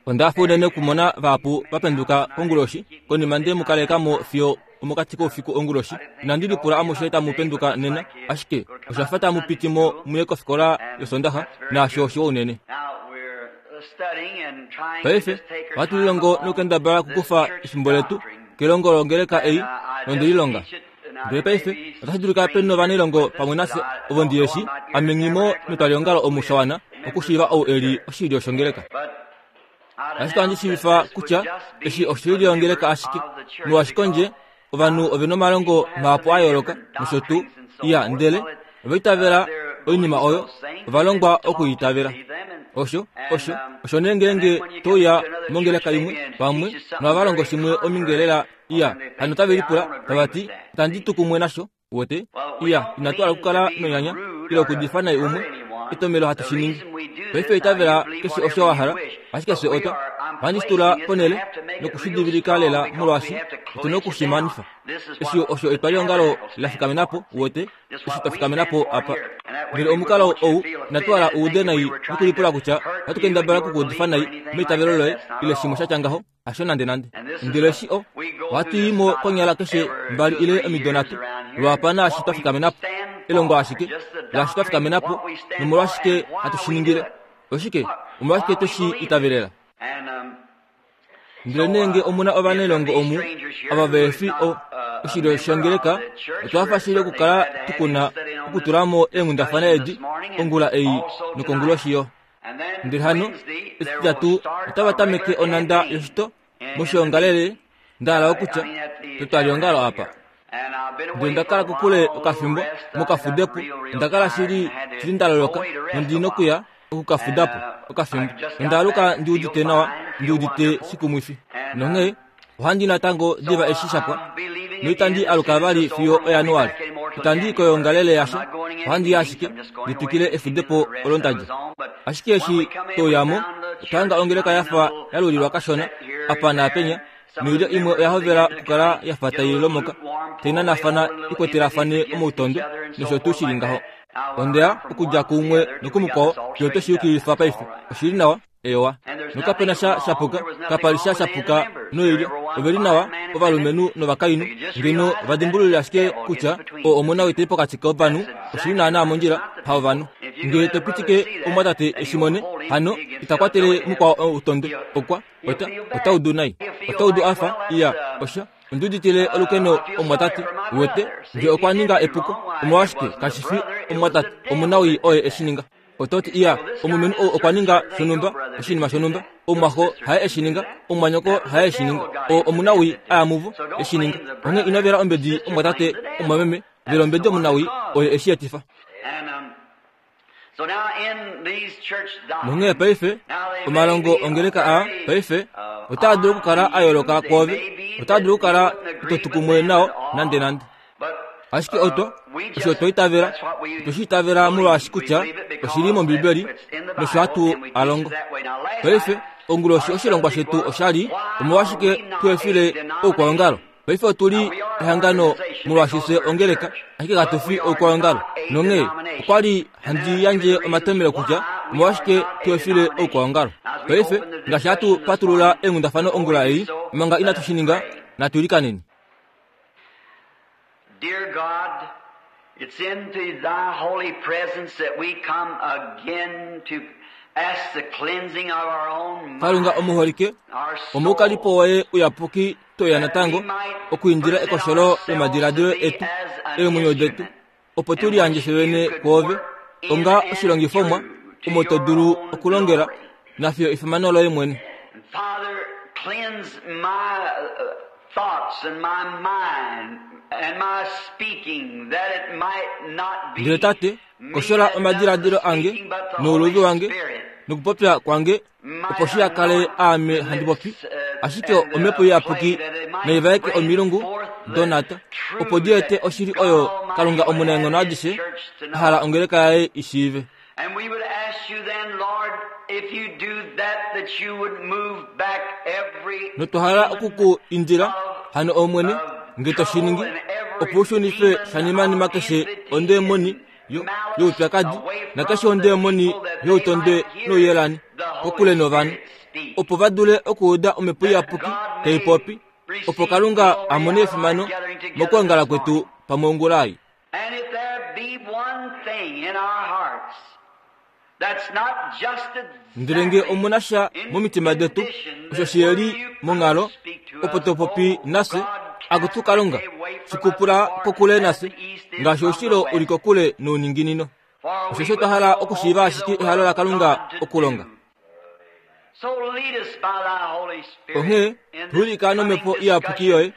Onda hafa unene okumona vahapu va penduka konguloshi konima nde mu kaleka mo fiyo omokati koufiku onguloshi. Inandi lipula amushe tamu penduka nena, ashike osha fa tamu piti mo muye kofikola yOsondaxa, naasho oshiwa unene. Paife ohatu lilongo nokukendabala okukufa efimbo letu kelongo longeleka ei nonde lilonga. Ndele paife otashi dulika pe novanailongo pamwe nafye ovo ndi yeshi ame nghi mo metwaliongalo omu sha wana okushiiva ou e li oshilyo shongeleka. Ashike ohandi shiivifa kutya eshi oshilyo yongeleka ashike, molwaashi kondje ovanhu ove nomalongo mahapu a yooloka nosho tuu, iya, ndele ova itavela oinima oyo, ova longwa oku i itavela. Osho, osho, osho nee ngeenge to uya mongeleka imwe pamwe nohava longo shimwe ominge lela Iya, hano otave lipula tava ti, Itandi tu kumwe nasho, uwete. Iya, inatu hala okukala nonyanya ile okudifa nai umwe. Etomhelo hatu shi ningi. Paife itavela keshe osho wa hala, ashike fye otwa. Ohandi shi tula ponhele noku shi divilika lela molwaashi otu na oku shi manifa. Eshi osho etwaliongalo la fikamena po, uwete, eshi twa fikamena po apa. Ndele omukalo ou inatu hala u ude nai nokulipula kutya ohatu kendabala oku ku udifa nai meitavelo loye ile shimwe sha tya ngaho. Hasho nandenande. Ndele eshi o, ohatu i mo konyala keshe mbali ile omido nhatu lwaapa naashi twa fikamena po. Elongo ashike laashi twa fikamena po nomolwashike hatu shi ningile. Oshike? Omolwashike twe shi itavelela? Ndele nee nge omu na ovanailongo omu ava vehe fi o, oshilyo shongeleka, otwa hafa shili okukala tu ku na okutula mo eenghundafana edi ongula ei nokonguloshi yo. Ndele hano etitatu otava tameke onhanda yoshito moshiongalele nda hala okutya petwaliongalo apa. Ndele onda kala kokule okafimbo mokafudepo, onda kala shili shili nda loloka nondi nokuya okukafuda po okafimbo. Onda aluka ndi udite nawa, ndi udite shikumwifi. Nonghee Ohandi natango diva eshi sha pwa, noitandi aluka vali fiyo oJanuali. Itandi i koyoongalele yasha, ohandi i ashike ndi twikile efudepo olo nda dja. Ashike eshi twe uya mo, otwa hanga ongeleka ya fa ya lulilwa kashona apa naapenya, noilyo imwe oya hovela okukala ya fa tai lomoka, tai nanafana i kwetelafane omautondwe nosho tuu shi li ngaho. Onde ya okudja kuumwe nokumukwao fiyo twe shi yukililifa paife. Oshi li nawa. Eyowa. Nokape na sha shapuka, kapa li sha shapuka noilyo. Ove li nawa, ovalumenhu novakainhu. Ngeno va dimbululile ashike kutya o omona wete pokati kovanhu, oshi li naanaa mondjila, haovanhu. Ngele to pitike omumwatate e shi mone, hano ita kwatele mukwao outondwe. Okwa, ota, ota udu nai. Ota udu a fa, iya, osha. Ondi uditile olukeno omumwatate, wete, nge okwa ninga epuko. Omolwashike kashi fi omumwatate omunawii oye e shi ninga? Oto ti, Iya, omulumenhu ou okwa ninga shonhumba, oshinima shonhumba. Omumwaxo haye e shi ninga. Omumwanyoko haye e shi ninga. O, omunawii a ya muvo, e shi ninga. Onghee ino vela ombedi omumwatate, omumwameme. Vela ombedi omunawii, oye e shi etifa. Nonghee paife, omalongo ongeleka aa, paife, otaa dulu okukala a yooloka kwoove. Otaa dulu okukala ito tu kumwe nao nandenande. Ashike otwa, osho otwa itavela, otwe shi itavela molwaashi kutya oshi li mOmbibeli nosho hatu a longo. Paife, onguloshi oshilongwa shetu osha li, Omolwashike tu efile oukwaongalo? Paife otu li ehangano molwaashi fye ongeleka, ashike katu fi oukwaongalo. Nonghee okwa li handi yandje omatomhelo kutya omolwashike tu efile oukwaongalo. Paife, ngaashi hatu patulula eenghundafano ongula ei, omanga inatu shi ninga, natu ilikaneni. Dear God, it's into thy holy presence that we come again to ask the cleansing of our own Kalunga mind, omuholike, our omoukalipo soul, woye uyapuki toya that natango we might okuindila present ekosholo ourselves to lomadiladilo thee etu as an eemwenyo detu instrument opo tu in liyandje which fye you vene could kwoove work in onga and oshilongifomwa through to omo to your dulu own okulongela glory. nafiyo efimano loye mwene. And Father, cleanse my thoughts and my mind and my speaking that it might not be Ndele Tate, me koshola that does the omadiladilo ange speaking, but the Holy nouluvi wange Spirit nokupopya kwange might opo shi kale anoint aame the handi popi lips ashike and omhepo the iyapuki clay that it might nai vaeke bring omilungu forth the donata opo truth di ete that oshili God oyo Almighty Kalunga would have omunaenghono His adishe church to a hala know. ongeleka yaye i shiive. And we would ask you then, Lord, if you do that, that you would move back every Notwa hala oku demon ku indila of, hano Omwene, of nge to shi trouble ningi, and opo every u shunife demon shanimanima of keshe enmity ondeemoni and yo, malice youpyakadi away nakeshe from the ondeemoni people that they youtondwe might hear nouyelani the kokule novanhu, opo va dule okuuda Omhepo Iyapuki tai popi, opo Kalunga a mone efimano mokwoongala kwetu pamwe ongula ei. Ndele nge omu na sha momitima detu osho shi li monghalo, opo to popi nafye, akutu Kalunga, shi kupula kokule nafye, ngaashi oushilo u li kokule nouninginino. Osheshi otwa hala okushiiva ashike ehalo laKalunga okulonga. Onghee tu wilika nomhepo iyapuki yoye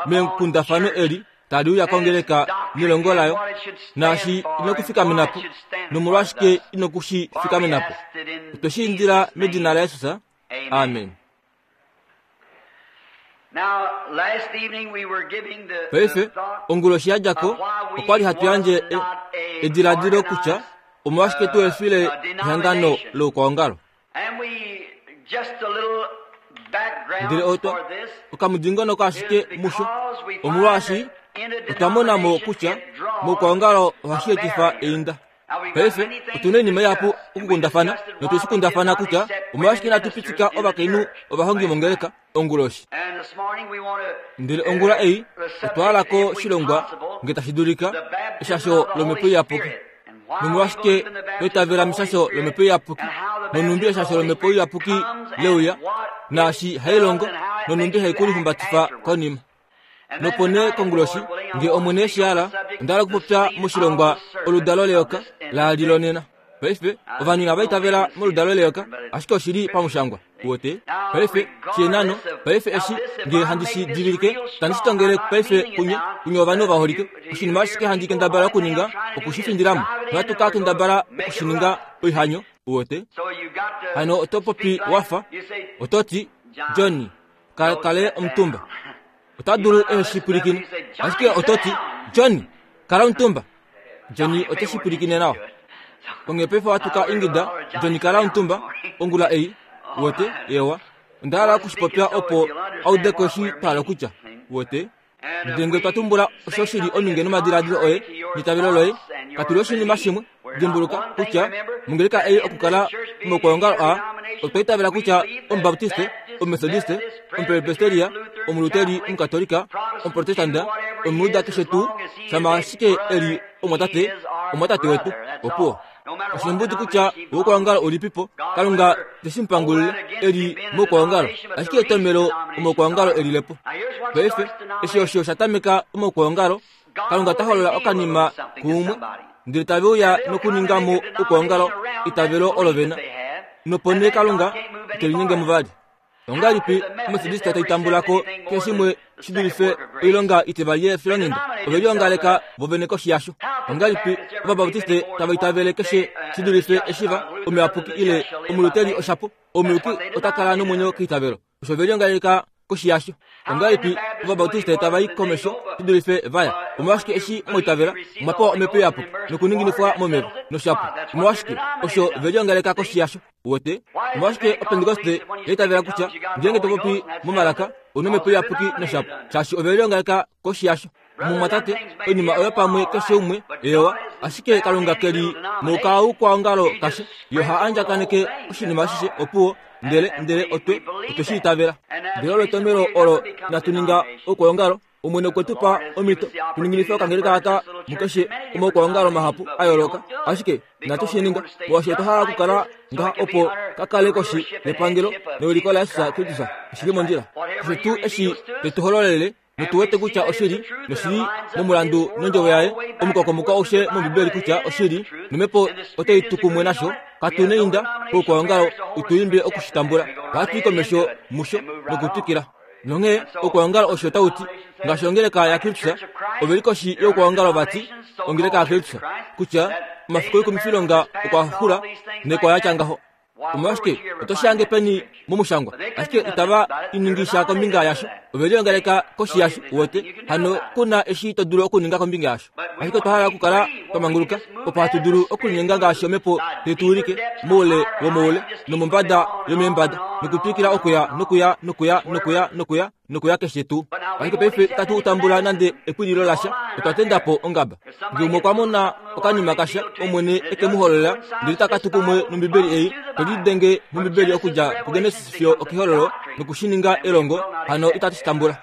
mekundafano eli tali uya kongeleka nelongo layo, naashi inokufikamena po, nomolwashike inoku shi fikamena po. Otwe shi indila medina laJesus. Amen. Paife, onguloshi ya dja ko, okwa li hatu yandje e, ediladilo kutya omolwashike tu efile ehangano loukwaongalo. Ndele otwa okamudingonoko ashike musho, omolwaashi otwa mona mo kutya moukwaongalo ohashi etifa einda. Paife otu na oinima ihapu okukundafana notu shi kundafana kutya omolwashike inatu pitika ovakainhu ovahongi mongeleka onguloshi. Ndele ongula ei otwa hala ko shilongwa nge tashi dulika eshasho lomhepo iyapuki. Nomolwashike twa itavela meshasho lomhepo iyapuki nonhumbi eshasho lomhepo iyapuki leuya naashi hai longo nonhumbi hai ku lihumbatifa konima. Nopo nee konguloshi, nge Omwene eshi hala, onda hala okupopya moshilongwa Oludalo Leyoka la li lonena. Paife, ovanhu inava itavela moludalo leyoka, ashike oshi li pamushangwa. Uwete? Paife, shienano, paife eshi, nge handi shi divilike, tandi shi tongele paife kunye, kunye ovanhu ovaholike. Oshinima ashike handi kendabala okuninga, oku shi findila mo. Nohatu ka kendabala oku shi ninga oihanyo, uwete. Hano oto popi wa fa, oto ti, Johnny, ka kale omutumba. Ota dulu ehe shi pwilikine. Ashike oto ti, Johnny, kala omutumba. Johnny ote shi pwilikine nawa. Onghee paife ohatu ka ingida, Johnny kala omutumba, ongula ei. Uwete? Ewa. Onda hala oku shi popya opo a ude ko eshi twa hala okutya. Uwete? Ndele ngee twa tumbula osho shi li ominge nomadiladilo oye neitavelo loye, katu li oshinima shimwe. Dimbuluka kutya mongeleka ei okukala momaukwaongalo aa, otwa itavela kutya Omubaptiste, Omumetodiste, Omupresbiteria, Omuluteri, Omukatolika, Omuprotestanda, Omuyuda keshe tuu, shama ashike e li omumwatate, omumwatate wetu. Opuwo. Oshimbudi kutya oukwaongalo ulipipo, Kalunga te shi mu pangulile e li moukwaongalo, ashike etomhelo omaukwaongalo e lile po. Paife, eshi osho sha tameka omaukwaongalo, Kalunga ta holola okanima kuumwe, ndele tave uya nokuninga mo oukwaongalo eitavelo olo ve na, nopo nee Kalunga ite linyenge mo vali. Ongahelipi Ometodista tai tambula ko keshe shimwe shi dulife oilonga itivali yefilonghenda? Ove liongaleka vo vene koshi yasho. Ongahelipi Ovabautiste tava itavele keshe shi dulife eshi va omuyapuki ile omuluteli oshapo? Omuyuki ota kala nomwenyo keitavelo. Osho ve liongaleka koshi yasho. Ongahelipi Ovabautiste tava i komesho shi dulife va ya? Omolwashike eshi mwa itavela mwa pewa Omhepo Iyapuki nokuninginifwa momeva noshapo? Omolwashike osho ve liongaleka koshi yasho? Uwete? Omolwashike Opentekoste ya itavela kutya ngeenge to popi momalaka ou na Omhepo Iyapuki noshapo? Shaashi ove liongaleka koshi yasho. Mumwatate, oinima oyo pamwe keshe umwe, eewa, ashike Kalunga ke li mokaukwaongalo kashe. Ye oha andjakaneke oshinima ashishe, opuwo, ndele, ndele otwe, otwe shi itavela. Ndele olo etomhelo olo inatu ninga oukwaongalo. Omwene okwe tu pa omhito tu ninginife okangeleka aka mukeshe omaukwaongalo mahapu a yooloka, ashike inatu shi ninga molwaashi otwa hala okukala ngaha opo ka kale koshi yepangelo newiliko laJesus Kristus. Oshi li mondjila. Keshe tuu eshi te tu hololele notu wete kutya oshili noshili momulandu nondjovo yaye omukokomoko aushe mombibeli kutya oshili nomhepo otai tu kumwe nasho katu neinda poukwaongalo utu imbe oku shi tambula ohatu i komesho musho nokutwikila nonghee oukwaongalo osho tau ti ngaashi ongeleka yakristus ove li koshi youkwaongalo vati ongeleka yakristus kutya omafiku oikumifilonga okwa xula nekwa ya tya ngaho Omolwashike oto shange peni momushangwa, ashike itava iningisha kombinga yasho. Ove liongaleka koshi yasho, uwete, hano ku na eshi to dulu okuninga kombinga yasho. Ashike otwa hala okukala twa manguluka opo hatu dulu okulinyenga ngaashi omhepo tai tu wilike moule womoule nomombada yomeembada nokutwikila okuya nokuya nokuya nokuya nokuya nokuya keshe tuu. Ashike paife itatu tambula nande ekwililo lasha, otwa tenda po ongaba. Nge umwe okwa mona okanima kasha, Omwene e ke mu holola, ndele taka tu kumwe nOmbibeli ei, to lidenge mOmbibeli okudja kuGenesis fiyo okEhololo noku shi ninga elongo, hano itatu shi tambula.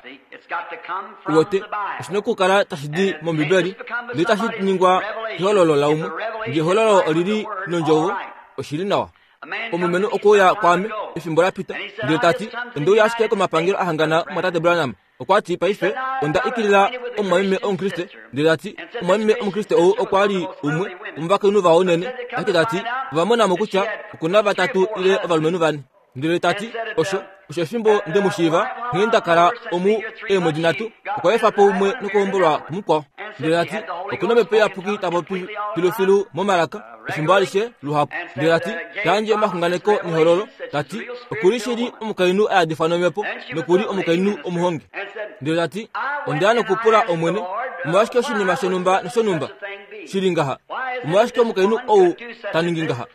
Uwete, oshi na okukala tashi di mOmbibeli, ndele tashi ningwa kehololo laumwe. Nge ehololo oli li nOndjovo, oshi li nawa. Omulumenhu okwe uya kwaame efimbo la pita, ndele ta ti, Onde uya ashike komapangelo a hangana omumwatate Branham. Okwa ti, Paife, onda ikilila omumwameme Omukriste. Ndele ta ti, Omumwameme Omukriste ou okwa li umwe womovakainhu vawa unene. Ashike ta ti, Ova mona mo kutya oku na vatatu ile ovalumenhu vane. Ndele ta ti, Osho, osho efimbo nde mu shiiva, nghee nda kala omu eemwedi nhatu, okwa efa po umwe nokuhombolwa kumukwao. Ndele ta ti, Oku na Omhepo Iyapuki ta popi filufilu momalaka, efimbo alishe, luhapu. Ndele ta ti, Ta yandje omaxunganeko nehololo. Ta ti, Oku li shili omukainhu a yadifwa nOmhepo, noku li omukainhu omuhongi. Ndele ta ti, Onda ya nokupula Omwene, omolwashike oshinima shonhumba noshonhumba shi li ngaha? Omolwashike omukainhu ou ta ningi ngaha?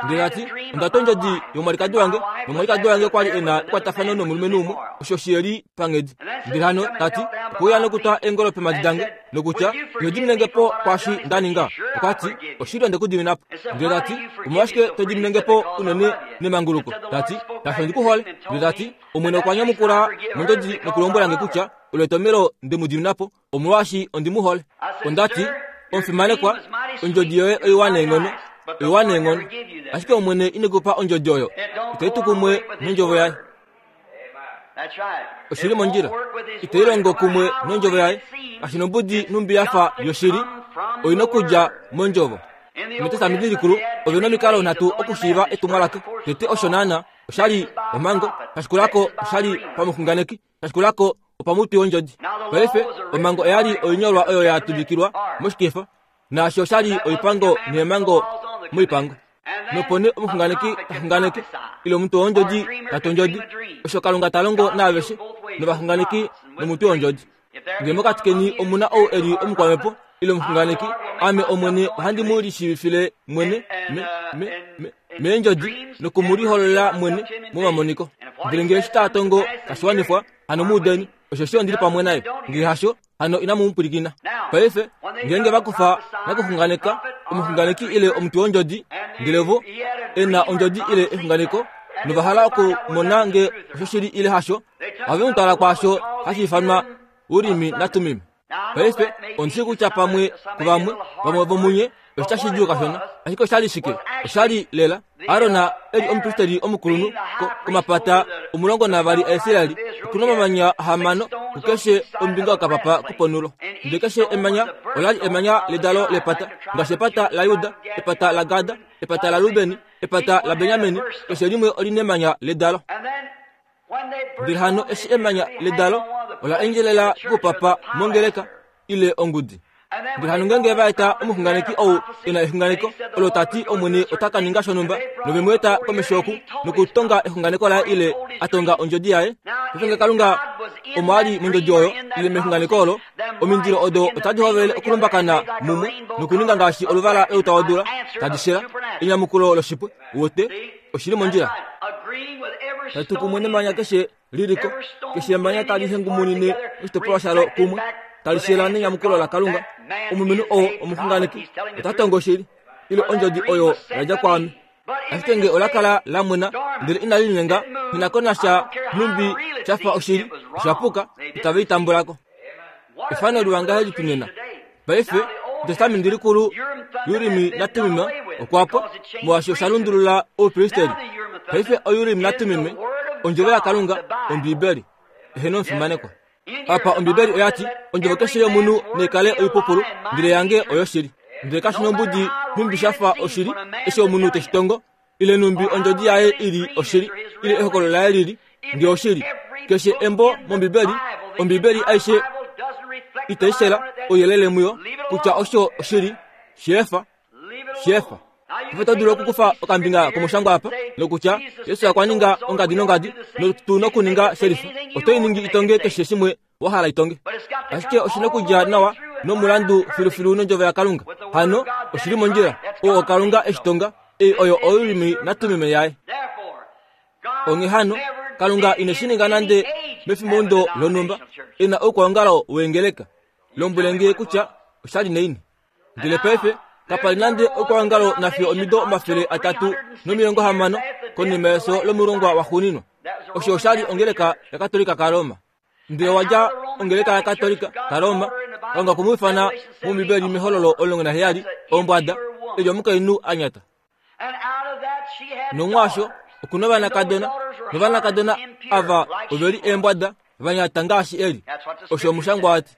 Ndele a ti, Onda twa ondjodi yomwalikadi wange, nomwalikadi wange kwa li e na ekwatafano nomulumenhu umwe, osho shi li panghedi. Ndele hano ta ti, Okwe uya nokutwa eengolo peemhadi dange, nokutya, Ino dimine nge po kwaashi nda ninga? Okwa ti, Oshili onde ku dimina po. Ndele ta ti, Omolwashike to dimine nge po unene nemanguluko? Ta ti, Shaashi ondi ku hole. Ndele ta ti, Omwene okwa nyamukula mondjodi nokulombwela nge kutya, Olo etomhelo nde mu dimina po, omolwaashi ondi mu hole. Onda ti, Omufimanekwa, ondjodi yoye oiwa neenghono, oiwa neenghono. Ashike Omwene ine ku pa ondjodi oyo. Itai tu kumwe nondjovo yaye. Oshi li mondjila. Itai longo kumwe nondjovo yaye. Kashi nombudi nhumbi ya fa yoshili, oi nokudja mondjovo. Metestamenti likulu, ove nomikalo nhatu okushiiva etumwalaka. Tete osho naana, osha li omhango, kashikulako osha li pamuxunganeki, Kashikulako opamutwi wondjodi. Paife, omhango oya li oinyolwa oyo ya tuvikilwa moshikefa, naasho osha li oipango neemhango moipango. Nopo nee omuxunganeki ta xunganeke, ile omutwe wondjodi ta tu ondjodi, osho Kalunga ta longo naaveshe, novaxunganeki nomutwe wondjodi. Ngee mokati keni omu na ou e li omukwamhepo ile omuxunganeki, ame Omwene ohandi mu lishiivifile mwene me, me, me, meendjodi noku mu lihololela mwene momamoniko. Ndele ngee eshi taa tongo tashi wanifwa, hano mu udeni, osheshi ondi li pamwe naye. Ngee hasho, hano inamu mu pwilikina. Paife, ngeenge va kufa nakuxunganeka, omuxunganeki ile omutwi wondjodi, ndele vo e na ondjodi ile exunganeko, nova hala okumona nge oshoshili ile hasho, ohave mu twala kwaasho hashi ifanwa Urimi naTumim. Paife, ondi shii kutya pamwe kuvamwe, vamwe vomunye, osha shidjuu kashona. Ashike osha li shike? Osha li lela. Aron e li omupristeli omukulunhu komapata 12 aIsraeli, oku na omamanya ahamano kukeshe ombinga yokapapa koponhulo. Ndele keshe emanya ola li emanya ledalo lepata, ngaashi epata laJuda, epata laGad, epata laRuben, epata laBenjamin, keshe limwe oli nemanya ledalo. Ndele hano eshi emanya ledalo ola endjelela kupapa mongeleka ile ongudi. Ndele hano ngeenge va eta omuxunganeki ou e na exunganeko olo ta ti Omwene ota ka ninga shonhumba, nove mu eta komesho oku nokutonga exunganeko laye ile a tonga ondjodi yaye, paife nge Kalunga omo a li mondjodi oyo ile mexunganeko olo, omindilo odo otadi hovele okulumbakana mumwe nokuninga ngaashi oluvala louta wodula tadi shela, enyamukulo loshipwe. Uwete, oshi li mondjila. Tali tu kumwe nemanya keshe li li ko, keshe emanya tali hengumunine oshitopolwa shalo kumwe, tali shela nenyamukulo laKalunga. Omulumenhu oo omuxunganeki ota tongo oshili, ile ondjodi oyo ya dja kwaame. Ashike nge ola kala la mwena ndele inali linyenga, nghi na ko nasha nhumbi sha fa oshili, osha puka, itave i tambula ko. Efano liwa ngahelipi nena! Paife, Etestamenti Likulu, Urimi naTummim okwa pwa, molwaashi osha lundulula oupristeli. Paife oUrim naTummim, Ondjovo yaKalunga, Ombibeli. Eheno omufimanekwa. Apa Ombibeli oya ti, Ondjovo keshe yomunhu nai kale oipupulu, ndele yange oyoshili. Ndele kashi nombudi nhumbi sha fa oshili, eshi omunhu te shi tongo, ile nhumbi ondjodi yaye i li oshili, ile ehokololo laye li li nge oshili. Keshe embo mOmbibeli, Ombibeli aishe itai shela ouyelele muyo kutya osho oshili, sheefa, sheefa. Ove oto dulu okukufa okambinga komushangwa apa nokutya Jesus okwa ninga ongadi nongadi notu nokuninga shelifa. Oto i ningi itonge keshe shimwe wa hala itonge. Ashike oshi na okudja nawa nomulandu filufilu nondjovo yaKalunga. Hano oshi li mondjila. Oo oKalunga e shi tonga. Ei oyo Ourimi naTumim yaye. Onghee hano, Kalunga ine shi ninga nande mefimbomudo lonhumba e na oukwaongalo weengeleka. Lombwele nge kutya osha li naini. Ndele paife kapa li nande oukwaongalo nafiyo omido 360 konima yefyo lomulongwa waxuuninwa. Osho osha li ongeleka yaKatolika kaRoma. Ndele wa dja ongeleka yaKatolika kaRoma, Kalunga okwe mu ifana mOmbibeli mEhololo 17, ombwada, e li omukainhu a nyata. Nomwaasho oku na ovanakadona, novanakadona ava ove li eembwada va nyata ngaashi Eli. Osho omushangwa wa ti.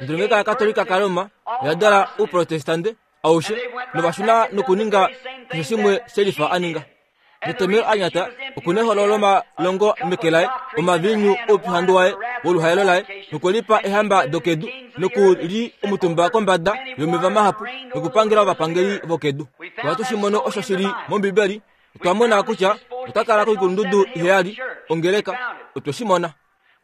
Ndele ongeleka yaKatolika kaRoma oya dala Ouprotestande aushe, nova shuna nokuninga keshe shimwe she lifa a ninga. Netomhelo a nyata oku na eholo lomalongo meke laye, omaviinyu oupyuhandu waye woluhaelo laye, nokwe lipa eehamba dokedu, noku li omutumba kombada yomeva mahapu, nokupangela ovapangeli vokedu. Ohatu shi mono osho shi li mOmbibeli. Otwa mona kutya ota kala koikulundudu iheyali, ongeleka. Otwe shi mona.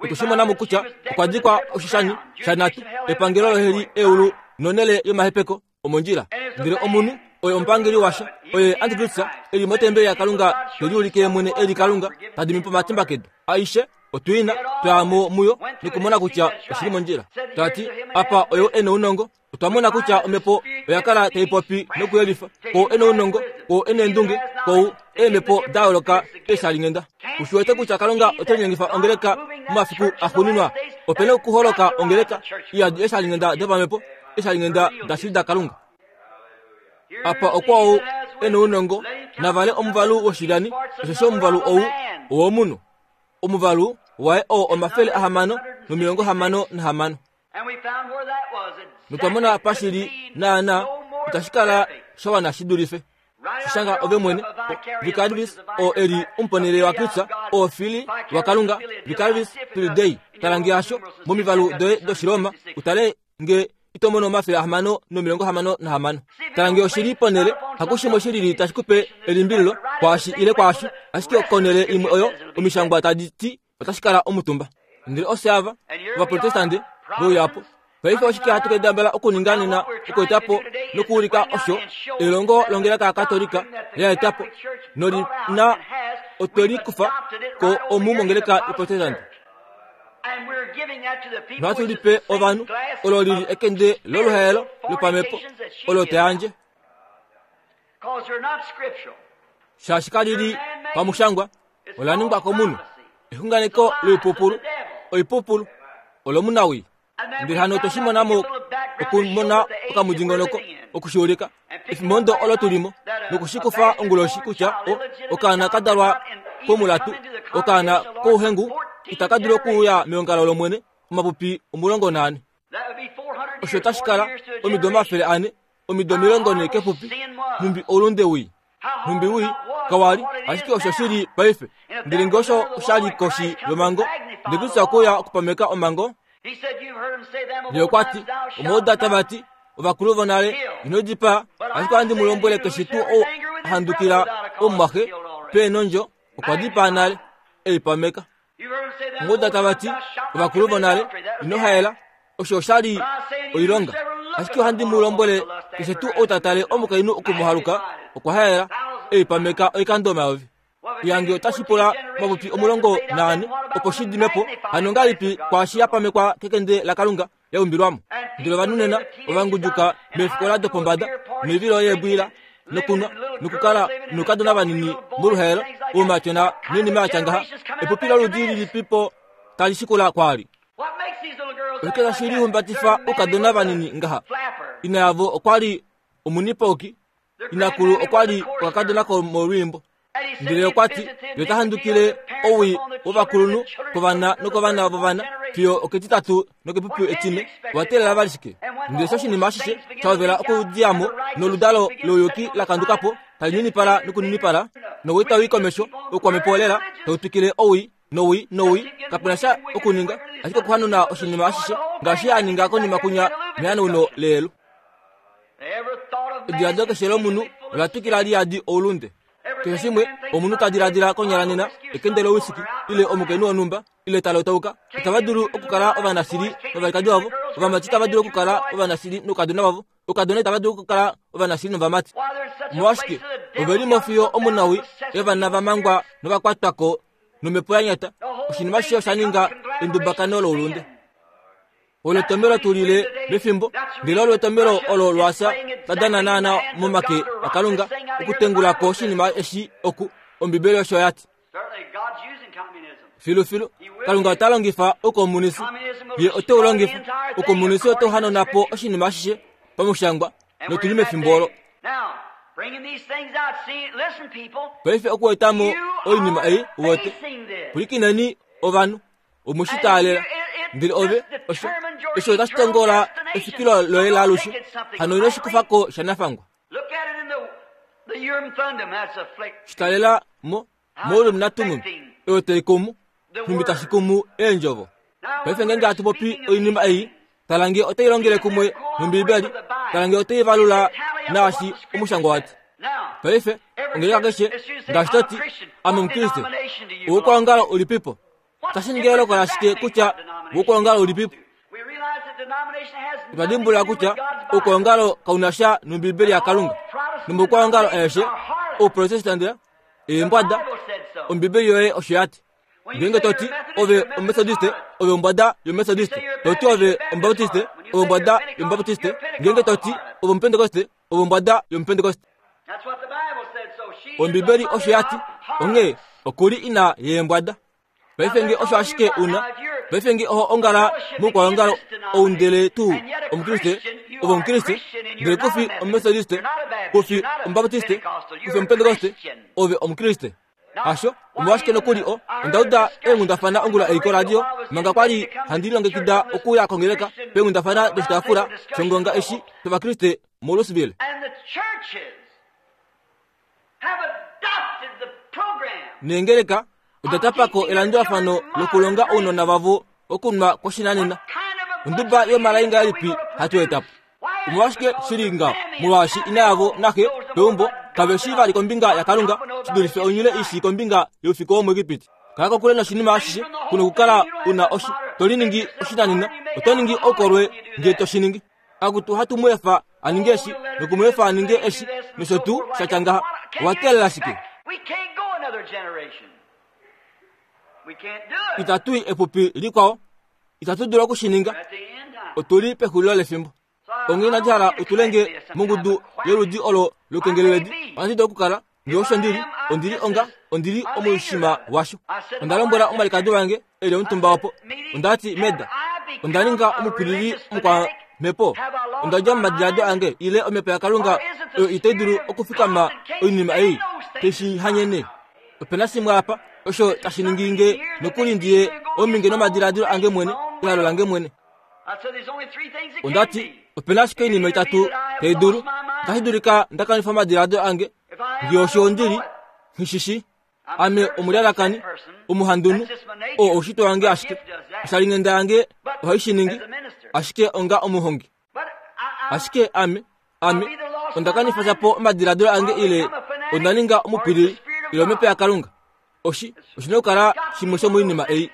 Otwe shi mona mo kutya okwa dikwa oshishani shanhatu, epangelo loheli, eulu nonhele yomahepeko. omondjila. Ndele omunhu oye omupangeli washo, oye Antikristus e li motembeli yaKalunga te liulike ye mwene e li Kalunga, ta dimi po omatimba kedu. Aishe otu i na, twa ya mo muyo nokumona kutya oshi li mondjila. Ta ti, Apa oyou e nounongo. Otwa mona kutya omhepo oya kala tai popi nokuyelifa, Kou e nounongo, kou e neendunge, kou eemhepo da yooloka eeshalinghenda. U shi wete kutya Kalunga ote linyengifa ongeleka momafiku axuuninwa? Ope na okuholoka ongeleka iyadi eeshalinghenda dopamhepo. Eeshalinghenda dashili daKalunga. Apa okwa ou e nounongo, na vale omuvalu woshilyani, osheshi omuvalu ou owomunhu. Omuvalu waye oo 666. Notwa mona apa shi li naanaa, itashi kala sha wana shi dulife. Shi shanga ove mwene, Vicarius, oo e li omuponele waKristus, oo Fili waKalunga, Vicarius Filii Dei. Tala nge hasho momivalu doye dOshiroma, u tale nge ito mono 666. Tala nge oshi li ponhele, hakushimwe shi lili tashi ku pe elimbililo kwaashi ile kwaasho, ashike konhele imwe oyo Omishangwa tadi ti otashi kala omutumba. Ndele ofye ava, Ovaprotestante, ve uya po. Paife oshike hatu kendabala okuninga nena okueta po nokuulika osho elongo longeleka yaKatolika la eta po noli na otwe li kufa ko omu mongeleka yoProtestante. Nohatu li pe ovanhu olo li li ekende loluhaelo lopamhepo olo ta yandje. Shaashi kali li pamushangwa, ola ningwa komunhu. Exunganeko loipupulu, oipupulu, olomunawii. Ndele hano otwe shi mona mo okumona okamudingonoko oku shi ulika efimbo olo tu li mo noku shi kufa onguloshi kutya o, okaana ka dalwa komulatu, okaana kouhengu itaka dulu okuuya meongalo lOmwene omapupi 14. Osho otashi kala omido 400, omido 40 kepupi, nhumbi oulunde wii. Nhumbi wii kawa li, ashike osho shi li paife. Ndele nge osho osha li koshi yomhango, ndele Kristus okwe uya okupameka omhango, Ye okwa ti, Omwa uda tava ti, ovakulu vonale, ino dipaa, ashike ohandi mu lombwele keshe tuu ou a handukila omumwaxe pe nondjo, okwa dipaa nale. E i pameka. Omwa uda tava ti, ovakulu vonale, ino haela, osho osha li oilonga. Ashike ohandi mu lombwele keshe tuu ou ta tale omukainhu oku mu haluka, okwa haela. E i pameka oikando 1000. Yange otashi pula omapupi 14 opo shi dime po, hano ongahelipi kwaashi ya pamekwa kekende laKalunga ya umbilwa mo? Ndele ovanhu nena ova ngudjuka meefikola dopombada noivilo yeebwila nokunwa nokukala noukadona vanini moluhaelo, oumatyona noinima ya tya ngaha. Epupi loludi lilipi po tali shikula kwaali? Oshike tashi lihumbatifa oukadona vanini ngaha? Ina yavo okwa li omunipauki Inakulu okwa li okakadona komolwiimbo. Ndele okwa ti, Ye ota handukile owii wovakulunhu kovana nokovana vovana fiyo oketitatu nokepupi etine. Owa teelela vali shike? Ndele sho oshinima ashishe sha hovela okudiya mo, noludalo louyuki la kanduka po, tali ninipala nokuninipala, nowii tau i komesho, oukwamhepo lela tau twikile owii nowii nowii, kape na sha okuninga ashike okuhanuna oshinima ashishe ngaashi a ninga konima kunya mehanauno leyelu. Ediladilo keshe lomunhu ola twikila li yadi oulunde. Keshe shimwe omunhu ta diladila konyala nena, ekende lowisiki ile omukainhu wonhumba. ile talotauka. Itava dulu okukala ovanashili novalikadi vavo. Ovamati itava dulu okukala ovanashili noukadona vavo. Oukadona itava dulu okukala ovanashili novamati. Omolwashike ove li mo fiyo omunawi yovana va mangwa nova kwatwa ko nomhepo ya nyata. Oshinima shishe osha ninga endubakano loulunde. Olo etomelo tu lile mefimbo, ndele olo etomelo olo lwasa la dana naana momake aKalunga okutengula ko oshinima eshi oku. Ombibeli osho ya ti. Filufilu, Kalunga ota longifa oukomunisi. Ye ote u longifa. Oukomunisi otau hanona po oshinima ashishe pamushangwa, notu li mefimbo olo. Paife okueta mo oinima ei, uwete. Pwilikineni ovanhu. Omwe shi taalela. Ndele ove, osho, osho otashi tongola efikilo loye laalushe. Hano ino shi kufa ko shanafangwa. Shi talela mo, moUrim naTummim, oyo tai kumu, nhumbi tashi kumu Eendjovo. Paife ngeenge hatu popi oinima ei, tala nge otai longele kumwe nOmbiibeli, tala nge otai valula naashi omushangwa wa ti. Paife, ongeleka keshe, ngaashi to ti, Ame Omukriste. Oukwaongalo ulipipo? Otashi ningi eyooloko lashike kutya oukwaongalo ulipipo? Otwa dimbulula kutya oukwaongalo kau na sha nOmbiibeli yaKalunga. Nomoukwaongalo aeshe, Ouprotestante, eembwada, Ombiibeli yoye osho ya ti. Ngeenge to ti, Ove Ometodiste, ove ombwada yOmetodiste. To ti ove Omubaptiste, ove ombwada yOmubaptiste. Ngeenge to ti, ove Omupentekoste, ove ombwada yOmupentekoste. Ombibeli osho ya ti, onghee oku li ina yeembwada. Paife nge osho ashike u na, paife nge oho ongala moukwaongalo ou ndele tuu Omukriste, ove Omukriste, ndele ku fi Omumetodiste, ku fi Omubaptiste, ku fi Omupentekoste, ove Omukriste. Hasho, omolwashike nokuli o, onda uda eenghundafana ongula ei koradio, manga kwa li handi lilongekida okuya kongeleka, peenghundafana doshitaafula shongonga eshi shOvakriste moLouisville. Neengeleka oda tapa ko elandulafano lokulonga ounona vavo okunwa kwoshinanena. Onduba yomalai ngahelipi hatu eta po? Omolwashike shi li ngaho? Molwaashi ina yavo naxe peumbo kave shii vali kombinga yaKalunga shi dulife onyule i shii kombinga youfiku womuEgipiti. Kala kokule noshinima ashishe ku nokukala u na oshi to liningi oshinanena. Oto ningi oukolwe nge to shi ningi. Akutu hatu mu efa a ninge eshi noku mu efa a ninge eshi nosho tuu sha tya ngaha. Owa teelela shike? Itatu i epupi likwao. Itatu dulu oku shi ninga. Otu li pexulilo lefimbo. Onghee inandi hala u tule nge mongudu yoludi olo loukengeleledi. Ohandi dulu okukala nge osho ndi li. Ondi li onga, ondi li omushima washo. Onda lombwela omwalikadi wange e li omutumba opo. Onda ti, Meda, onda ninga omupwilili omukwamhepo. Onda dja momadiladilo ange ile omhepo yaKalunga oyo itai dulu okufikama oinima ei tai shi hanyene. Ope na shimwe apa osho tashi ningi nge nokuli ndi ye ominge nomadiladilo ange mwene, ehalo lange mwene. Onda ti, ope na ashike oinima itatu tai dulu. Otashi dulika nda kanifa omadiladilo ange, nge osho ondi li, nghi shi shii. Ame omulyalakani, omuhandunhu, oo oushitwe wange ashike. Oshalinghenda yange ohai shi ningi, ashike onga omuhongi. Ashike ame, ame, onda kanifa shapo omadiladilo ange ile onda ninga omupwilili ile omhepo yaKalunga. Oshi, oshi na okukala shimwe shomoinima ei.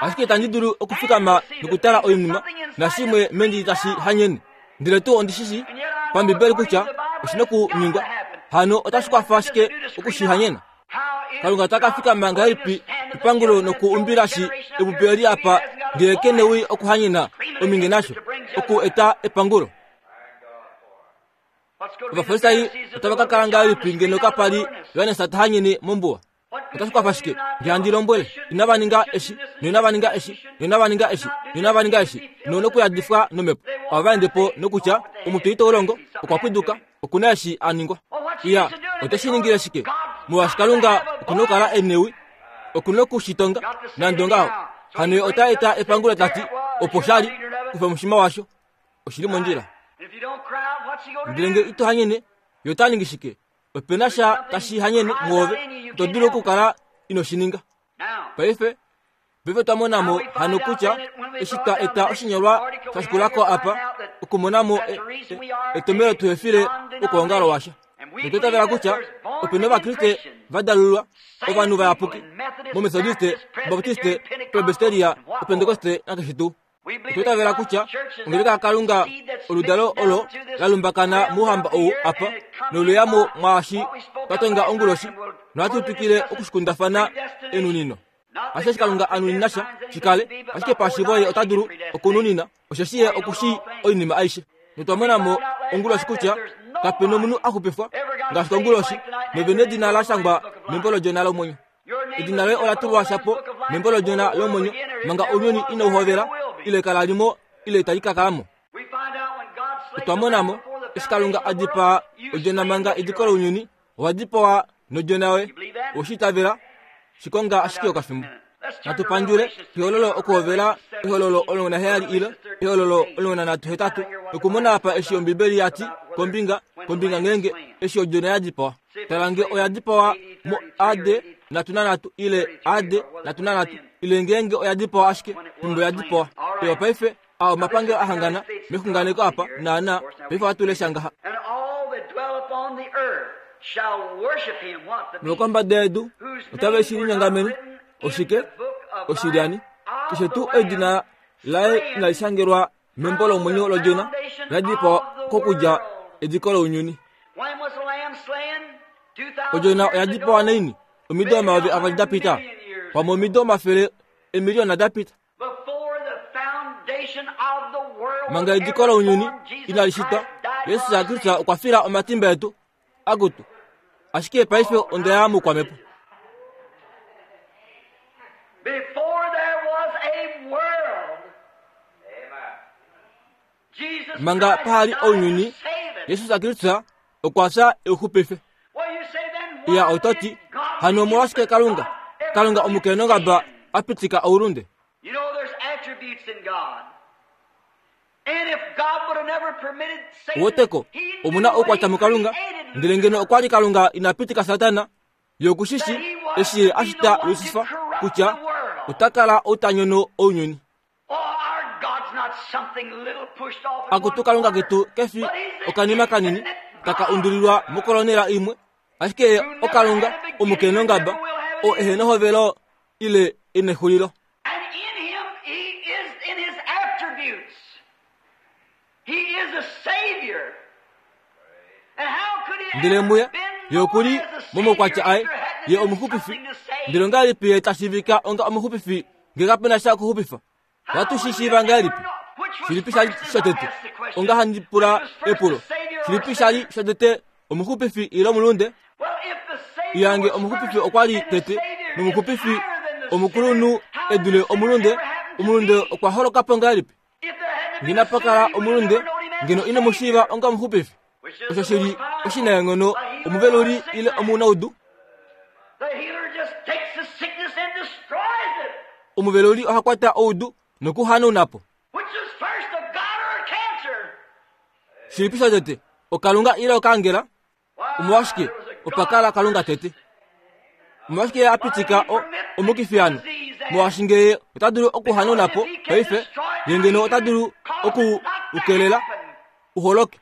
Ashike itandi dulu okufikama nokutala oinima nashimwe mendi tashi hanyene. Ndele tuu ondi shi shii pambibeli kutya oshi na okuningwa. Hano otashi kwafa ashike oku shi hanyena. Kalunga ota ka fikama ngahelipi epangulo noku umbila shi epupi eli apa ngee ke newi okuhanyena ominge nasho oku eta epangulo? Ovafarisai otava ka kala ngahelipi ngeno kapa li Johannes ta hanyene mombuwa? Otashi kwafa shike nge handi lombwele inava ninga eshi noinava ninga eshi noinava ninga eshi noinava ninga eshi nonokuyadifwa nomhepo? Ohava ende po nokutya omutwe itau longo, okwa pwiduka, oku na eshi a ningwa. Iya, ote shi ningile shike? Molwaashi Kalunga oku na okukala e newi, oku na oku shi tonga, nande ongaho. Hano ye ota eta epangulo ta ti, Opo sha li, kufa omushima washo. Oshi li mondjila. Ndele nge ito hanyene, ye ota ningi shike? Ope na sha tashi hanyene mwoove, ito dulu okukala ino shi ninga. Paife, Paife twa mona mo hano kutya eshi twa eta oshinyolwa sha shikula ko apa, okumona mo e, e, etomhelo tu hefile okwoongalo washa. Notwa itavela kutya ope na Ovakriste va dalululwa, ovanhu vayapuki, mOmetodiste, Obaptiste, Presbyteria, Opentekoste nakeshe tuu. Otwa itavela kutya ongeleka yaKalunga oludalo olo la lumbakana mouhamba ou apa noluya mo mwaashi twa tonga onguloshi nohatu twikile okushikundafana enunino. Ashe Kalunga a nunina sha shi kale, ashike pashivo ye ota dulu okununina, osheshi ye oku shii oinima aishe. Notwa mona mo onguloshi kutya kape nomunhu a xupifwa ngaashi konguloshi, nove nedina la shangwa membo lOdjona lomwenyo. Edina loye ola tulwa shapo membo lOdjona lomwenyo manga ounyuni inau hovela, ile kala li mo, ile itali ka kala mo. Otwa mona mo, eshi Kalunga a dipaa Odjona manga ediko lounyuni, owa dipawa nodjona yoye. Owe shi itavela? Shi konga ashike okafimbo. Natu pandjule ehololo okuhovela ehololo 17 ile ehololo 38 nokumona apa eshi Ombibeli ya ti kombinga kombinga ngeenge eshi odjona ya dipawa. Tala nge oya dipawa mo AD 33 ile AD 33 ile ngeenge oya dipawa ashike fimbo ya dipawa. Ewa paife a omapangelo a hangana mexunganeko apa naana paife ohatu lesha ngaha. Nokombada yedu otave shi linyongamene oshike oshilyani keshe tuu edina laye inali shangelwa membo lomwenyo lOdjona la dipawa kokudja ediko lounyuni. Odjona oya dipawa naini? Omido 2000 da pita, pamwe omido 100 000 da pita. Manga ediko lounyuni inali shitwa, Jesus Kristus okwa fila omatimba etu. Akutu, ashike paife onda ya moukwamhepo. Manga paha li ounyuni, Jesus Kristus okwa fya e u xupife. Iya, oto ti, hano omolwashike Kalunga, Kalunga omukenongaba a pitika oulunde? Uweteko, omu na oukwatya muKalunga, ndele ngeno okwa li Kalunga ina pitika Satana, ye oku shi shi eshi ye a shita Lusifa kutya ota kala ou ta nyono ounyuni. Akutu Kalunga ketu ke fi okanima kanini taka undulilwa mokolonela imwe, ashike ye oKalunga omukenongaba, oo ehe nehovelo ile e nexulilo. Ndele muye ye oku li momaukwatya aye, ye omuxupifi. Ndele ongahelipi ye ta shiivika onga omuxupifi nge kape na sha okuxupifa? Ohatu shi shiiva ngahelipi? Shilipi sha li shotete? Onga handi pula epulo. Shilipi sha li shotete, omuxupifi ile omulunde? Iyange omuxupifi okwa li tete, nomuxupifi omukulunhu e dule omulunde. Omulunde okwa holoka po ngahelipi? Ngeno pa kala omulunde, ngeno ino mu shiiva onga omuxupifi. Osho shi li oshinaenghono omuveluli ile omunaudu. Omuveluli oha kwata oudu nokuhanauna po. Shilipi shotete, okalunga ile okaangela? Omolwashike opa kala Kalunga tete? Omolwashike ye a pitika o, omukifi hano? Molwaashi nge ye ota dulu okuhanauna po paife, ye ngeno ota dulu oku u kelela u holoke.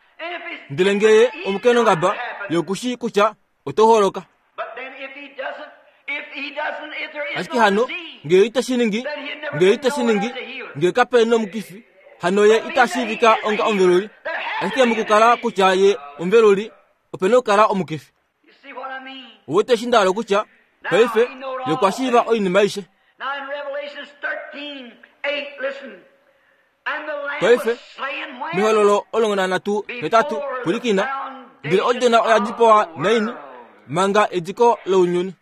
Ndele nge ye omukenongaba, ye oku shii kutya oto holoka. Ashike hano nge ite shi ningi, nge ite shi ningi, nge kape nomukifi, hano ye ita shiivika onga omuveluli. Ashike mokukala kutya ye omuveluli, ope na okukala omukifi. Ouwete eshi nda hala okutya? Paife, ye okwa shiiva oinima aishe. Paife, mehololo 13:8, pwilikina, ndele Odjona oya dipawa naini? Manga ediko lounyuni.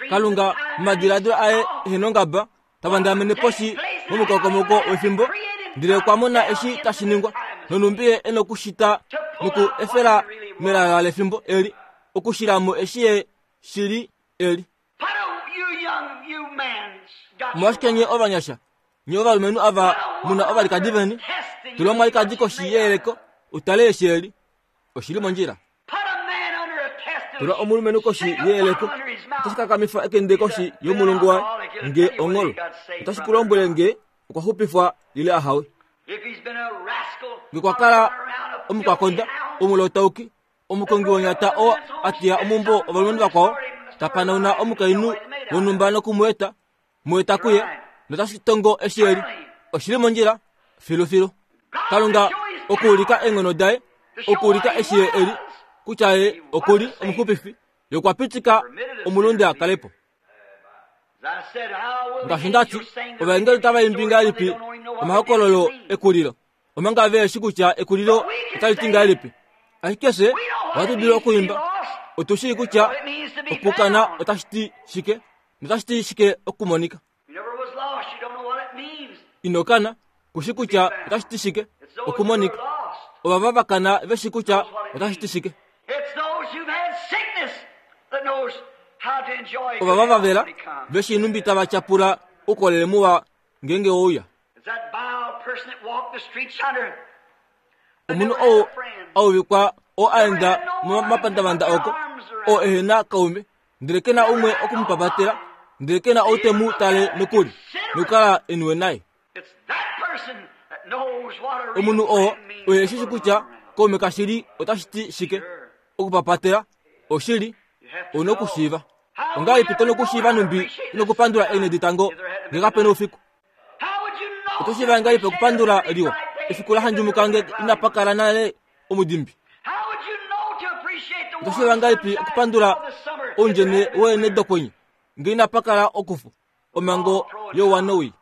Kalunga, momadiladilo aye ehenongaba, ta vandamene poshi momukokomoko wefimbo, ndele okwa mona eshi tashi ningwa, nonhumbi ye e nokushita noku efela melala lefimbo eli, okushila mo eshi ye shili eli. Omolwashike nye ovanyasha, nye ovalumenhu ava mu na ovalikadi veni, tula omwalikadi koshi yeyeleko u tale eshi e li. Oshi li mondjila. Tula omulumenhu koshi yeyeleko, otashi kakamifa ekende koshi yomulungu waye nge ongolo. Otashi ku lombwele nge okwa xupifwa ile ahawe. Nge kwa kala omukwakonda, omulotauki, omukongi wonyata oo a teya omumbo ovalumenhu vakwao, ta panauna omukainhu wonhumba noku mu eta, mu eta kuye, notashi tongo eshi e li. Oshi li mondjila filufilu. Kalunga okuulika eenghono daye, okuulika eshi ye e li, kutya ye oku li omuxupifi, ye okwa pitika omulunde a kale po. Ngaashi nda ti, ovaengeli otava imbi ngahelipi omahokololo ekulilo, omanga ve shi kutya ekulilo otali ti ngahelipi? Ashike fye ohatu dulu okuimba. Otu shii kutya okukana otashi ti shike notashi ti shike okumonika. Ino kana, ku shi kutya otashi ti shike okumonika. Ovava va kana ve shi kutya otashi ti shike. Ovava va vela ve shii nhumbi tava tyapula oukolele muwa ngeenge we uya. Omunhu ou a uvikwa oo a enda momapandavanda oko, oo ehe na kaume, ndele ke na umwe oku mu papatela, ndele ke na ou te mu tale nokuli, nokukala e niwe naye. Omunhu oo oye shi shi kutya kaume kashili otashi ti shike. Okupapatela oshili ou na okushiiva. Ongahelipi to nokushiiva nhumbi nokupandula eenghedi tango ngee kape na oufiku? Oto shiiva ngahelipi okupandula liwa efiku la handjumuka nge inapa kala nale omudimbi? Oto shiiva ngahelipi okupandula oundjene weene dokwenye nge inapa kala okufu omhango youwa nowii?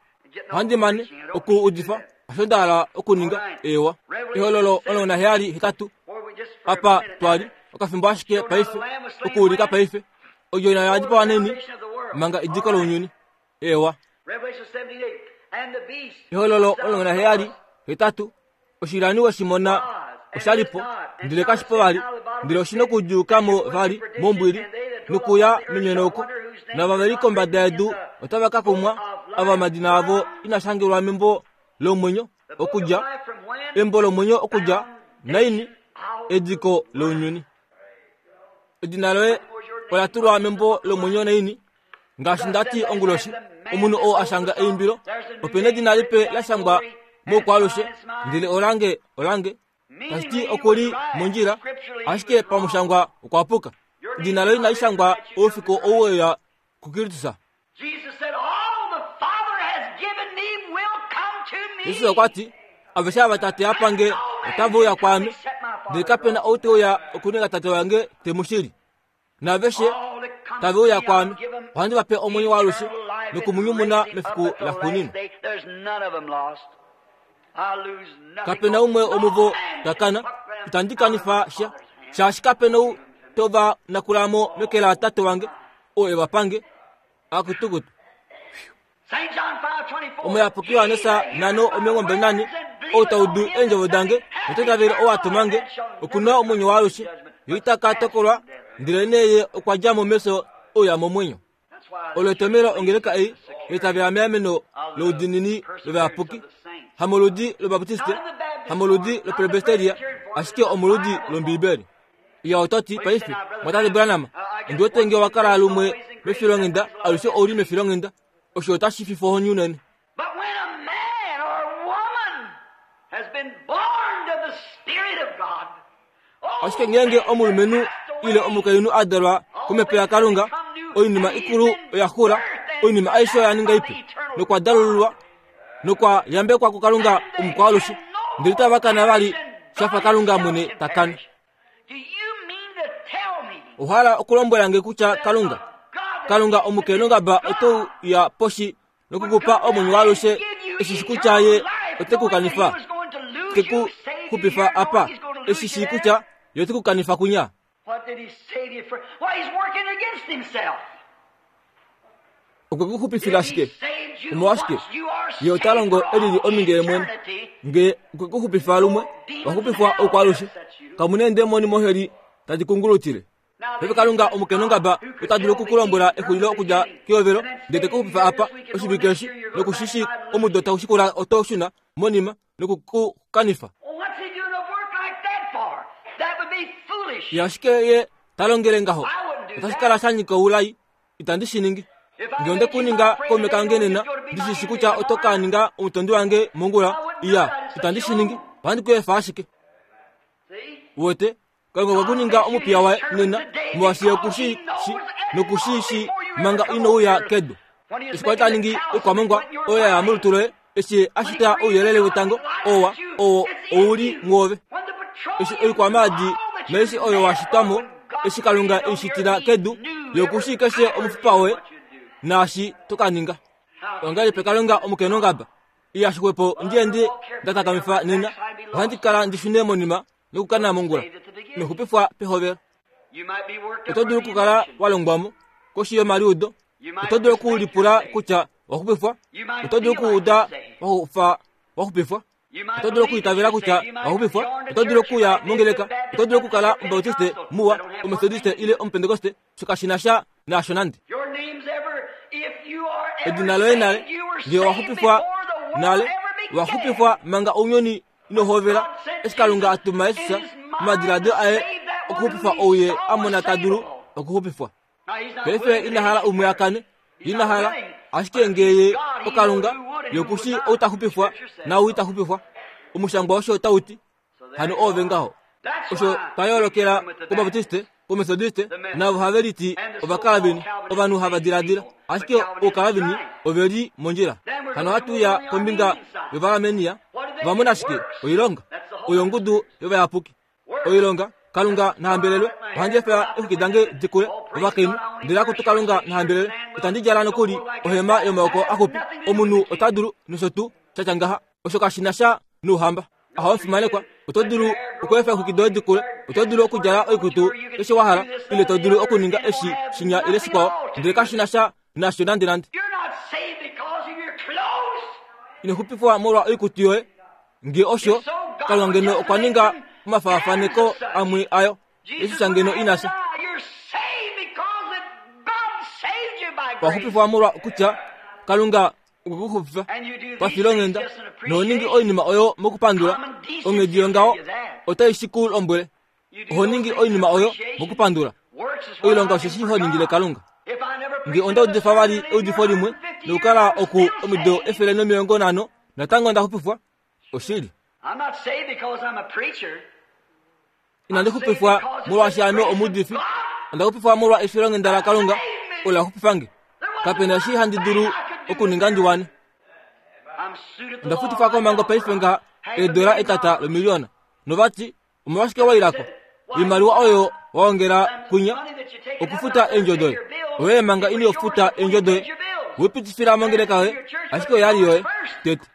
Ohandi mane oku udifa osho nda hala okuninga. Eewa. Ehololo 17, 8, apa twa li okafimbo ashike paife, okuulika paife. Odjona oya dipawa neni manga ediko lounyuni. Eewa. Ehololo 17, 8, Oshilani we shi mona osha li po, ndele kashi po vali, ndele oshi nokudyuuka mo vali mombwili nokuya menyonauko. Naava ve li kombada yedu otava ka kumwa, ava omadina avo ina shangelwa membo lomwenyo okudja, embo lomwenyo okudja naini ediko lounyuni. Edina loye ola tulwa membo lomwenyo naini? Ngaashi nda ti onguloshi, omunhu oo a shanga eimbilo, ope nedina lipe la shangwa moukwaalushe, ndele olange, olange. Tashi ti oku li mondjila, ashike pamushangwa okwa puka. Edina loye inali shangwa oufiku ou we uya kuKristus. Jesus okwa ti, Aveshe ava Tate a pa nge otave uya kwaame, ndele kape na ou te uya okuninga Tate wange te mu shili. Naaveshe tave uya kwaame, ohandi va pe omwenyo waalushe noku mu nyumuna mefiku laxuuninwa. Kape na umwe womuvo ta kana, itandi kanifa sha, shaashi kape na ou to va nakula mo meke laTate wange, oo e va pange. Akutukutu. Omuyapuki Johannes 5:24, Ou ta udu eendjovo dange nota itavele ou a tuma nge, oku na omwenyo waalushe, ye ita ka tokolwa, ndelenee ye okwa dja mo mefyo e uya momwenyo. Olo etomhelo ongeleka ei ya itavela meameno loudiinini lovayapuki, hamoludi lObaptiste, hamoludi loPresbyteria, ashike omoludi lOmbiibeli. Iya oto ti, Paife, Mwatate Branham, ondi wete nge owa kala lumwe mefilonghenda, alushe ou li mefilonghenda. Osho otashi fifa ohoni unene. Ashike ngeenge omulumenhu ile omukainhu a dalwa komhepo yaKalunga, oinima ikulu oya xula, oinima aishe oya ninga ipe, nokwa dalululwa nokwa yambekwa kuKalunga omukwaalushe, ndele itava kana vali sha fa Kalunga mwene ta kana. Owa hala okulombwela nge kutya Kalunga, Kalunga omukenongaba ote uya poshi noku ku pa omwenyo waalushe eshi shi kutya ye ote ku kanifa, te ku xupifa apa, eshi shii kutya ye ote ku kanifa kunya? Okwe ku xupifila shike? Omolwashike? Ye ota longo e lili ominge ye mwene. Nge okwe ku xupifa lumwe, wa xupifwa oukwalushe. Kamu na eendemoni moheli tadi kungulutile. Paife Kalunga omukenongaba ota dulu oku ku lombwela exulilo okudja kehovelo, ndele te ku xupifa apa oshivike eshi, noku shi shii omudo tau shikula oto shuna monima noku ku kanifa. Ye ashike ye ta longele ngaho, otashi kala sha nyika oulai. Itandi shi ningi. Nge onde ku ninga kaume kange nena, ndi shi shi kutya oto ka ninga omutondi wange mongula, iya, itandi shi ningi. Ohandi ku efa ashike. Uwete, Kalunga okwe ku ninga omupiya waye nena, molwaashi ye oku shi shi noku shi shi manga ino uya kedu. Eshi kwa li ta ningi oikwamongwa oyo ya ya molutu loye, eshi ye a shita ouyelele wetango, owa, owo ou li mwoove. Eshi oikwamaadi naishi oyo wa shitwa mo, eshi Kalunga e i shitila kedu, ye oku shii keshe omufipa woye naashi to ka ninga. Ongahelipi Kalunga omukenongaba iha xwepo ndi ende nda takamifa nena, ohandi kala ndi shune monima nokukana mongula noxupifwa pehovelo. Oto dulu okukala wa longwa mo koshi yomaliudo, oto dulu okulipula kutya wa xupifwa, oto dulu okuuda wa fa wa xupifwa, oto dulu okuitavela kutya wa xupifwa, oto dulu okuya mongeleka, oto dulu okukala Omubautiste muwa, Ometodiste ile Omupentekoste, osho kashi na sha naasho nande. Edina loye nale, ngee owa xupifwa nale, owa xupifwa manga ounyuni ino hovela, eshi Kalunga a tuma Jesus momadiladilo aye okuxupifa ou ye a mona ta dulu okuxupifwa. Paife ina hala umwe a kane, ina hala, ashike ngee ye oKalunga, ye oku shii ou ta xupifwa naau ita xupifwa. Omushangwa osho tau ti. Hano oove ngaho. Osho twa yoolokela kObaptiste, kOmetodiste, navo have liti Ovakalvini, ovanhu hava diladila. Ashike Oukalvini ove li mondjila. Hano ohatu uya kombinga yOvaarmenia. Va mona ashike oilonga. Oyo ongudu yovayapuki. Oilonga, Kalunga na hambelelwe, ohandi efa eexwiki dange di kule, ovakainhu, ndele akutu Kalunga na hambelelwe, itandi djala nokuli ohema yomaoko axupi. Omunhu ota dulu, nosho tuu, sha tya ngaha. Osho kashi na sha nouhamba. Aha omufimanekwa, oto dulu okweefa eexwiki doye di kule, oto dulu okudjala oikutu keshe wa hala, ile to dulu okuninga eshi, shinya ile shikwao, ndele kashi na sha nasho nandenande. Ino xupifwa molwa oikutu yoye. Nge osho, Kalunga ngeno okwa ninga omafaafaneko amwe ayo. Jesus ngeno ina fya. Owa xupifwa molwa kutya Kalunga okwe ku xupifa pafilonghenda noho ningi oinima oyo mokupandula. Onghedi yongaho otai shi ku lombwele. Oho ningi oinima oyo mokupandula. Oilonga osheshi ho ningile Kalunga. Nge onda udifa vali eudifo limwe nokukala oku omido 150, natango onda xupifwa. Oshili. Inandi xupifwa molwaashi ame omuudifi. Onda xupifwa molwa efilonghenda laKalunga olo la xupifa nge. Kape na eshi handi dulu okuninga ndi wane. Onda futifwa komhango paife ngaha eedola etata lomiliona. Novati, omolwashike wa ila ko? Oimaliwa oyo wa ongela kwinya okufuta eendjo doye. Oye manga ino futa eendjo doye, we pitifila mongeleka yoye, ashike oya li yoye tete.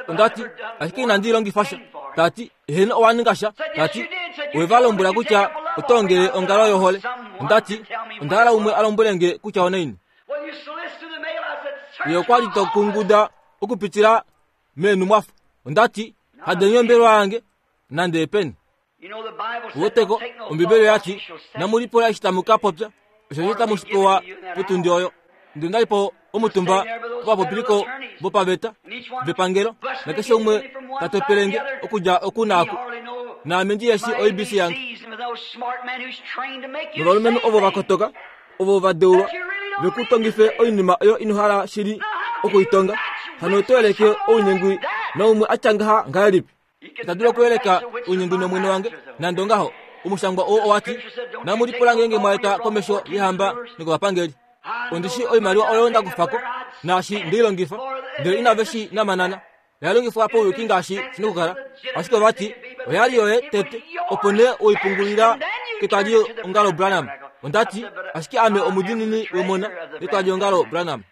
Onda ti, ashike inandi longifa sha. Ta ti, eheno owa ninga sha. Ta ti, owe va lombwela kutya oto ongele ongalo yohole. Onda ti, onda hala umwe a lombwele nge kutya onaini. Ye okwa li to kunguda okupitila meenhumwafo. Onda ti, hadeni ombelewa yange nande epeni. Uweteko, Ombibeli oya ti, Namu lipula eshi tamu ka popya, osheshi tamu shi pewa potundi oyo. Ndele onda li po omutumba povapopiliko vopaveta vepangelo, nakeshe umwe ta topele nge okudja oku naaku, naame ndi yeshi oibc yange. Novalumenhu ovo va kotoka, ovo va deulwa ve ku tongife oinima oyo ino hala shili oku i tonga, hano oto yeleke ounyengwi naumwe a tya ngaha ngahelipi? Ita dulu okuyeleka ounyengwi nOmwene wange. Nande ongaho, omushangwa oo owa ti, Namu lipula ngeenge mwa eta komesho yehamba nokovapangeli. Ondi shii oimaliwa oyo nda kufa ko, naashi nde i longifa, ndele inave shi namanana. Oya longifwa pauyuki ngaashi shi na okukala. Ashike ova ti, Oya li yoye tete, opo nee we i pungulila ketwaliongalo Branham. Onda ti, Ashike ame omudiinini wemona letwaliongalo Branham.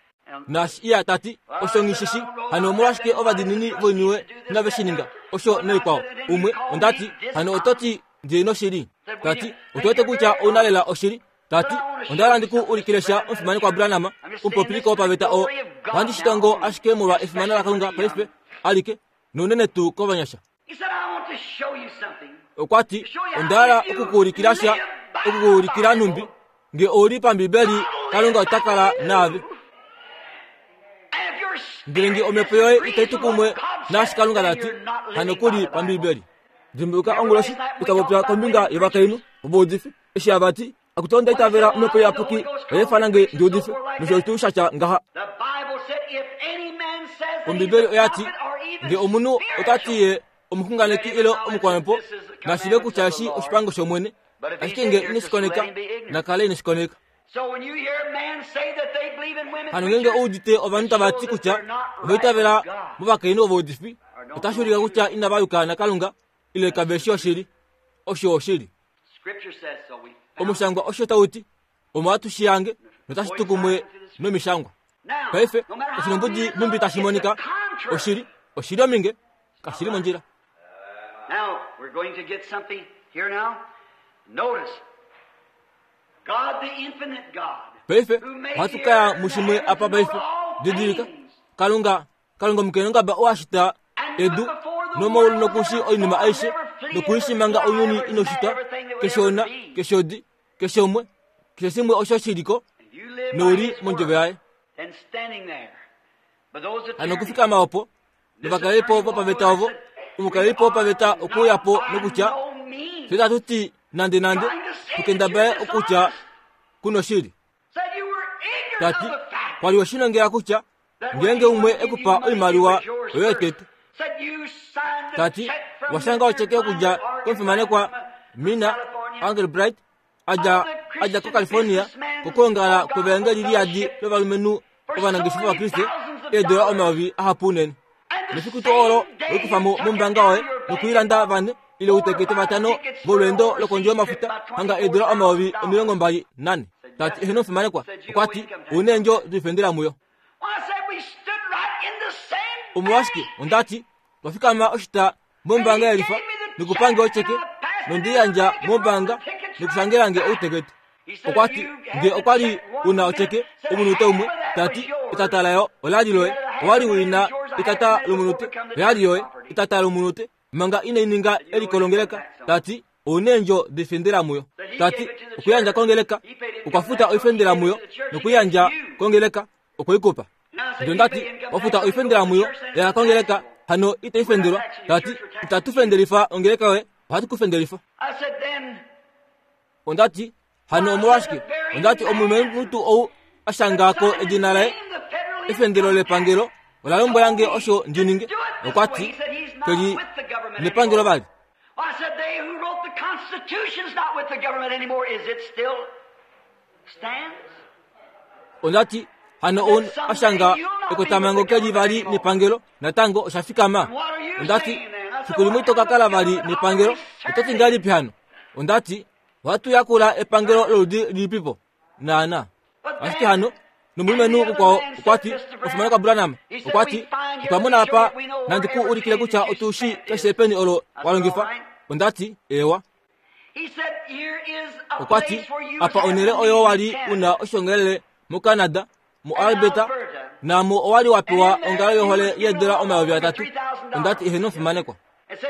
Naashi iya ta ti, Osho nghi shi shi, hano omolwashike ovadiinini voiniwe inave shi ninga? Osho noikwao. Umwe, onda ti, hano oto ti ndi noshili? Ta ti, Otu wete kutya ou na lela oshili. Ta ti, Onda hala ndi ku ulikile sha, omufimanekwa Branham, omupopiliko wopaveta oo. Ohandi shi tongo ashike molwa efimano laKalunga paife alike, nounene tuu kovanyasha. Okwa ti, Onda hala oku ku ulikila sha, oku ku ulikila nhumbi nge ou li paMbibeli, Kalunga ota kala naave. Ndele nge omhepo yoye itai tu kumwe naashi Kalunga ta ti, hano ku li paMbibeli. Dimbuluka onguloshi ita popya kombinga yovakainhu ovaudifi, eshi hava ti, Akutu onda itavela Omhepo Iyapuki oya ifana nge ndi udife, nosho tuu sha tya ngaha. Ombibeli oya ti, Nge omunhu ota ti ye omuxunganeki ile omukwamhepo, Nashive kutya eshi oshipango shOmwene, ashike nge ine shi koneka, na kale ine shi koneka. Hano ngeenge ou udite ovanhu tava ti kutya ova itavela movakainhu ovaudifi, otashi ulike kutya inava yuka naKalunga ile kave shi oshili. Osho oshili. Omushangwa osho tau ti, omo hatu shi hange notashi tu kumwe nomishangwa. Paife, oshinombudi nhumbi tashi monika, oshili, oshili ominge, kashi li mondjila. Now, we're going to get something here now. Notice, God the infinite God. Paife, ohatu ka ya mushimwe apa paife. Didilika, Kalunga, Kalunga omukenongaba oo a shita edu nomaulu nokushi oinima aishe nokuishi manga ounyuni ino shitwa, keshe ona, keshe odi, keshe umwe, keshe shimwe osho shi li ko, nou li mondjovo yaye. Hano okufikama opo novakalelipo vopaveta ovo, omukalelipo wopaveta okwe uya po nokutya, Fye itatu ti nandenande tu kendabale okutya ku noshili. Ta ti, Kwa li we shi nongela kutya ngeenge umwe e ku pa oimaliwa oyoye tete. Ta ti, Wa shanga otyeke okudja komufimanekwa Mina Angelbright a dja a dja koCalifornia kokwoongala kwevaengeli liyadi lovalumenhu ovanangeshefa vaKriste eedola omayovi ahapu unene. Nefiku tuu olo oikufa mo mombaanga yoye nokuilanda vane ile outekete vatano volweendo lokondje yomafuta hanga eedola 24,000. Ta ti eheno omufimanekwa, okwa ti ouna eendjo doifendela muyo. Omolwashike onda ti twa fikama oshita mombaanga yelifa nokupa nge ocheke nondi yandja mombaanga nokushangela nge outekete. Okwa ti nge okwa li u na ocheke omunute umwe, ta ti etata layo ola li loye. Owa li u na etata lomunute, oya li yoye. Etata lomunute manga inai ninga eliko longeleka, ta ti ou na eendjo doifendela muyo. Ta ti okuyandja kongeleka okwa futa oifendela muyo nokuyandja kongeleka okwe i kupa. Ndele onda ti, Wa futa oifendela muyo ya kongeleka, hano itai fendelwa. Ta ti, Itatu fendelifa ongeleka yoye, ohatu ku fendelifa. Onda ti, Hano omolwashike? Onda ti, Omulumenhu tuu ou a shanga ko edina laye, efendelo lepangelo ola lombwela nge osho ndi ninge. Okwa ti, Ke li nepangelo vali. Onda ti, Hano ou a shanga ekotamhango ke li vali nepangelo, natango osha fikama? Onda ti, Fiku limwe ito ka kala vali nepangelo, oto ti ngahelipi hano? Onda ti, Ohatu yakula epangelo loludi lilipipo? Naana. Ashike hano, nomulumenhu mukwao okwa ti, Omufimanekwa Branham, okwa ti, otwa mona apa, nandi ku ulikile kutya otu shi keshe peni olo wa longifa. Onda ti, Eewa. Okwa ti, Apa onhele oyo wa li u na oshiongelele moCanada, muAlberta, naamo owa li wa pewa ongalo yohole yeedola 3000. Onda ti, Eheno, omufimanekwa.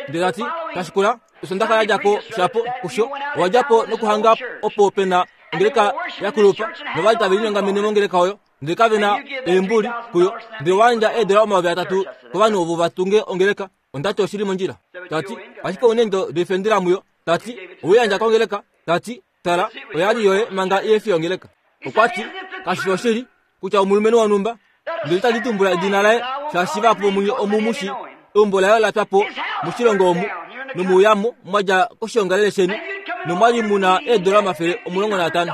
Ndele ta ti, Tashikula, Osondaxa ya dja ko shapo kusho, owa dja po nokuhanga opo pe na ongeleka ya kulupa, nova li tave linyongamene mongeleka oyo, ndele kave na eembuli kuyo, ndele owa yandja eedola 3000 kovanhu ovo va tunge ongeleka. Onda ti oshi li mondjila. Ta ti, Ashike ouna eendo doifendela muyo. Ta ti, Owe i yandja kongeleka. Ta ti, Tala, oya li yoye manga ihe fi yongeleka. Okwa ti, Kashi fi oshili kutya omulumenhu wonhumba, ndele itandi tumbula edina laye, shaashi vahapu vomunye omu mu shii, eumbo laye ola pya po moshilongo omu, nomuuyamo mwa dja koshiongalele sheni, nomwa li mu na eedola 150.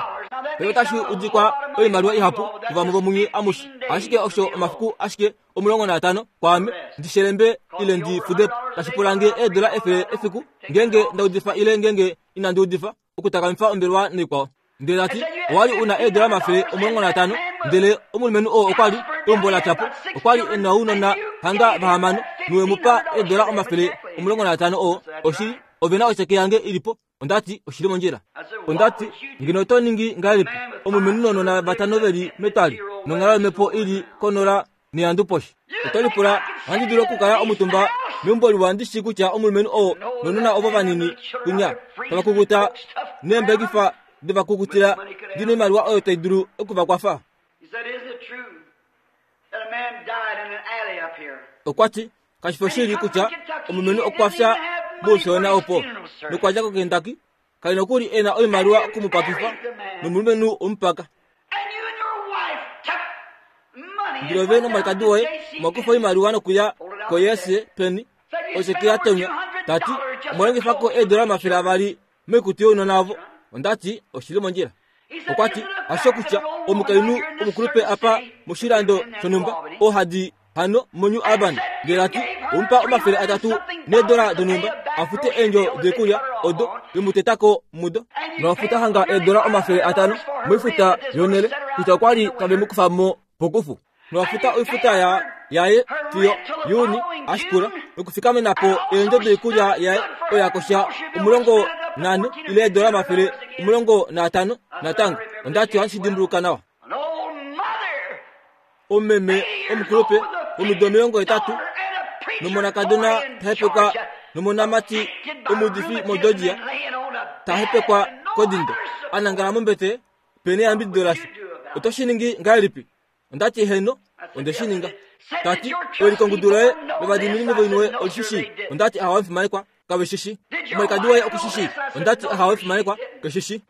Paife otashi udikwa oimaliwa ihapu kuvamwe vomunye amushe, ashike osho omafiku ashike 15 kwaame ndi shelembe ile ndi fude po, tashi pula nge eedola 100 efiku ngeenge nda udifa ile ngeenge inandi udifa, okutakamifa ombelewa naikwao. Ndele ta ti, Owa li u na eedola 150, ndele omulumenhu oo okwa li eumbo la pya po, okwa li e na ounona hanga vahamano, nowe mu pa eedola 150 oo, oshili, ove na otyeke yange i li po. Onda ti, Oshi li mondjila. Onda ti, Ngeno oto ningi ngahelipi, omulumenhu nounona vatano ve li metwali, nonghalo yomhepo i li konola nehandu poshi? Oto lipula, Ohandi dulu okukala omutumba meumbo liwa ndi shii kutya omulumenhu oo nounona ovo vanini kunya tava kukuta neembekifa dovakukutila ndi noimaliwa oyo tai dulu oku va kwafa? Okwa ti, Kashi fi oshili kutya omulumenhu okwa fya moufyoona opo nokwa dja koKentucky, kali nokuli e na oimaliwa oku mu pakifa, nomulumenhu omupaka. Ndele ove nomwalikadi woye omwa kufa oimaliwa nokuya koYese peni, osheke ya tonywa, ta ti, Omwa longifa ko eedola 200 moikutu younona ovo. Onda ti, Oshi li mondjila. Okwa ti, Hasho kutya omukainhu omukulupe apa moshilando shonhumba oo ha di hano moNew Albany, ndele ta ti, Omu pa 300 needola donhumba a fute eendjo doikulya odo ve mu teta ko mudo. Nova futa hanga eedola 500 moifuta yonhele kutya okwa li tave mu kufa mo pokufu. Nowa futa oifuta ya yaye fiyo Juni ashikula nokufikamena po eendjo doikulya yaye oyo ya kosha 14 ile eedola 15 natango. Onda ti ohandi shi dimbuluka nawa. Omumeme omukulupe womido 80 nomonakadona ta hepekwa nomonamati omuudifi moGeorgia ta hepekwa kodindo a nangala mombete pene eyambidido lasha. Oto shi ningi ngahelipi? Onda ti, Heeno, onde shi ninga. Ta ti, Ewilikongudu loye lovadiinini voiniwe oli shi shii? Onda ti, Ahawe omufimanekwa, kave shi shii. Omwalikadi woye oku shi shii? Onda ti, Ahawe omufimanekwa, ke shi shii.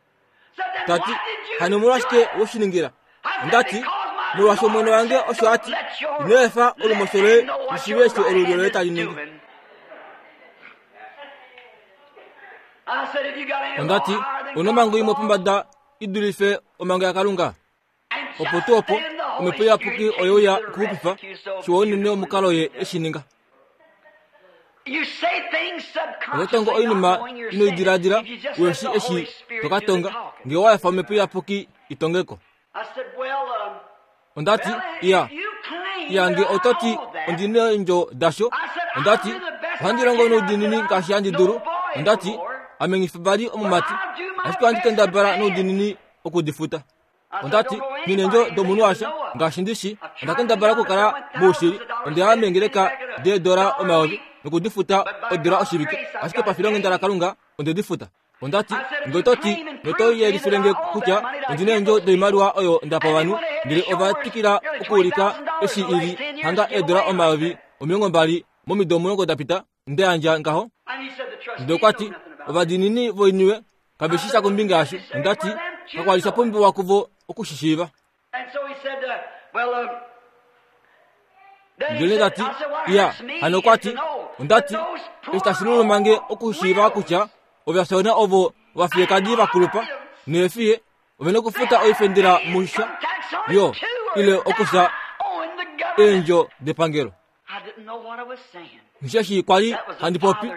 Ta ti, Hano omolwashike we shi ningila? Onda ti, Molwaashi Omwene wange osho a ti, Ino efa olumosho loye li shiive eshi olulyo loye tali ningi. Onda ti, Ou na omhango imwe pombada i dulife omhango yaKalunga? Opo tuu opo, Omhepo Iyapuki oye uya okuxupifa, shiwa unene omukalo Ye e shi ninga. Oto tongo oinima ino i diladila, uhe shii eshi to ka tonga, ngee owa efa Omhepo Iyapuki i tonge ko. Onda ti, Iya, iya, nge oto ti ondi neendjo dasho, onda ti, ohandi longo noudiinini ngaashi handi dulu. Onda ti, Ame nghi fi vali omumati, ashike ohandi kendabala noudiinini oku di futa. Onda ti, Nghi neendjo domunhu asha, ngaashi ndi shi, onda kendabala okukala moushili. Onde ya meengeleka deedola 1000 noku di futa odola oshivike, ashike pafilonghenda laKalunga onde di futa. Onda ti, Nge oto ti, noto yelifile nge kutya ondi na eendjo doimaliwa oyo nda pa ovanhu, ndele ova twikila okuulika eshi i li hanga eedola 20,000 momido 10 da pita, nda yandja ngaho. Ndele okwa ti, Ovadiinini voiniwe kave shi sha kombinga yasho. Onda ti, Kakwa li sha pumbiwa kuvo oku shi shiiva. Ndele ta ti, Iya, hano okwa ti, onda ti, eshi tashi luluma nge okushiiva kutya ovafyoona ovo ovafiyekadi va kulupa neefiye ove na okufuta oifendela musha yo ile okufya eendjo depangelo. Osheshi kwa li handi popi,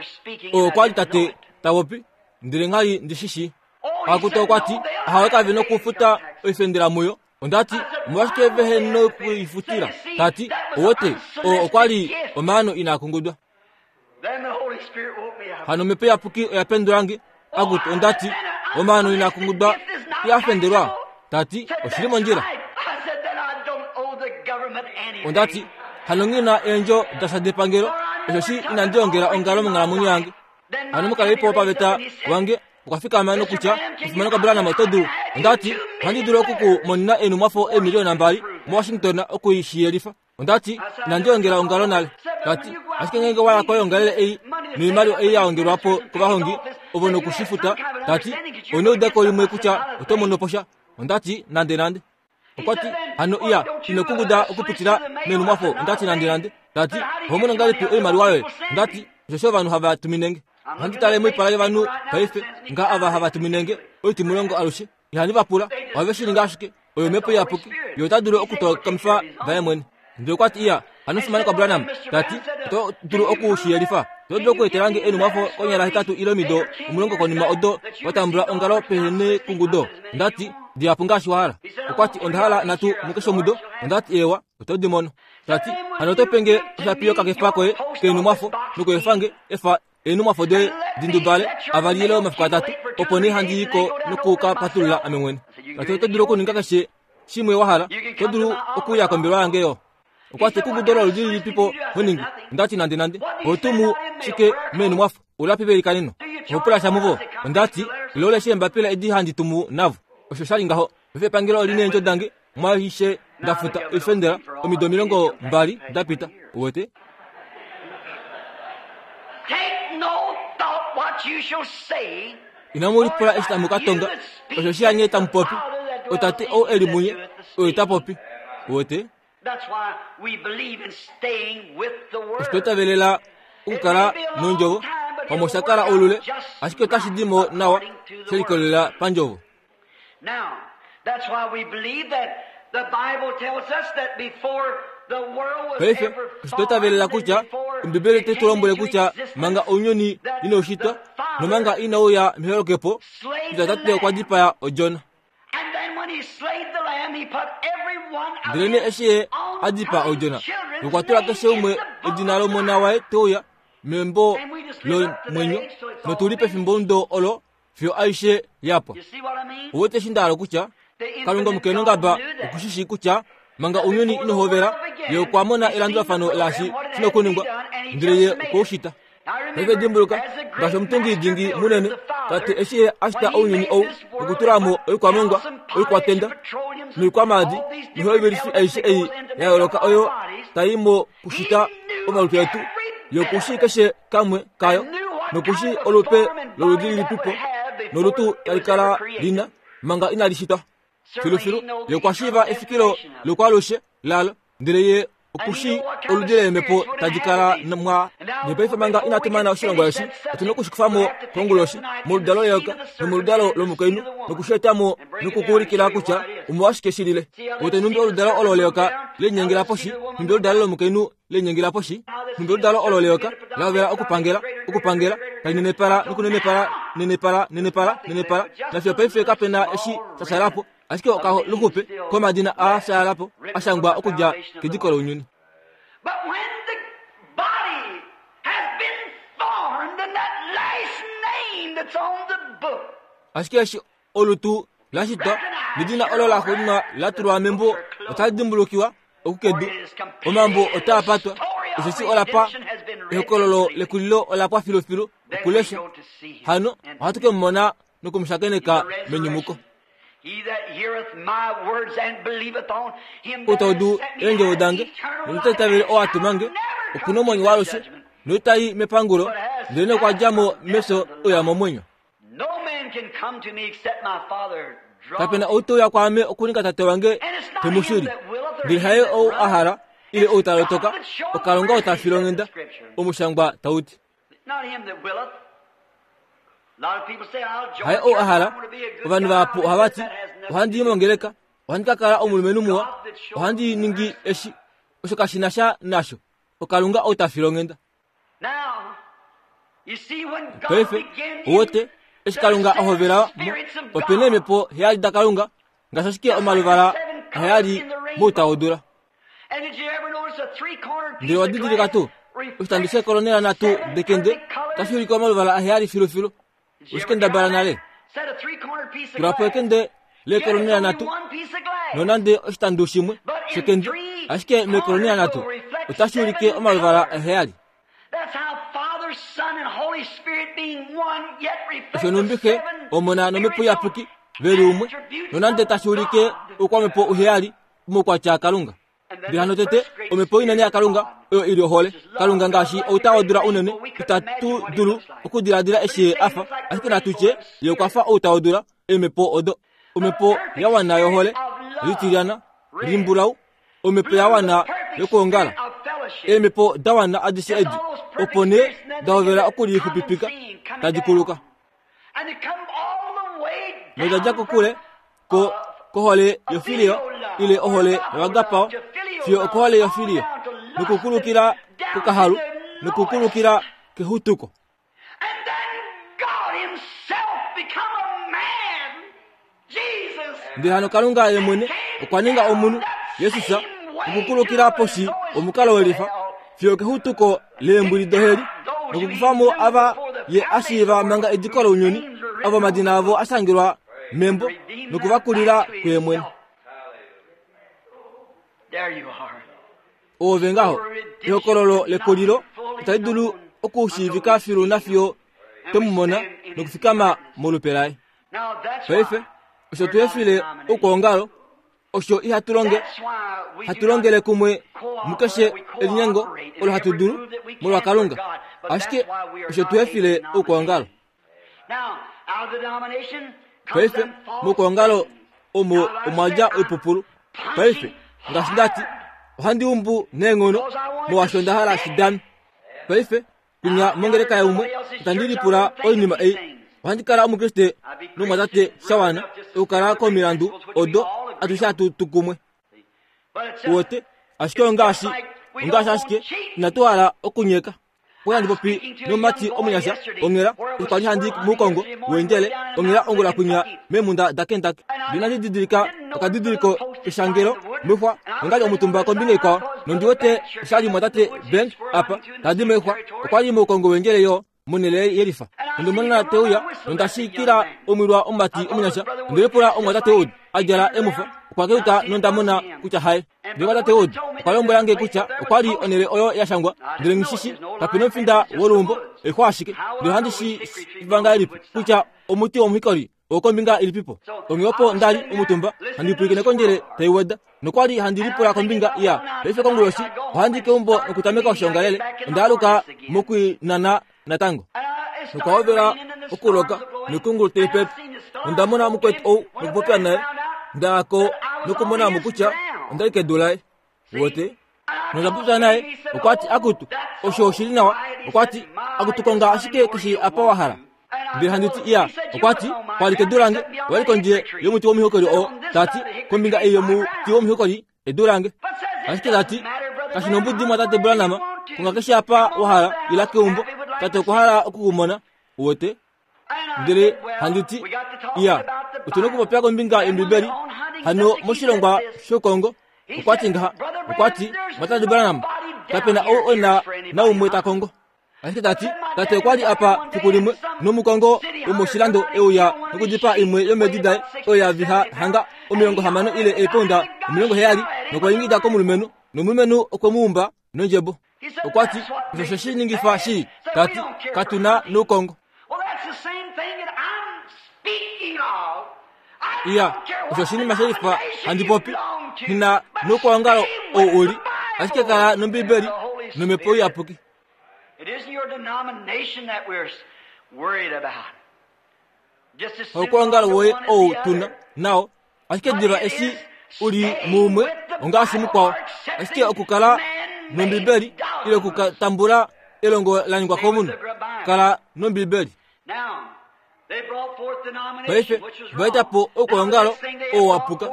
oyo kwa li tate ta popi, ndele ngha li ndi shi shii. Akutu okwa ti, Ahawe kave nokufuta oifendela muyo. Onda ti, Omolwashike vehe nokuifutila? Ta ti, Owote, oo okwa li omaano inaa kungudwa. Hano Omhepo Iyapuki oya pendula nge. Akutu, onda ti, Omaano inaa kungudwa iha fendelwa. Ta ti, Oshi li mondjila. Onda ti, Hano nghi na eendjo dasha depangelo, osheshi inandi ongela ongalo monghalamwenyo yange. Hano omukalelipo wopaveta wange okwa fikama nokutya, Omufimanekwa Branham, oto dulu? Onda ti, Ohandi dulu oku ku monena eenhumwafo eemiliona mbali moWashington oku shi yelifa. Onda ti, Inandi ongela ongalo nale. Ta ti, Ashike ngeenge wa ya koyoongalele ei noimaliwa ei ya ongelwa po kovahongi ovo noku shi futa, ta ti, ou na eudeko limwe kutya oto mono po sha. Onda ti, Nandenande. Okwa ti, Hano iya, ino kunguda okupitila meenhumwafo. Onda ti, Nandenande. Ta ti, Oho mono ngahelipi oimaliwa yoye? Onda ti, Osheshi ovanhu hava tumine nge. Ohandi tale moipala yovanhu paife, nga ava hava tumine nge oitimulongo alushe. Ihandi va pula, ohave shi ningi ashike. Oyo Omhepo Iyapuki, Ye ota dulu okutokamifa vaye mwene. Ndele okwa ti, Iya, hano fimanekwa Branham, ta ti, oto dulu oku shi yelifa? Oto dulu okuetela nge eenhumwafo konyala hetatu ile omido 10 konima odo wa tambula ongalo pehe nekungudo? Onda ti, Dihapu ngaashi wa hala. Okwa ti, Onda hala nhatu mukeshe omudo. Onda ti, Eewa, oto di mono. Ta ti, Hano oto pe nge oshapi yokakefa koye keenhumwafo nokuefa nge efa eenhumwafo doye di ndubale avali ile omafiku atatu, opo nee handi i ko noku ka patulula ame mwene. Ta ti, Oto dulu okuninga keshe shimwe wa hala. Oto dulu okuuya kombelewa yange yo. Okwa ti, Ekungudo loludi lilipi po ho ningi? Onda ti, Nandenande. Oho tumu shike meenhumwafo? Ulapi veilikaneno? Oho pula sha muvo? Onda ti, Ile uleshe eembapila edi handi tumu navo. Osho sha li ngaho. Paife epangelo oli neendjo dange mwaaishe nda futa oifendela omido 20 da pita. Uwete? Inamu lipula eshi tamu ka tonga, osheshi hanye tamu popi, oTate ou e li munye, oye ta popi. Uwete? Osho twa itavelela okukala nondjovo. Pamwe osha kala oulule, ashike otashi di mo nawa she likolelela pandjovo. Paife osho twa itavelela kutya Ombibeli otai tu lombwele kutya manga ounyuni inau shitwa nomanga inau ya meholokepo, kutya Tate okwa dipaya Odjona. Ndelenee eshi ye a dipaa Odjona, nokwa tula keshe umwe edina lomona waye te uya membo lomwenyo, notu li pefimbomudo olo fiyo aishe ya pwa. Ouwete eshi nda hala okutya? Kalunga omukenongaba oku shi shii kutya manga ounyuni ino hovela, ye okwa mona elandulafano laashi shi na okuningwa, ndele ye okwe u shita. Paife dimbuluka, ngaashi omutungi dingi munene, Tate eshi ye a shita ounyuni ou nokutula mo oikwamongwa, oikwatenda, noikwamaadi noihovelifi aishe ei ya yooloka oyo tai mo kushita omalutu etu, ye oku shii keshe kamwe kayo noku shii olupe loludi lilipipo nolutu tali kala lina manga inali shitwa. Filufilu, ye okwa shiiva efikilo lokwaalushe lalo, ndele ye oku shii oludi leemhepo tadi kala mwa. Nopaife manga inatu mana oshilongwa eshi, otu na oku shi kufa mo konguloshi, moludalo leyoka nomoludalo lomukainhu, noku shi eta mo noku ku ulikila kutya omolwashike shi lile. Wete nhumbi oludalo olo leyoka le linyengela poshi, nhumbi oludalo lomukainhu le linyengela poshi, nhumbi oludalo olo leyoka la hovela okupangela, okupangela, tali nenepala nokunenepala, nenepala, nenepala, nenepala, nafiyo paife kape na eshi sha shala po, ashike okaluxupe komadina aa fyaala po a shangwa okudja kediko lounyuni. But when the body has been formed and that last name that's on the book Ashike eshi olutu la shitwa nedina olo la xuuninwa la tulwa membo otali dimbulukiwa okukedu omambo otaa patwa osheshi ola pa ehokololo lekulilo ola pwa filufilu okulesha hano ohatu ke mu mona noku mu shakeneka menyumuko Ou ta udu eendjovo dange nota itavele oo a tuma nge oku na omwenyo waalushe noita i mepangulo ndelenee okwa dja mo mefyo uya momwenyo Kape na ou te uya kwaame okuninga tate wange te mu shili. Ndele haye ou a hala ile ou ta lotoka, oKalunga ou ta file onghenda, omushangwa tau ti. Haye ou a hala. Ovanhu vahapu ohava ti, Ohandi i mongeleka, ohandi ka kala omulumenhu muwa, ohandi ningi eshi. Osho kashi na sha nasho. OKalunga ou ta file onghenda. Paife, uwete, eshi Kalunga a hovela mo, ope na eemhepo heyali daKalunga, ngaashi ashike omaluvala aheyali mouta wodula. Ndele owa didilika tuu, oshitandi sheekolonela nhatu dekende otashi ulike omaluvala aheyali filufilu. Oshi kendabala nale? Tula po ekende leekolonela nhatu, nonande oshitandu shimwe shekende, ashike meekolonela nhatu otashi ulike omaluvala aheyali. Osho nhumbi Xe, Omona nOmhepo Iyapuki ve li umwe, nonande tashi ulike oukwamhepo uheyali omaukwatya aKalunga. Ndele hano tete, omhepo inene yaKalunga oyo i li ohole. Kalunga ngaashi outa wodula unene, itatu dulu okudiladila eshi ye a fa, ashike natu tye ye okwa fa outa wodula, eemhepo odo. Omhepo ya wana yohole, litilyana, limbulau, omhepo ya wana yokwoongala, eemhepo da wana adishe edi, opo nee da hovela okulixupipika tadi kuluka. Noda dja kokule ko kohole yofilio ile ohole yoagapao fiyo okohole yofilio nokukulukila kokahalu nokukulukila kehutuko. Ndele hano Kalunga ye mwene okwa ninga omunhu, Jesus, okukulukila poshi omukalo welifa fiyo okehutuko leembwili doheli nokukufa mo ava ye a shiiva manga ediko lounyuni, ovo omadina avo a shangelwa membo noku va kulila kuye mwene. Oove ngaho, ehokololo lekulilo itali dulu okushiivika filu nafiyo twe mu mona nokufikama molupe laye. Paife, osho tu efile oukwaongalo, osho ihatu longe, hatu longele kumwe mukeshe elinyengo olo hatu dulu molwa Kalunga. Ashike osho tu efile oukwaongalo. Paife, moukwaongalo omo omwa dja oipupulu. Paife, ngaashi nda ti, ohandi umbu neenghono molwaashi onda hala shi dame. Paife, Kwinya mongeleka yaumwe, itandi lipula oinima ei. Ohandi kala Omukriste nomumwatate sha wana okukala komilandu odo atushe hatu tu kumwe. Uwete? Ashike ongaashi, ongaashi ashike inatu hala okunyeka. Okwa handi popi nomumati omunyasha onghela okwa li handi muukongo weendjele onghela ongula kwinya meemhunda daKentucky. Ndele inandi didilika okadidiliko keshangelo moixwa nonda li omutumba kombinga ikwao nondi wete osha li mumwatate Bank apa ta di moixwa. Okwa li moukongo weendjele yo monhele yelifa. Nonde mona te uya nonda shikila omwilwa omumati omunyasha. Onde lipula omumwatate Wood a djala emufa. Okwa keuka nonda mona kutya haye. Ndele tate Wood okwa lombwela nge kutya okwa li onhele oyo ya shangwa, ndele nghi shi shi, kape nomufinda woluumbo, oixwa ashike. Ndele ohandi shi shiiva ngahelipi kutya omuti womuhikoli owokombinga ilipipo? Onghee opo nda li omutumba handi pwilikine kondjele tai weda, nokwa li handi lipula kombinga ya paife konguloshi ohandi keumbo nokutameka oshoongalele. Onda aluka mokwinana natango. Nokwa hovela okuloka noikungulu tai pepe. Onda mona omukwetu ou nokupopya naye. Nda ya ko nokumona mo kutya onda li kedu laye. Uwete? Nonda popya naye, okwa ti, Akutu, osho oshi li nawa. Okwa ti, Akutu, konga ashike keshe apa wa hala. Ndele handi ti, Iya. Okwa ti, Kwa li kedu lange, owa li kondje yomuti womihokoli oo. Ta ti, Kombinga ei yomuti womihokoli, edu lange. Ashike ta ti, Kashi nombudi mwatate Branham, konga keshe apa wa hala, ila keumbo. Tate okwa hala oku ku mona. Uwete? Ndele handi ti, Iya, otu na okupopya kombinga yOmbibeli. Hano moshilongwa shokongo, okwa ti ngaha, okwa ti, Mwatate Branham, kape na ou e na naumwe ta kongo. Ashike ta ti, Tate okwa li apa fiku limwe nomukongo womoshilando e uya nokudipaa imwe yomeedi daye oyo ya viha hanga 60 ile eepounda 70 nokwa ingida komulumenhu, nomulumenhu okwe mu umba nondjebo. Okwa ti, Osho oshe shi ningifa shii. Ta ti, Katu na noukongo. Iya, osho oshinima she lifa handi popi. Nghi na noukwaongalo ou u li, ashike kala nOmbibeli nOmhepo Iyapuki. Haukwaongalo woye ou tu na nao, ashike diva eshi u li muumwe ongaashi mukwao. Ashike okukala nOmbibeli ile okutambula elongo la ningwa komunhu, kala nOmbibeli. Paife va eta po oukwaongalo oo wa puka.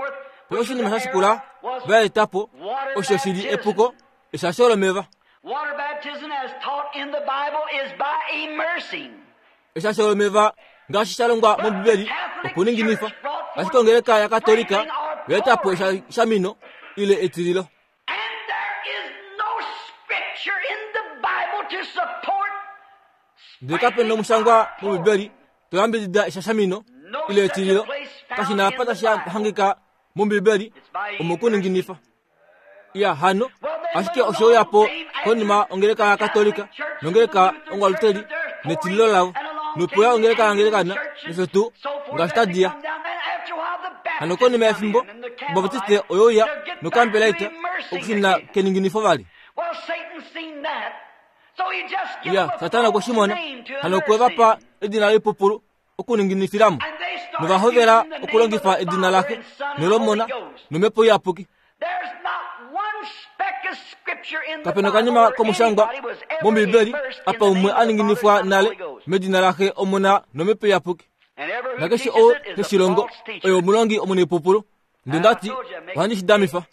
Paife oshinima sha shikula va eta po osho shi li epuko eshasho lomeva. Eshasho lomeva ngaashi sha longwa mOmbibeli okuninginifa, ashike ongeleka yaKatolika oya eta po eshamino ile etililo. Ndele kape na omushangwa mOmbibeli to yambidida eshashamino ile etililo. Kashi na apa tashi hangika mOmbibeli omokuninginifa. Ya hano, ashike oshe uya po konima ongeleka yaKatolika nongeleka Ongwaluteli netililo lavo, nopeya ongeleka yaAngelikana nosho tuu ngaashi tadi ya. Hano konima yefimbo, Obaptiste oye uya nokampelaita okushuna keninginifo vali. Ya, Satana okwe shi mona, hano okwe va pa edina loipupulu okuninginifilamo, nova hovela okulongifa edina laXe nolOmona nOmhepo Iyapuki. Kape na okanima komushangwa mOmbibeli apa umwe a ninginifwa nale medina laXe, Omona nOmhepo Iyapuki. Nakeshe ou te shi longo oye omulongi omunaipupulu. Ndele nda ti, Ohandi shi damifa.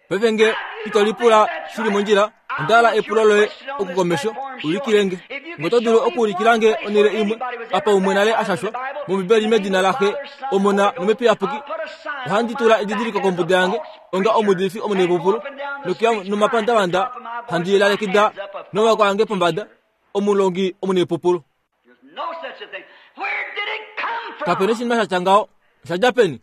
Paife nge ito lipula shi li mondjila, onda hala epulo loye okukomesho, ulikile nge. Nge oto dulu okuulikila nge onhele imwe apa umwe nale a shashwa mOmbibeli medina laXe, Omona nOmhepo Iyapuki, ohandi tula edidiliko kombuda yange onga omuudifi omunaipupulu, nokuya nomapandavanda handi lalekida nomaoko ange pombada, omulongi omunaipupulu. Kape na oshinima sha tya ngaho. Osha dja peni?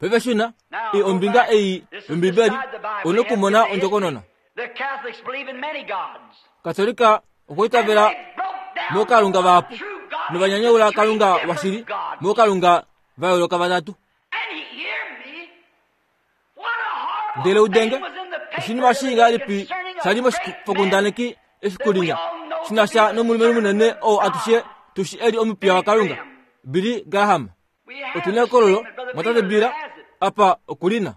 Paife shuna i ombinga ei yOmbibeli u nokumona ondjokonona. Katolika okwa itavela mookalunga vahapu novanyanyaula Kalunga washili mookalunga va yooloka vatatu. Ndele udenge, oshinima shii ngahelipi sha li moshifokundaneki efiku linya shi na sha nomulumenhu munene oo atushe tu shi e li omupiya waKalunga, Billy Graham. Otu na ekololo, mwatate Bill apa oku li na.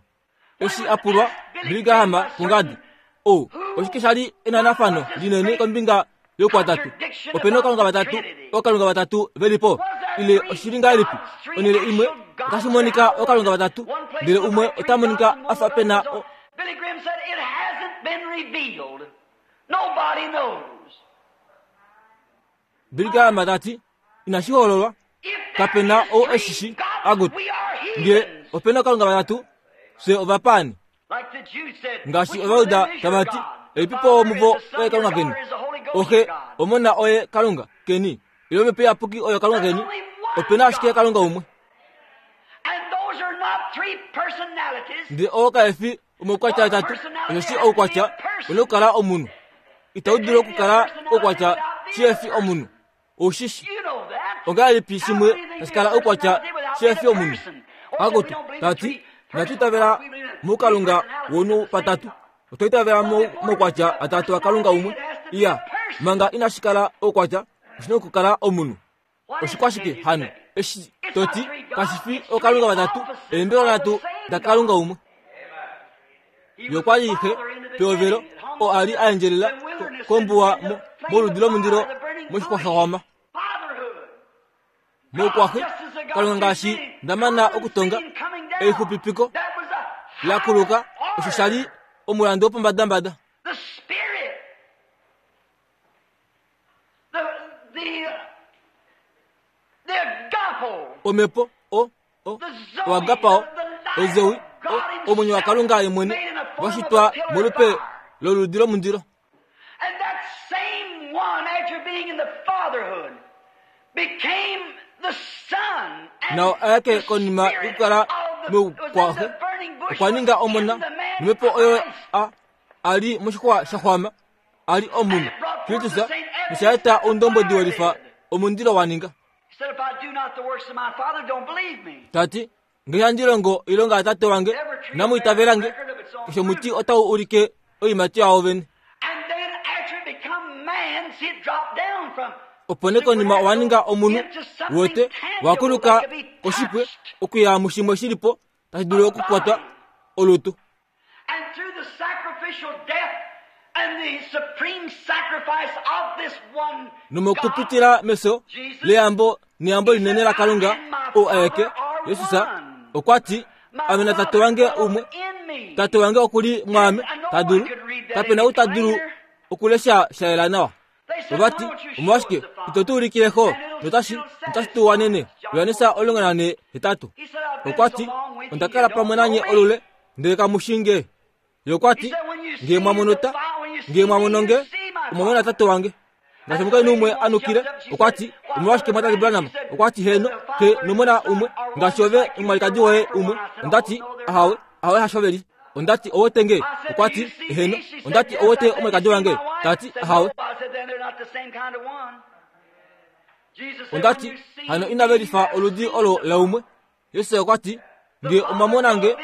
Eshi a pulwa, Billy Graham kungadi, o, oshike sha li enanafano linene kombinga youkwatatu? Ope na ookalunga vatatu, ookalunga vatatu ve li po? Ile oshi li ngahelipi? Onhele imwe otashi monika ookalunga vatatu, ndele umwe ota monika a fa pe na o, Billy Graham said it hasn't been revealed. Nobody knows. Billy Graham ta ti, Inashi hololwa, kape na ou e shi shi. Agut, nge ope na ookalunga vatatu, fye ovapaani. Ngaashi Ovajuda tava ti, Elipipo womuvo oye Kalunga keni? Oxe, Omona oye Kalunga keni, ile Omhepo Iyapuki oyo Kalunga keni? Ope na ashike Kalunga umwe. Ndele oo kae fi omaukwatya atatu, osheshi oukwatya u na okukala omunhu. Itau dulu okukala oukwatya shihe fi omunhu. Ou shi shi. Ongahelipi shimwe tashi kala oukwatya shihe fi omunhu? Akutu, ta ti, inatu itavela muKalunga wounhu patatu. Otwa itavela moukwatya atatu aKalunga umwe. Iya, manga inashi kala oukwatya, oshi na okukala omunhu. Oshikwashike hano eshi to ti kashi fi ookalunga vatatu, eembelwa nhatu daKalunga umwe? Ye okwa li xe pehovelo oo a li a endjelela kombuwa moludi lomundilo moshixwaxwama. Moukwaxe, Kalunga ngaashi nda mana okutonga elixupipiko la kuluka, osho sha li omulandu wopombadambada. Omhepo, o, o, oagapao, ozoe, o, omwenyo waKalunga ye mwene, wa shitwa molupe loludi lomundilo. Nao aeke konima yokukala moukwaxe, okwa ninga omona, nomhepo oyo a, a li moshixwa sha xwama. a li omunhu, Kristus, nosha eta oundombwedi welifa omundilo wa ninga. Ta ti, Nge handi longo oilonga yaTate wange, inamu itavela nge. Keshe omuti otau ulike oiimati yao vene. Opo nee konima owa ninga omunhu, wete, wa kuluka koshipwe okuya mushimwe shi li po tashi dulu okukwatwa olutu. And through the sacrificial death and the supreme sacrifice of this one Nomokupitila mefyo leyambo neyambo linene laKalunga ou aeke, Jesus, okwa ti, Ame naTate wange umwe. Tate wange oku li mwaame, ta dulu. Kape na ou ta dulu okulesha sha yela nawa. Ova ti, Omolwashike ito tu ulikile xo notashi notashi tu wanene? Johannes 14. Okwa ti, Onda kala pamwe nanye olule, ndele kamu shi nge. Ye okwa ti, Nge mwa mono ta, nge mwa mono nge, omwa mona tate wange. Ngaashi omukainhu umwe a nukile, okwa ti, Omolwashike mwa Branham? Okwa ti, Heeno, xe nomona umwe, ngaashi ove nomwalikadi woye umwe. Onda ti, Ahawe, ahawe hasho ve li. Onda ti, Owete nge? Okwa ti, Eheno. Onda ti, Owete omwalikadi wange? Ta ti, Ahawe. Onda ti, Hano inave lifa oludi olo laumwe. Jesus okwa ti, Nge omwa mona nge,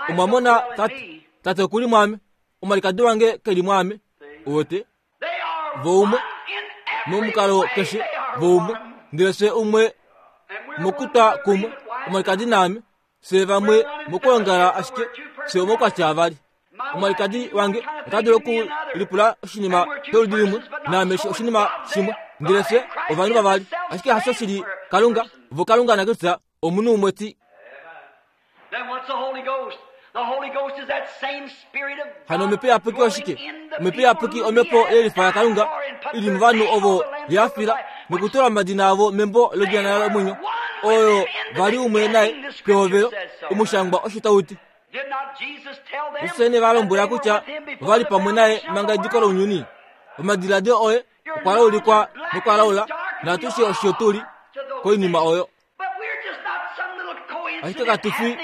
omwa mona Tate. Tate oku li mwaame, omwalikadi wange ke li mwaame. Uwete? Vo umwe, momukalo keshe, vo umwe. Ndele fye umwe mokutwa kumwe, omwalikadi naame. Fye vamwe mokwoongala ashike fye omaukwatya avali. Omwalikadi wange ota dulu okulipula oshinima sholudi limwe naame oshinima shimwe, ndele fye ovanhu vavali. Ashike hasho shili Kalunga, vo Kalunga naKristus omunhu umwe ti. Hano omhepo iyapuki oshike? Omhepo iyapuki omhepo yelifa yaKalunga i li movanhu ovo ye fila nokutula omadina avo membo lodjana lomwenyo, oyo va li umwe naye pehovelo, omushangwa osho tau ti. Jesus ne va lombwela kutya ova li pamwe naye manga ediko lounyuni. Omadiladilo oye okwa laulikwa nokwa laula, naatushe osho tu li koinima oyo. Ashike katu fi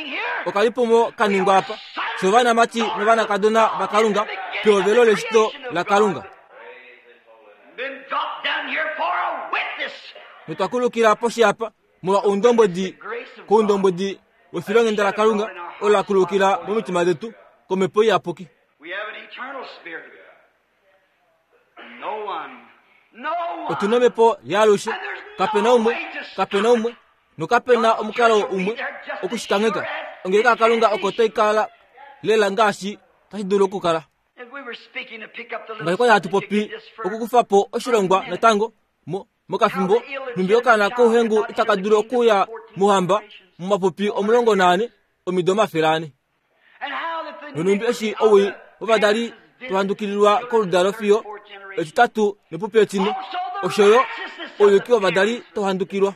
okalipumo ka ningwa apa, fye ovanamati novanakadona vaKalunga pehovelo leshito laKalunga. Notwa kulukila poshi apa molwa oundombwedi koundombwedi wefilonghenda laKalunga olo la kulukila momitima detu komhepo iyapuki. Otu na omhepo yaalushe. Kape na umwe, kape na umwe, nokape na omukalo umwe oku shi kangheka. Ongeleka yaKalunga oko tai kala lela ngaashi tashi dulu okukala. Ngaashi kwali hatu popi okukufa po oshilongwa natango mokafimbo, nhumbi okaana kouhengu itaka dulu okuuya mouhamba momapupi 14 omido 400. Nonhumbi eshi owii wovadali tohandukililwa koludalo fiyo etitatu nepupi etine, osho yo ouyuki wovadali tohandukilwa.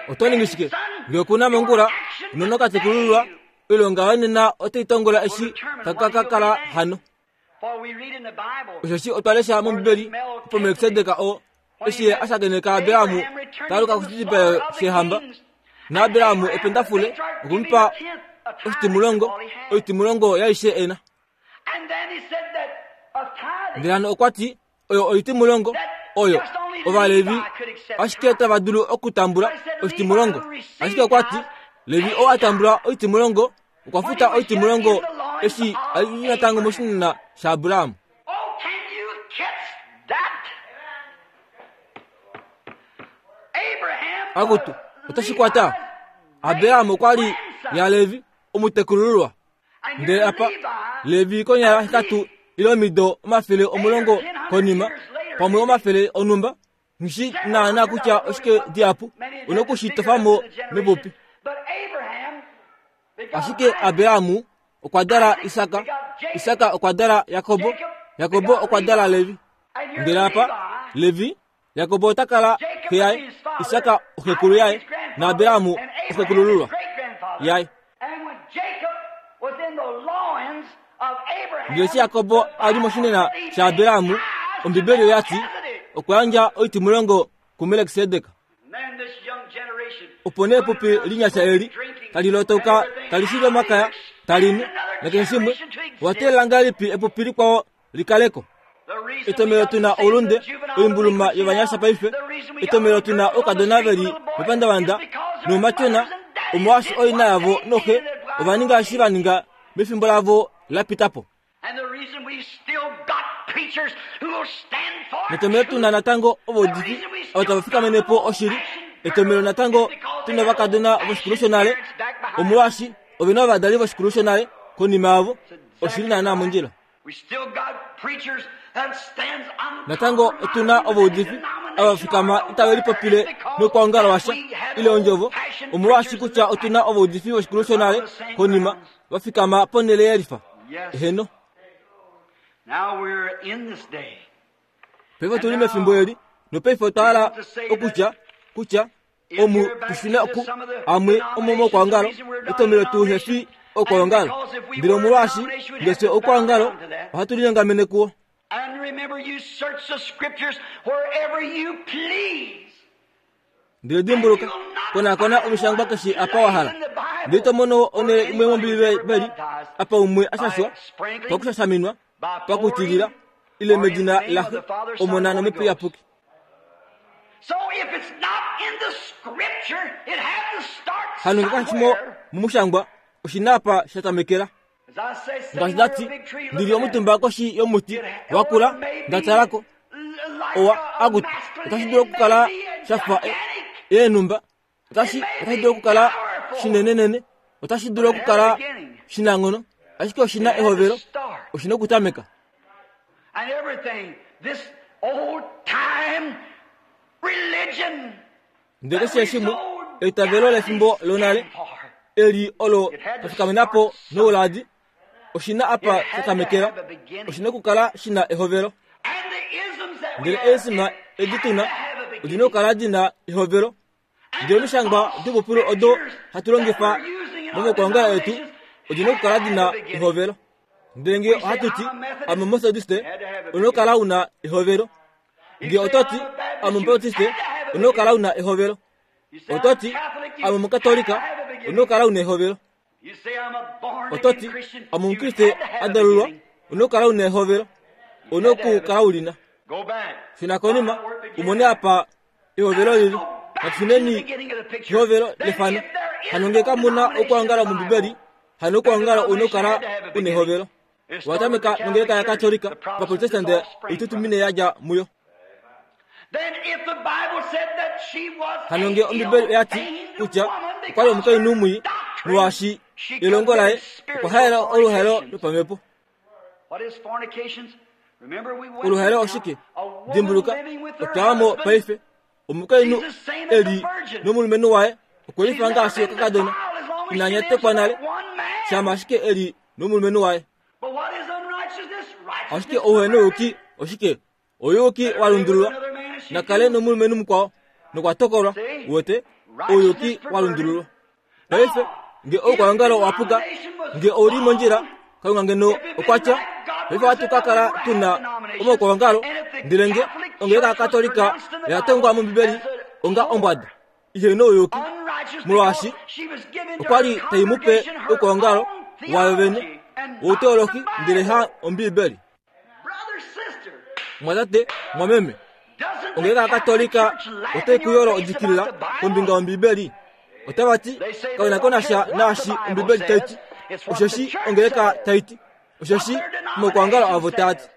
Oto ningi shike ngee oku na mongula unene okatekulululwa oilonga yoye nena otai tongola eshi taka ka kala hano? Osheshi otwa lesha mOmbibeli opo Melkisedek oo eshi ye a shakeneka Abraham ta aluka koshidipayelo sheehamba, naAbraham ependafule okwe mu pa oshitimulongo, oitimulongo yaaishe e na. Ndele hano okwa ti, oyo oitimulongo oyo Ovalevi ashike tava dulu okutambula oshitimulongo. Ashike okwa ti, Levi oo a tambula oitimulongo okwa futa oitimulongo eshi a li natango moshinena shaAbraham. Akutu, otashi kwata. Abraham okwa li yaLevi, omutekulululwa. Ndele apa, Levi konyala 8 ile omido 110 konima, pamwe omafele onhumba, nghi naana kutya oshike dihapu, u noku shi tofa mo mepupi. Ashike Abraham okwa dala Isak, Isak okwa dala Jakob, Jakob okwa dala Levi. Ndele apa, Levi, Jakob ota kala xe yaye, Isak oxekulu yaye, naAbraham oxekulululwa yaye. Ndele eshi Jakob a li moshinena shaAbraham, Ombibeli oya ti, okwa yandja oitimulongo kuMelkisedek. Opo nee epupi linyasha eli tali lotoka tali shili omakaya, tali nu, nakeshe shimwe, owa teelela ngahelipi epupi likwao likaleko? Etomhelo tu na oulunde, oimbuluma yovanyasha paife, etomhelo tu na oukadona ve li mepandavanda noumatyona, omolwaashi oina yavo noxe ova ninga eshi va ninga mefimbo lavo la pita po. Netomhelo tu na natango ovaudifi ava tava fikamene po oshili, etomhelo natango tu na ovakadona voshikulu shonale, omolwaashi ove na ovadali voshikulu shonale konima yavo, oshili naanaa mondjila. Natango otu na ovaudifi ava fikama itave lipopile nokwaongala washa ile ondjovo, omolwaashi kutya otu na ovaudifi voshikulu shonale konima va fikama ponhele yelifa. Eheno. Paife otu li mefimbo eli, nopaife otwa hala okutya kutya omu tushina oku amwe omomokwaongalo etomelo tu hefi okwaongalo ndele omolwaashi ngese okwaongalo ohatu linyongamene kuwo. Ndele dimbuluka, konakona omishangwa keshe apa wa hala, ndele to mono onhele imwe mOmbiibeli apa umwe a shashwa pakushashaminwa, pakutilila, ile medina laXe, Omona nOmhepo Iyapuki. Hano nge kashi mo momushangwa, oshi na apa sha tamekela. Ngaashi nda ti, ndi li omutumba koshi yomuti wa kula, nda tala ko. Owa, akutu, otashi dulu okukala sha fa eenhumba, otashi, otashi dulu okukala shinenenene, otashi dulu okukala shinanghono, ashike oshi na ehovelo, oshi na okutameka. Ndele keshe shimwe, eitavelo lefimbo lonale, eli olo la fikamena po nouladi, oshi na apa sha tamekela, oshi na okukala shi na ehovelo. Ndele eesima edi tu na, odi na okukala di na ehovelo. Ndele omishangwa dopopilo odo hatu longifa momakwangala etu, odi na okukala di na ehovelo. Ndele ngee ohatu ti, Ame Omumetodiste, ou na okukala u na ehovelo. Nge oto ti, Ame Omubaptiste, ou na okukala u na ehovelo. Oto ti, Ame Omukatolika, ou na okukala u na ehovelo. Oto ti, Ame Omukriste a dalulwa, ou na okukala u na ehovelo. Ou na okukala u li na. Shuna konima, u mone apa ehovelo lili. Natu shuneni kehovelo lefano. Hano nge kamu na okwoongala mOmbibeli, hano okwoongala ou na okukala u na ehovelo. Owa tameka nongeleka yaKatolika, Ovaprotestante oitutumine ya dja muyo. Hano nge Ombibeli oya ti kutya okwa li omukainhu mwii, Molwaashi elongo laye okwa haela oluhaelo lopamhepo. Oluhaelo oshike? Dimbuluka, otwa mo paife. Omukainhu e li nomulumenhu waye okwe lifa ngaashi okakadona ina nyatekwa nale, shama ashike e li nomulumenhu waye. Ashike ouhenouyuki oshike? Ouyuki wa lundululwa. Na kale nomulumenhu mukwao nokwa tokolwa. Uwete? Ouyuki wa lundululwa. Paife, nge oukwaongalo owa puka, nge ou li mondjila, Kalunga ngeno okwa tya, paife ohatu ka kala tu na omaukwaongalo, ndele nge ongeleka yaKatolika oya tongwa mOmbibeli onga ombwada ihe nouyuki, molwaashi okwa li tai mu pe oukwaongalo wayo vene wouteolohi ndele ha Ombibeli. Mwatate, mwameme, ongeleka yaKatolika otai ku yolo odikilila kombinga yOmbibeli. Otava ti, Kave na ko nasha naashi Ombibeli tai ti, osheshi ongeleka tai ti, osheshi omaukwaongalo avo taa ti.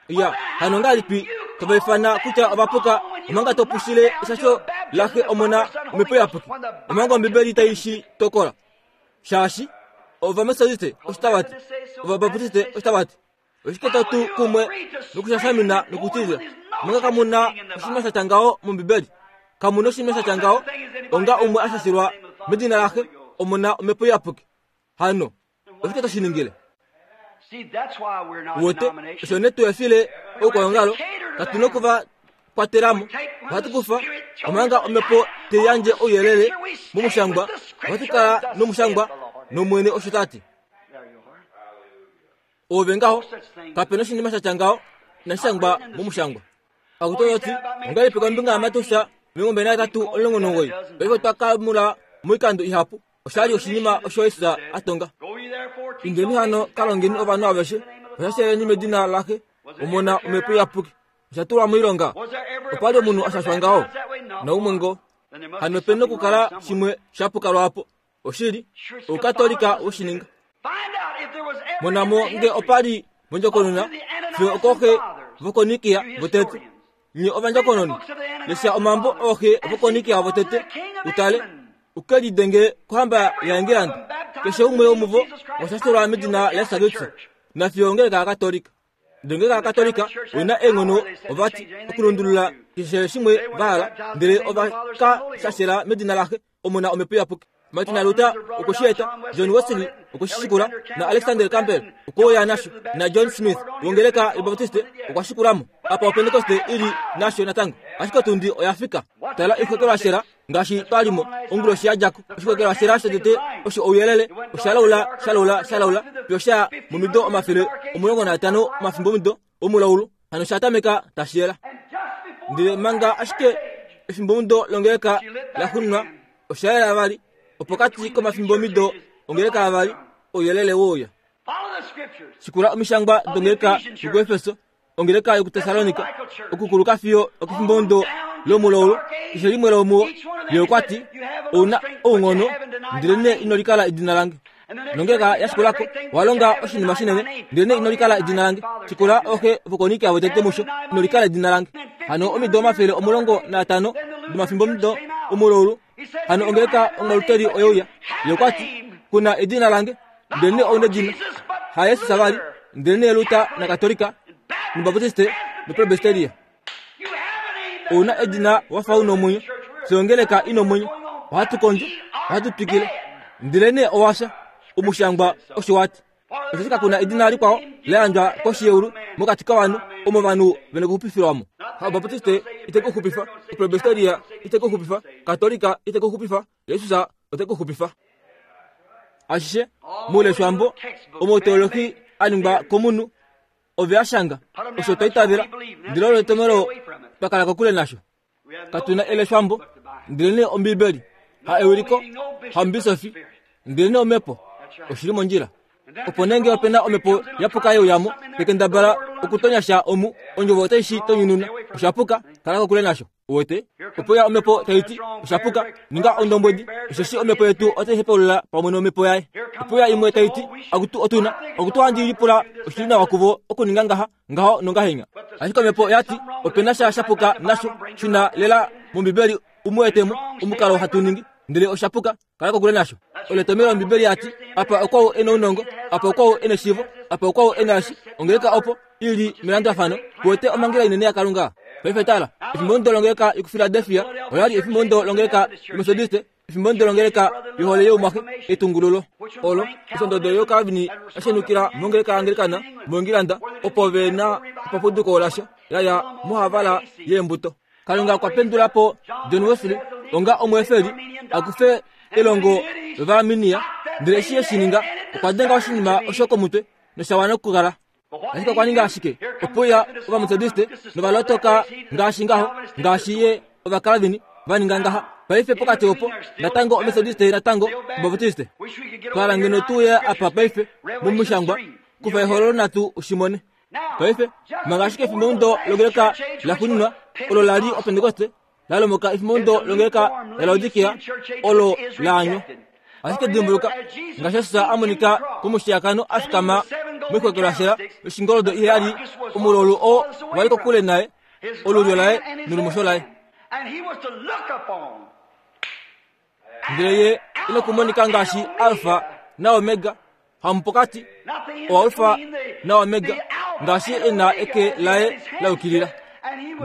Ya, hano ngahelipi tova ifana kutya ova puka omanga to pushile eshasho laXe, Omona, Omhepo Iyapuki, omanga Ombibeli tai shi tokola? Shaashi Ovametodiste osho tava ti, Ovabaptiste osho tava ti. Oshike to tu kumwe nokushashamina nokutilila omanga kamu na oshinima sha tya ngaho mOmbibeli? Kamu na oshinima sha tya ngaho onga umwe a shashilwa medina laXe, Omona, Omhepo Iyapuki. Hano oshike to shi ningile? Uwete, osho nee tu efile oukwaongalo, katu na oku va kwatela mo. Ohatu kufa omanga Omhepo te yandje ouyelele momushangwa, ohatu kala nomushangwa, nOmwene osho ta ti. Ove ngaho, kape na oshinima sha tya ngaho inashi shangwa momushangwa. Akutu oyo ti, ongahelipi kombinga yaMateus 23:19? Paife otwa ka mula moikando ihapu. Osha li oshinima osho Jesus a tonga. Indeni hano ka longeni ovanhu aveshe, va medina laXe, Omona, Omhepo Iyapuki. Osha tulwa moilonga. Opa li omunhu a shashwa ngaho? Naumwe ngoo. Hano ope na okukala shimwe sha puka lwaapo. Oshili, Oukatolika we shi ninga. Mona mo nge opa li mondjokonona fiyo okooxe vokonikia votete. Nye ovandjokononi, lesha omambo ooxe vokonikia votete, utale, u ke lidenge kohamba yaEngilanda. Keshe umwe womuvo okwa shashelwa medina laJesus Kristus, nafiyo ongeleka yaKatolika. Ndele ngenge Akatolika oi na eenghono ovati okulundulula keshe shimwe va hala, ndele ova ka shashela medina laXe, Omona Omhepo Iyapuki. Martin Luther okwe shi eta, John Wesley okwe shi shikula, na Alexander Campbell okwe uya nasho, na John Smith wongeleka yObaptiste okwa shikula mo. Apa Opentekoste i li nasho natango, ashike otundi oya fika. Tala oixokelwashela ngaashi twa li mo onguloshi ya dja ko. Oshikokelwashela shotete osho ouyelele, osha laula, sha laula, sha laula, fiyo sha ya momido 150 omafimbomido omulaulu, hano sha tameka tashi yela. Ndele manga ashike efimbomudo longeleka la xunwa, osha yela vali, opokati komafimbomido ongeleka avali, ouyelele we uya. Shikula omishangwa dongeleka yokuEfeso, ongeleka yokuTessalonika, okukuluka fiyo okefimbomudo lomulaulu, keshe limwe lomuo, ye okwa ti, Ou na ounghono, ndelenee ino likala edina lange. Nongeleka ya shikula ko, owa longa oshinima shinene, ndelenee ino likala edina lange. Shikula ooxe vokonikia votete musho, ino likala edina lange. Hano omido 150 domafimbomudo omulaulu, hano ongeleka ongaluteli oye uya. Ye okwa ti, Ku na edina lange, ndelenee ou nedina. HaJesus vali, ndelenee Luther naKatolika, nObaptiste noPresbyteria. Ou na edina wa fa u na omwenyo. Fye ongeleka i na omwenyo. Ohatu kondjo, ohatu twikile. Ndelenee owa fya. Omushangwa osho wa ti. Osheshi kaku na edina likwao la yandjwa koshi yeulu mokati kovanhu omo ovanhu ve na okuxupifilwa mo. Haobaptiste ite ku xupifa, Opresbyteria ite ku xupifa, Katolika ite ku xupifa, Jesus ote ku xupifa. Ashishe mouleshwambo omoteolohi a ningwa komunhu ove a shanga osho twa itavela, ndele olo etomhelo twa kala kokule nasho. Katu na eleshwambo, ndelenee Ombibeli, ha ewiliko, hamubisofi, ndelenee Omhepo. Oshi li mondjila. Opo nee nge ope na omhepo ya puka ye uya mo, tekendabala okutonya sha omu, Ondjovo otai shi tonyununa. Osha puka, kala kokule nasho. Uwete? Opo ya omhepo tai ti, Osha puka, ninga ondombwedi, osheshi omhepo yetu otai hepaulula pamwe nomhepo yaye. Opo ya imwe tai ti, Akutu otu na, akutu ohandi lipula oshi li nawa kuvo okuninga ngaha, ngaho nongahenya. Ashike omhepo oya ti, Ope na sha sha puka nasho, shuna lela mOmbibeli u mu etemo, omukalo hatu ningi, ndele osha puka, kala kokule nasho. Olo etomhelo Ombibeli ya ti, Apa okwau e nounongo, apa okwau e neshiivo, apa okwau e naashi, ongeleka opo i li melandulafano, kuwete omhangela inene yaKalunga. Paife tala, efimbomudo longeleka yokuFiladelfia ola li efimbomudo longeleka yoMetodiste, efimbo ndolongeleka yohole youmwaxe etungululo olo osondodo yokalvini ya shenukila mongeleka yaanglikana moingilanda opo ve na epapuduko lasho la ya mohavala yeembuto kalunga okwa pendula po john wesley onga omweefeli a kufe elongo lovaarminia ndele eshi e shi ninga okwa denga oshinima osho komutwe nosha wana okukala ashike okwa ninga ashike opuya ovametodiste novalotoka ngaashi ngaho ngaashi ye ovakalvini va ninga ngaha paife pokati opo natango ometodiste natango obaptiste twala ngeno tuye apa paife mumushangwa kufa ehololo natu ushimone paife manga ashike efimbo longeleka la xuninwa olo la li opentekoste la lomoka efimbo longeleka lalaodikia olo laanywa ashike dimbuluka ngaashi Jesus a monika komushiyakano a fikama moixwekelwashela yoshingoldo iheyali omulolu oo wa li kokule naye olulyo laye nolumosho laye ndele ye ine kumonika ngaashi alfa naomega hamupokati oalfa naomega ngaashi e na eke laye la yukilila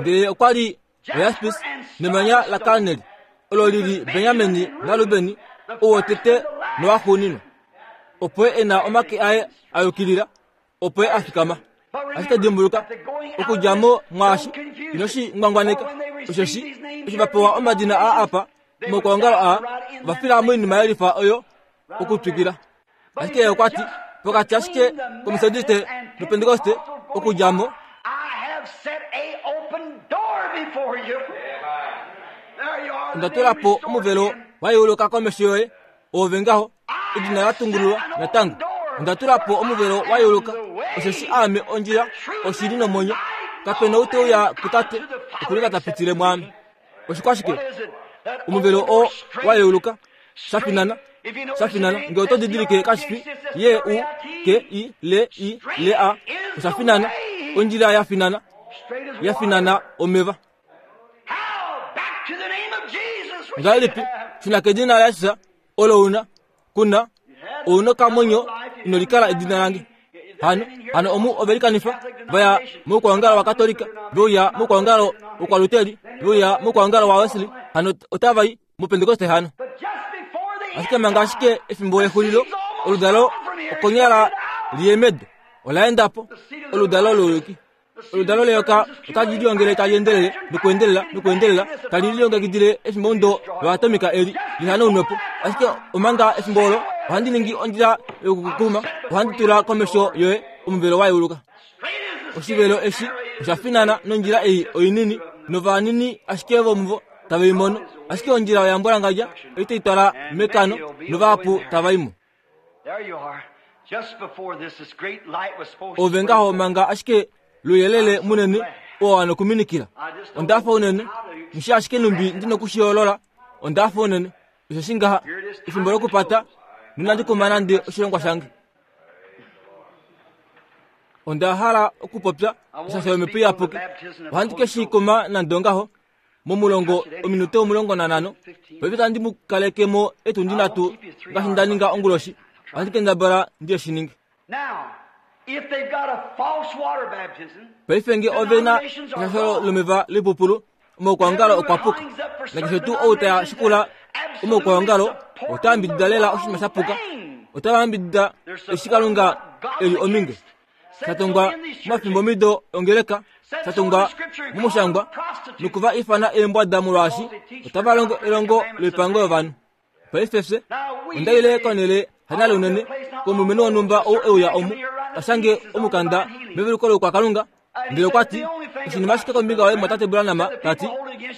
ndele okwa li oyaspis nemanya lakarneli olo li li benjamini narubeni owotete nowaxuuninwa opo e na omake aye a yukilila opo a fikama ashike dimbuluka okudja mo mwaashi ino shi ngwangwaneka osheshi eshi va pewa omadina aa apa momaukwaongalo aa ova fila moinima yelifa oyo okutwikila ashike ye okwa ti pokati ashike kometodiste nopentekoste okudja mo onda tula po omuvelo wa yeuluka komesho yoye oove ngaho edina la tungululwa natango onda tula po omuvelo wa yeuluka osheshi aame ondjila oshili nomwenyo kape na ou te uya kutate okulika ta pitile mwaame oshikwashike omuvelo oo wa yeuluka sha finana sha finana ngee oto didilike kashi fi ye u k i l i l a osha finana ondjila ya finana ya finana omeva ngahelipi shuna kedina laJesus olo una kuna ouna okamwenyo ino likala edina lange hano hano omu ove likanifa vaya moukwaongalo wakatolika veuya moukwaongalo wokwaluteli veuya moukwaongalo wawesley hano otava i mupentekoste hano ashike manga ashike efimbo lexulilo oludalo okonyala liyemedo ola enda po oludalo louyuki oludalo leyoka otali liongele tali endelele nokuendelela nokuendelela tali lilongekidile efimbo ndo loatomika eli lihanaunwe po ashike omanga efimbo olo ohandi ningi ondjila yokukukuma ohandi tula komesho yoye omuvelo wa yeuluka oshivelo eshi osha finana nondjila ei oinini novanini ashike vomuvo tave i mono ashike ondjila oya mbwalangadja ei tai twala mekano novahapu tava i mo ove ngaho manga ashike luyelele munene oo wa nokuminikila onda fa unene nshi ashike numbi ndi nokushiyoolola onda fa unene osheshi ngaha efimbo lokupata nonandi kuma nande oshilongwa shange onda hala okupopya osha yomhepo iyapuki ohandi ke shi kuma nande ongaho momulongo ominute 15 paife tandi mu kaleke mo etundi nhatu ngaashi nda ninga onguloshi ohandi kendabala ndi shi ninge paife nge ove na eshasholo lomeva lipupulu omaukwaongalo okwa puka nakeshe tuu ou ta shikula omaukwaongalo ota yambidida lela oshinima sha puka ota yambidida eshi kalunga e li ominge sha tongwa momafimbomido ongeleka sha tongwa momushangwa nokuva ifana eembwada molwaashi otava longo elongo loipango yovanhu paife fye onda ile konhele hanale unene komulumenhu wonhumba ou e uya omu ta shange omukanda meveluko loukwakalunga ndele okwa ti oshinima ashike kombinga yoye mwatate Branham ta ti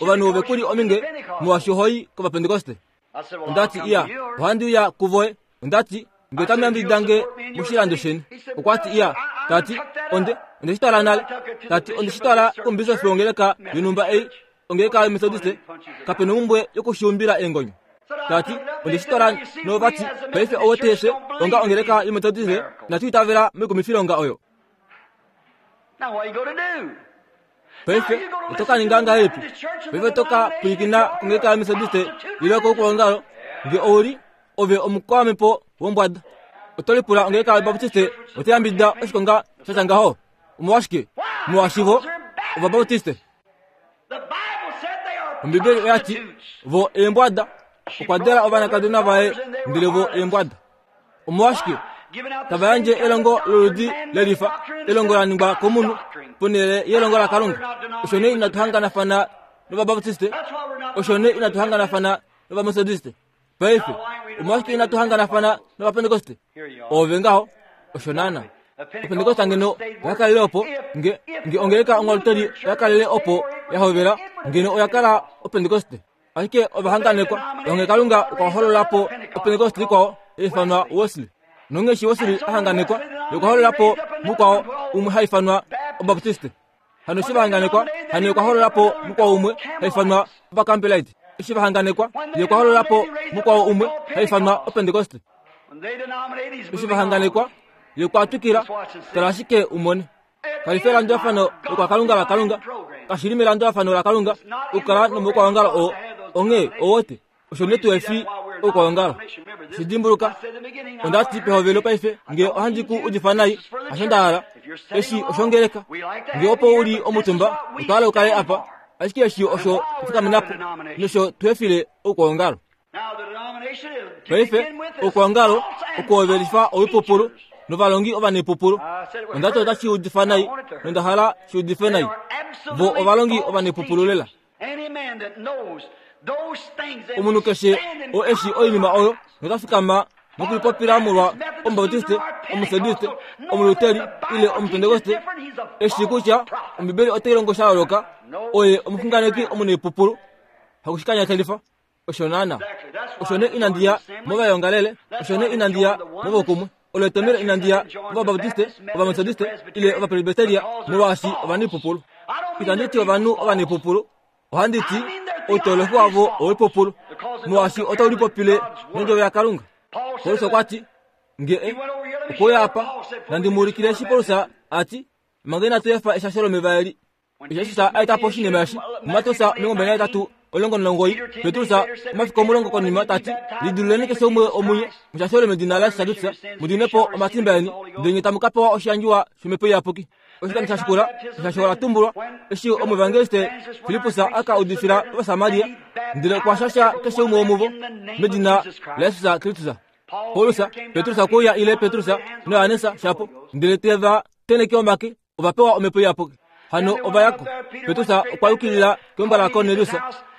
ovanhu ove ku li ominge molwaashi oho i kovapentekoste onda ti iya ohandi uya kuvoye onda ti nge otamu yambidida nge moshilando sheni okwa ti iya ta ti onde onde shi twala nale ta ti onde shi twala kombisofi wongeleka yonhumba ei ongeleka yometodiste kape nomumbwe yokushiumbila eengonyo ta ti onde shi twala novati paife owe fye onga ongeleka yometodiste inatu itavela moikumifilonga oyo paife oto ka ninga ngahelipi paife oto ka pwilikina kongeleka yometodiste ile koukwaongalo nge ou li Ove omukwamhepo wombwada. Oto lipula ongeleka yObaptiste otai yambidida oshikonga sha tya ngaho? Omolwashike? Molwaashi vo Ovabautiste. Ombibeli oya ti, Vo eembwada. Okwa dala ovanakadona vaye, ndele vo eembwada. Omolwashike tava yandje elongo loludi lelifa, elongo la ningwa komunhu, ponhele yelongo laKalunga? Osho nee inatu hanganafana nOvabaptiste. Osho nee inatu hanganafana nOvametodiste. Paife, omolwashike inatu hanganafana nOvapentekoste? Oove ngaho, osho naana. Opentekoste ngeno oya kalele opo, nge, nge ongeleka onghalutoli oya kalele opo ya hovela, ngeno oya kala Opentekoste. Ashike ova hanganekwa, onghee Kalunga okwa holola po Opentekoste ikwao ya ifanwa Wesley. Nonghee eshi Wesley a hanganekwa, ye okwa holola po mukwao umwe ha ifanwa Obaptiste. Hano eshi va hanganekwa, hano ye okwa holola po mukwao umwe ha ifanwa Ovacampbellite. Eshi va hanganekwa, ye okwa holola po mukwao umwe ha ifanwa Opentekoste. Eshi va hanganekwa, ye okwa twikila, tala ashike u mone. Kali fi elandulafano lokwakalunga laKalunga. Kashi li melandulafano laKalunga okukala nomaukwawongalo oo. Onghee, owote, osho nee tu efi oukwawongalo. Shi dimbuluka, onda ti pehovelo paife, nge ohandi ku udifa nai, hasho nda hala. Eshi oshongeleka. Nge opo u li omutumba, otwa hala u kale apa. Ashike eshi osho twa fikamena po, nosho tu efile oukwawongalo. Paife, oukwawongalo okuhovelifa oipupulu novalongi ovanepupulu. Onda ti otashi udifa nai, nonda hala shi udife nai. Vo ovalongi ovanepupulu lela. Omunhu keshe oo e shii oinima oyo nota fikama nokulipopila molwa Omubautiste, Omumetodiste, Omuluteri ile Omupentekoste, e shii kutya Ombibeli otai longo sha yooloka, oye omuxunganeki omunaipupulu. Hakushikanyatelifa. Osho naana. Osho nee inandi ya movayongalele, osho nee inandi ya movokumwe. Olo etomhelo inandi ya mOvabaptiste, Ovametodiste ile Ovapresbiteria, molwaashi ovanaipupulu. Itandi ti ovanhu ovanaipupulu, ohandi ti outolofi wavo owoipupulu, molwaashi otau lipopile nondjovo yaKalunga. Paulus okwa ti, Nge e okwe uya apa, nandi mu ulikile eshi Paulus a ti, manga inatu efa eshasho lomeva eli. Jesus a eta po oshinima eshi muMateus 28:19, Petrus omafiku 10 konima ta ti, Lidiluleni keshe umwe omunye, mushashelwe medina laJesus Kristus, mu dimwe po omatimba eni, ndele nye tamu ka pewa oshiyandjiwa shOmhepo Iyapuki. Oshikando sha shikula, eshasho ola tumbulwa eshi omuevangeliste Filippus a ka udifila Ovasamaria, ndele okwa shasha keshe umwe womuvo medina laJesus Kristus. Paulus, Petrus okwe uya ile Petrus naJohannes shapo, ndele te va tenheke omake ova pewa omhepo iyapuki. Hano ova ya ko. Petrus okwa yukilila keumbo laKornelius.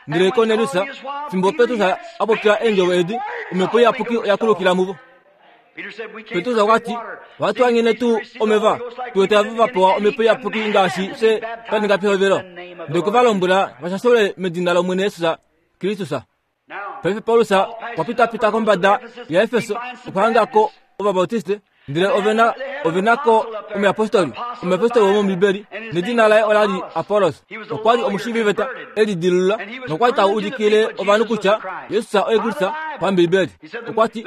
Ndele Kornelius, fimbo Petrus a popya eendjovo edi, omhepo iyapuki oya kulukila muvo. Petrus okwa ti, Ohatu hangene tuu omeva, tu wete ava va pewa omhepo iyapuki ngaashi fye twa ninga pehovelo. Ndele okwe va lombwela va shashelwe medina lOmwene Jesus Kristus. Paife Paulus okwa pitapita kombada yaEfeso okwa hanga ko Ovabautiste, ndele ove na ove na ko omuyapostoli, omuyapostoli womOmbibeli, nedina laye ola li Apollos. Okwa li omushiiviveta e lidilulula nokwa li ta ulikile ovanhu kutya Jesus oye Kristus paMbibeli. Okwa ti,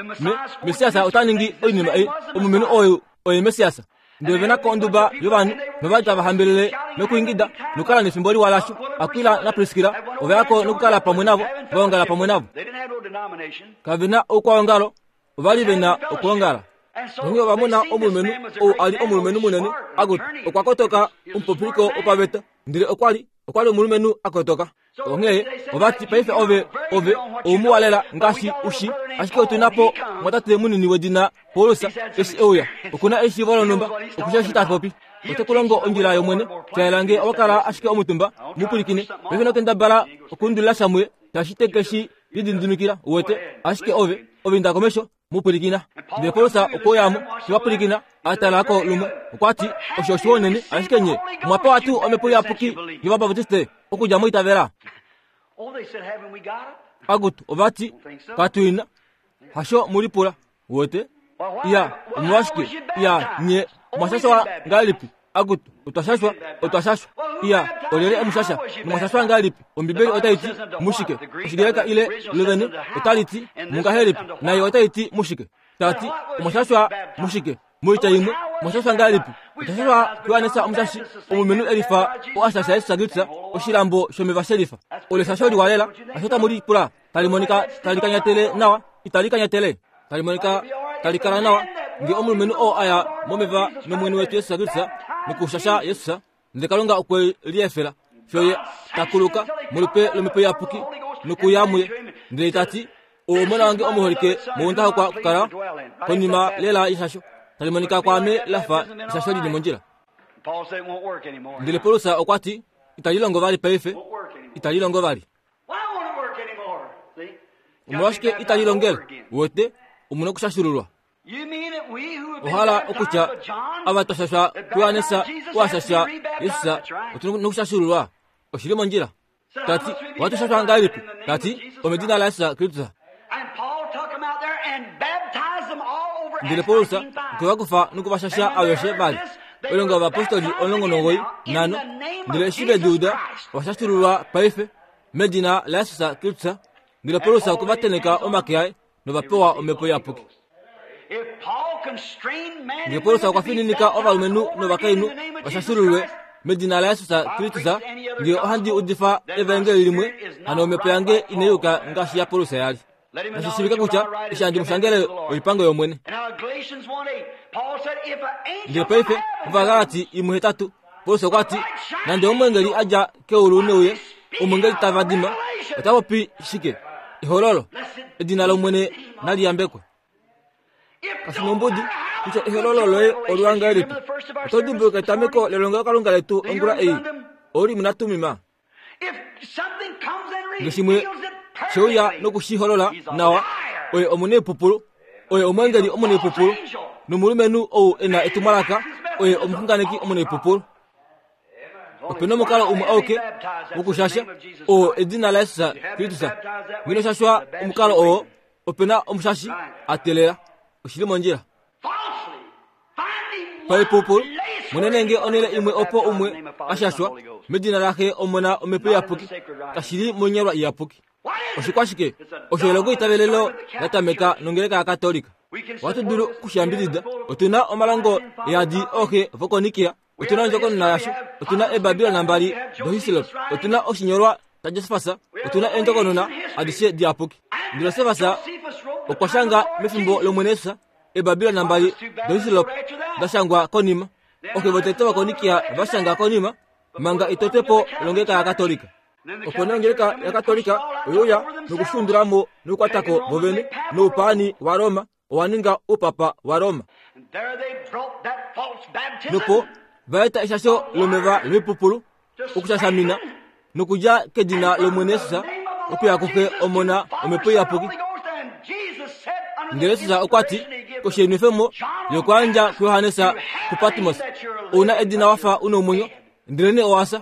Messias ota ningi oinima ei, omulumenhu ou oye Messias. Ndele ove na ko onduba yovanhu nova li tava hambelele nokuingida nokukala nefimbo liwa lasho. Akwila naPriskila ova ya ko nokukala pamwe navo, va ongala pamwe navo. Kave na oukwaongalo, ova li ve na okwoongala. Onghee ova mona omulumenhu ou a li omulumenhu munene, akutu, okwa kotoka, omupopiliko wopaveta, ndele okwa li, okwa li omulumenhu a kotoka. Onghee ova ti, Paife ove, ove oumuwa lela ngaashi u shi, ashike otu na po omwatate munini wedina Paulus eshi e uya. Oku na eshiivo lonhumba, oku shii eshi ta popi. Ote ku longo ondjila yOmwene. Sha yela nge owa kala ashike omutumba, mu pwilikine. Paife ino kendabala okuundulila sha muye, shaashi te ke shi lididimikila, uwete. Ashike ove, ove inda komesho, mu pwilikina. Ndele Paulus okwe uya mo, te va pwilikina, a tala ko lumwe. Okwa ti, Osho oshiwa unene, ashike nye omwa pewa tuu Omhepo Iyapuki yOvabaptiste okudja mwa itavela? Akutu, ova ti, Katu i na. Hasho mu lipula. Uwete? Iya, omolwashike? Iya, nye omwa shashwa ngahelipi? Akutu, otwa shashwa, otwa shashwa. Iya, olyelye e mu shasha? Nomwa shashwa ngahelipi? Ombibeli otai ti mushike? Oshigreka ile lovene otali ti mungahelipi, nayo otai ti mushike? Ta ti, omwa shashwa mushike? Moitya imwe, omwa shashwa ngahelipi? Otwa shashwa kuJohannes Omushashi, omulumenhu e lifa oo a shasha Jesus Kristus oshilambo shomeva shelifa. Olo eshasho liwa lela, hasho tamu lipula, tali monika tali kanyatele nawa. Itali kanyatele, tali monika tali kala nawa nge omulumenhu oo a ya momeva nOmwene wetu Jesus Kristus nokushasha Jesus, ndele Kalunga okwe liefela fiyo ye ta kuluka molupe lOmhepo Iyapuki nokuya muye, ndele ta ti, Ou omona wange omuholike mounda hokwa okukala konima lela yeshasho, tali monika kwaame la fa eshasho li li mondjila. Ndele Paulus okwa ti, Itali longo vali paife, itali longo vali. Omolwashike itali longele? Uwete, omu na okushashululwa. Ohala okutya ava twa shashwa kuJohannes wa shasha Jesus otu na okushashululwa. Oshi li mondjila. Ta ti, ohatu shashwa ngahelipi? Ta ti, omedina laJesus Kristus. Ndele Paulus okwe va kufa noku va shasha aveshe vali. Oilonga yovapostoli 19 nhano. Ndele eshi ve di uda, ova shashululwa paife medina laJesus Kristus. Ndele Paulus okwe va tenheka omake aye nova pewa omhepo iyapuki. Ndele Paulus okwa fininika ovalumenhu novakainhu va shashululwe medina laJesus Kristus. Ngee ohandi udifa evaengeli limwe, hano omhepo yange inai yuka ngaashi yaPaulus ya li. Nashi shiivike kutya eshi handi mu shangele oipango yOmwene. Ndele paife Ovagalati 1:8, Paulus okwa ti, Nande omweengeli a dja keulu ne uye, omweengeli ta vadima, ota popi shike? Ehololo. Edina lOmwene nali yambekwe. Kashi nombudi kutya ehololo loye oliwa ngahelipi. Oto dimbuluka etameko lelongelokalunga letu ongula ei, Ourim naTummim? Ngeshimwe sheuya noku shi holola nawa, oye omunaipupulu, oye omweengeli omunaipupulu, nomulumenhu ou e na etumwalaka oye omuxunganeki omunaipupulu. Ope na omukalo umwe auke wokushasha, oo edina laJesus Kristus. Ngeno shashwa omukalo oo, ope na omushashi a teelela. Oshi li mondjila. Paipupulu, monene nge onhele imwe opo umwe a shashwa medina laXe, Omona, Omhepo Iyapuki, kashi li monyalwa iyapuki. Oshikwashike? Osho elongo itavelelo la tameka nongeleka yaKatolika. Ohatu dulu oku shi yambidida. Otu na omalongo eyadi ooxe vokoNikea, otu na ondjokonona yasho, otu na eeBabilon mbali doHislop, otu na oshinyolwa shaJosefas, otu na eendjokonona adishe diyapuki. Ndele Josefas okwa shanga mefimbo lOmwene Jesus eeBabilon mbali doHislop da shangwa konima. Ooxe votete vokoNikea va shanga konima manga itotepo longeleka yaKatolika. Opo nee ongeleka yaKatolika oye uya nokushundula mo nokukwata ko vovene noupaani waRoma owa ninga oupapa waRoma. Nopo va eta eshasho lomeva loipupulu okushashamina nokudja kedina lOmwene Jesus okuya kuXe Omona Omhepo Iyapuki. Ndele Jesus okwa ti, Koshenwefemo yokuyandja kuJohannes kuPatmos, ou na edina wa fa u nomwenyo, ndelenee owa fya.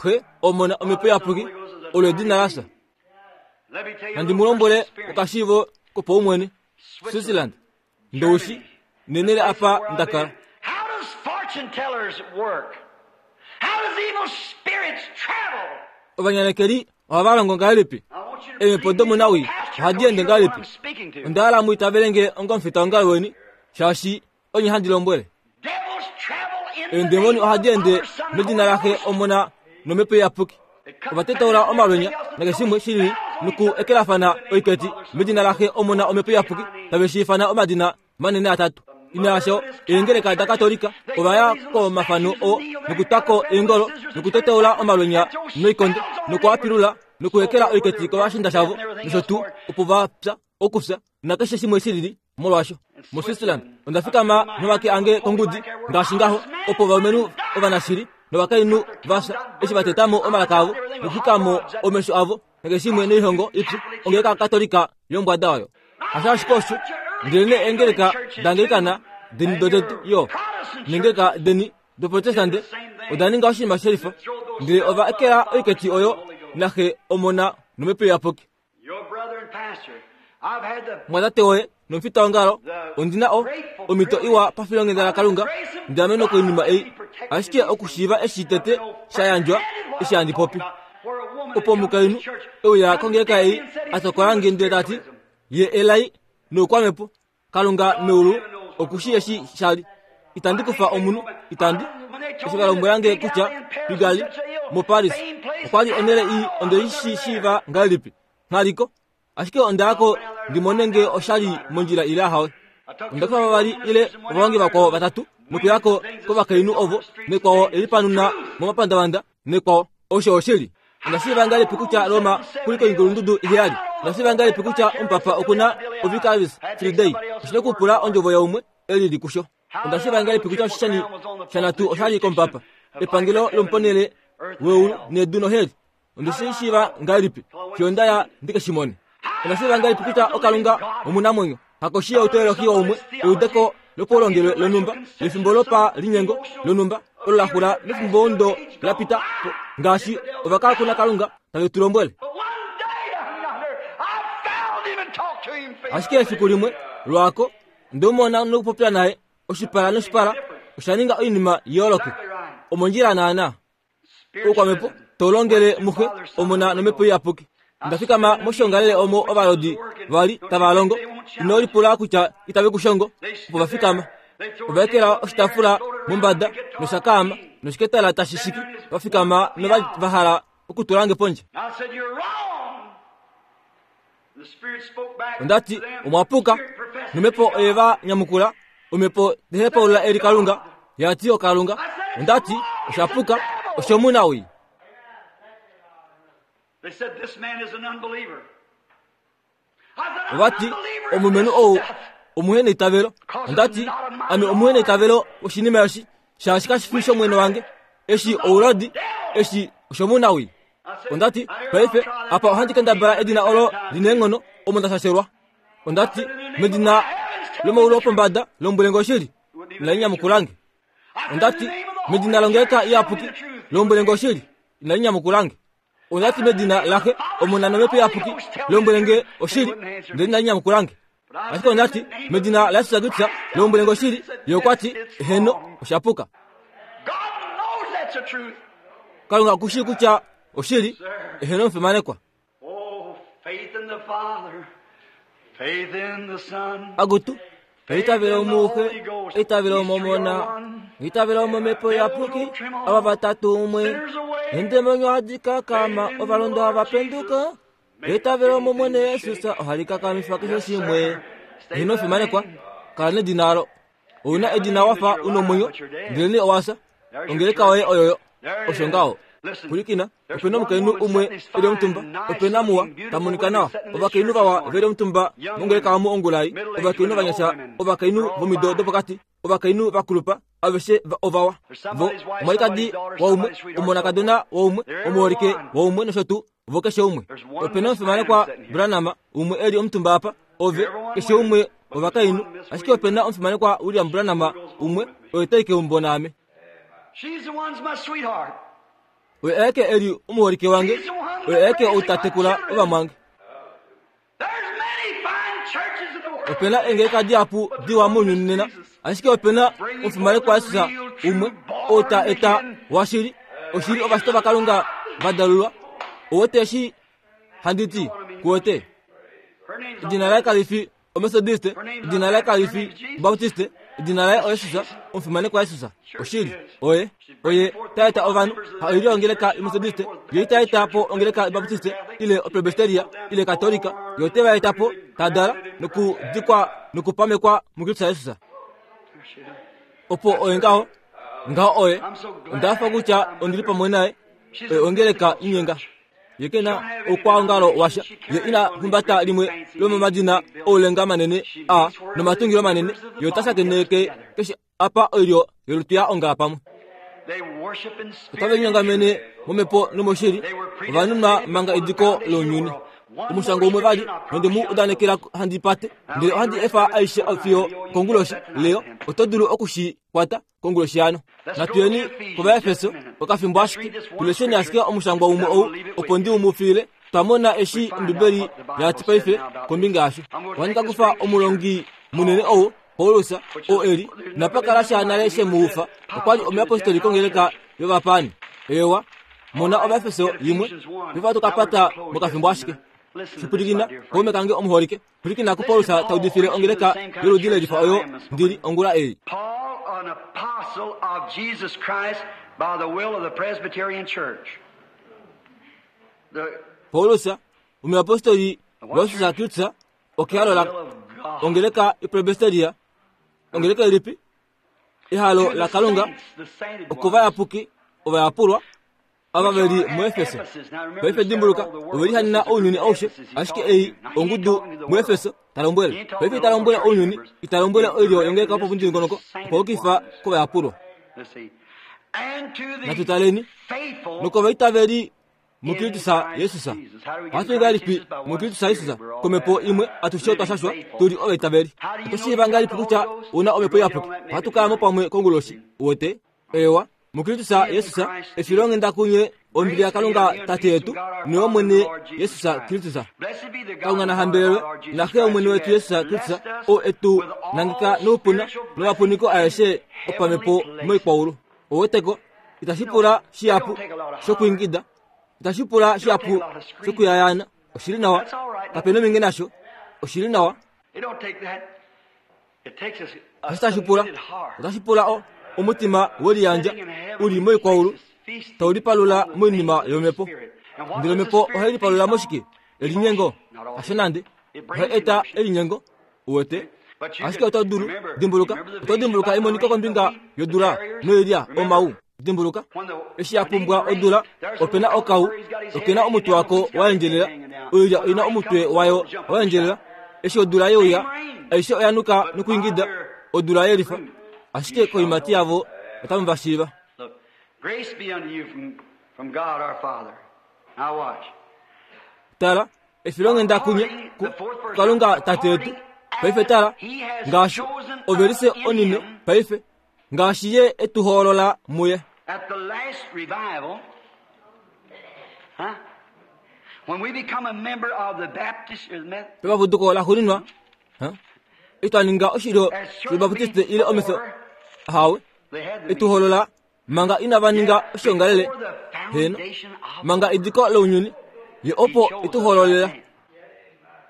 Xe, Omona, Omhepo Iyapuki, olo edina la fya. Nandi mu lombwele okashiivo kopaumwene, Switzerland, Ndowishi, nenhele apa nda kala. How does fortune tellers work? How does evil spirits travel? Ovanyanekeli ohava longo ngahelipi? Eemhepo domunawii ohadi ende ngahelipi? Onda hala mu itavele nge ongomufitaongalo weni, shaashi onye handi lombwele. Devils travel in the Eendemoni name of ohadi the ende Father, Son, and medina Holy laXe, Ghost. Omona nomhepo iyapuki. Ova tetaula omalwenya nakeshe shimwe shi lili noku ekelafana oiketi medina laXe, Omona, Omhepo Iyapuki, tave shi ifana omadina manene atatu. Inaasho, eengeleka daKatolika ova ya komafano oo nokutwa ko eengolo nokutetaula omalwenya noikonde noku a pilula nokuekela oiketi kovashiinda shavo nosho tuu opo va pya okufya nakeshe shimwe shi lili. Molwaasho, moSwitzerland onda fikama nomake ange kongudi ngaashi ngaho, opo ovalumenhu ovanashili novakainhu va fya eshi va teta mo omalaka avo nokuxwika mo omesho avo nakeshe shimwe noihongo ipyu ongeleka Katolika yombwada oyo. Hasho ashike osho, ndelenee eengeleka daAnglikana deni dotete yo neengeleka deni doProtestante oda ninga oshinima shelifa, ndele ova ekela oiketi oyo naXe, Omona nOmhepo Iyapuki. Mumwatate woye nomufitaongalo, ondi na o, omhito iwa pafilonghenda laKalunga ndi amenwe koinima ei, ashike okushiiva eshi tete sha yandjwa eshi handi popi. Opo omukainhu e uya kongeleka ei a tokola nge ndele ta ti, Ye elai noukwamhepo. Kalunga meulu oku shii eshi sha li. Itandi kufa omunhu, itandi. Eshi va lombwela nge kutya Kigali, moParis, okwa li onhele ii, onde shi shiiva ngahelipi? Nghaliko. Ashike onda ya ko ndi mone nge osha li mondjila ile ahawe. Onda kufa vavali ile ovalongi vakwao vatatu nokuya ko kovakainhu ovo nekwao e lipanuna momapandavanda nekwao. Osho oshili. Onda shiiva ngahelipi kutya Roma kuli koikulundudu iheyali? Onda shiiva ngahelipi kutya omupapa oku na oVicarius Filii Dei? Oshi na okupula ondjovo yaumwe e lili kusho. Onda shiiva ngahelipi kutya oshishani shanatu osha li komupapa, epangelo lomuponhele weulu nedu noheli? Onde shi shiiva ngahelipi fiyo nda ya ndi ke shi mone? Onda shiiva ngahelipi kutya oKalunga omunamwenyo, hakoshi youteolohi waumwe, eudeko lopaulongelwe lonhumba, lefimbo lopalinyengo lonhumba olo la xula mefimbomudo la pita po, ngaashi ovakakuna Kalunga tave tu lombwele? Ashike efiku limwe, lwaako, onde mu mona nokupopya naye oshipala noshipala, osha ninga oinima yooloke. Omondjila naanaa. Oukwamhepo to longele muxe Omona nomhepo iyapuki. Onda fikama moshiongalele omo ovalodi va li tava longo. Ino lipula kutya itave ku shongo opo va fikama. Ova ekela oshitaafula mombada nosha kaama noshiketala tashi shiki. Va fikama nova li va hala okutula nge pondje. Onda ti, Omwa puka. Nomhepo oye va nyamukula, Omhepo tehepaulula eli Kalunga, ya ti oKalunga. Onda ti, Osha puka, oshomunawii. Ova ti, Omulumenhu ou omuheneitavelo. Onda ti, Ame omuheneitavelo woshinima eshi, shaashi kashi fi shOmwene wange. Eshi ouladi, eshi oshomunawii. Onda ti, Paife, apa ohandi kendabala edina olo li neenghono omo nda shashelwa. Onda ti, Medina lomaulu opombada, lombwele nge oshili. Inali nyamukula nge. Onda ti, Medina longeleka iyapuki, lombwele nge oshili. Inali nyamukula nge. Onda ti, Medina laxe, Omona nomhepo iyapuki, lombwele nge oshili. Ndele inali nyamukula nge. Ashike onda ti, Medina laJesus Kristus, lombwele nge oshili. Ye okwa ti, Heeno, osha puka. Kalunga oku shii kutya oshili, eheno omufimanekwa. Akutu, eitavelo muxe, eitavelo momona, eitavelo momhepo iyapuki, ava vatatu umwe. Endemonyo hadi kakama, ovalondo hava penduka. Eitavelo mOmwene Jesus ohali kakamifa keshe shimwe. Ino fimanekwa, kala nedina olo. Ou na edina wa fa u nomwenyo, ndelenee owa fya. Ongeleka yoye oyoyo. Osho ngaho. Pwilikina, ope na omukainhu umwe e li omutumba, ope na muwa, ta monika nawa. Ovakainhu vawa ve li omutumba mongeleka omu ongula ei, ovakainhu ovanyasha, ovakainhu vomido dopokati, ovakainhu vakulupa, aveshe ovawa. Vo, omwalikadi waumwe, omonakadona waumwe, omuholike waumwe nosho tuu. Vo keshe umwe. Ope na omufimanekwa Branham umwe e li omutumba apa, ove, keshe umwe ovakainhu. Ashike ope na omufimanekwa William Branham umwe, oye tai keumbo naame. Oye aeke e li omuholike wange, oye aeke ou ta tekula ovamwange. Ope na eengeleka dihapu diwa mounyuni nena, ashike ope na omufimanekwa Jesus umwe ou ta eta washili, oshili ovashitwa vaKalunga va dalulwa. Ou wete eshi handi ti? Ku wete? Edina laye kali fi Omethodiste, edina laye kali fi Baptiste, edina laye oJesus, omufimanekwa Jesus. Oshili, oye, oye ta eta ovanhu, ha oilyo yongeleka yOmethodiste, ye ita eta po ongeleka yObaptiste, ile Opresbyteria, ile Katolika, ye ote va eta po, ta dala, nokudikwa nokupamekwa muKristus Jesus. Opo oye ngaho, ngaho oye, onda hafa kutya ondi li pamwe naye, oye ongeleka inyenga. Ye ke na oukwaongalo washa. Ye ina humbata limwe lomomadina oulenga manene a nomatungilo manene. Ye ota shakeneke keshe apa oilyo yolutu ya ongala pamwe. Otave linyongamene momhepo nomoshili, ova nunwa manga ediko lounyuni. Omushango umwe vali nonde mu udanekela handi pate, ndele ohandi efa aishe fiyo konguloshi. Leo, oto dulu oku shi kwata konguloshi yano. Natu yeni kOvaefeso okafimbo ashike, tu lesheni ashike omushangwa umwe ou, opo ndi u mu fiile. Twa mona eshi Ombibeli ya ti paife kombinga yasho. Ohandi ka kufa omulongi munene ou, Paulus, oo e li, napa kala sha nale she mu ufa, okwa li omuyapostoli kongeleka yovapaani. Eewa, mona Ovaefeso yimwe, paife ohatu ka pata mokafimbo ashike. Shipwilikina, kaume kange omuholike. Pwilikina kuPaulus ta udifile ongeleka yoludi lelifa oyo ndi li ongula ei. Paul, an apostle of Jesus Christ by the will of the Presbyterian Church. The Paulus, omuyapostoli Losisa Kristus okehalo la ongeleka ipresbiteria ongeleka ilipi ehalo laKalunga okovayapuki ovayapulwa ava ve li muEfeso. Paife dimbuluka, ove lihanena ounyuni aushe, ashike ei ongudu muEfeso ta lombwele. Paife ita lombwele ounyuni, ita lombwele oilyo yongeleka yopomudingonoko, okwa yukifa kovayapulwa. Natu taleni nokovaitaveli muKristus Jesus. Ohatu ngahelipi muKristus Jesus komhepo imwe atushe otwa shashwa tu li ovaitaveli. Oto shiiva ngahelipi kutya u na omhepo iyapuki? Ohatu kala mo pamwe konguloshi. Uwete? Eewa, muKristus Jesus, efilonghenda kunye ombili yaKalunga Tate yetu noyOmwene Jesus Kristus. Kalunga na hambelelwe naXe yOmwene wetu Jesus Kristus, oo e tu nangeka noupuna nomapuniko aeshe opamhepo moikwaulu. Ouweteko, itashi pula shihapu shokwiingida, itashi pula shihapu shokuyayaana. Oshi li nawa. Kape nominge nasho. Oshi li nawa. Eshi tashi pula, otashi pula o, omutima weliyandja u li moikwaulu tau lipalula moinima yomhepo. Ndele omhepo ohai lipalula moshike? Elinyengo? Hasho nande. Ohai eta elinyengo. Uwete? Ashike oto dulu, dimbuluka, oto dimbuluka emoniko kombinga yodula noilya omau. Dimbuluka, eshi ya pumbwa odula, ope na okau, oke na omutwe wako wa endjelela, oilya oi na omutwe wayo wa endjelela. Eshi odula ye uya, aishe oya nuka nokuingida, odula ye lifa. Ashike koiimati yavo otamu va shiiva. Tala, efilonghenda kunye kuKalunga Tate yetu. Paife tala, ngaashi ovelise onine paife, ngaashi Ye e tu hoolola muye. At the last revival, huh? When we become a member of the Baptist or the Methodist, Pepapuduko laxuuninwa, huh? Eshi twa ninga oshilyo shObaptiste ile Omeso, ahawe, they had the e tu hoolola manga inava ninga oshiongalele, heeno, manga ediko lounyuni, Ye opo e tu hoololela.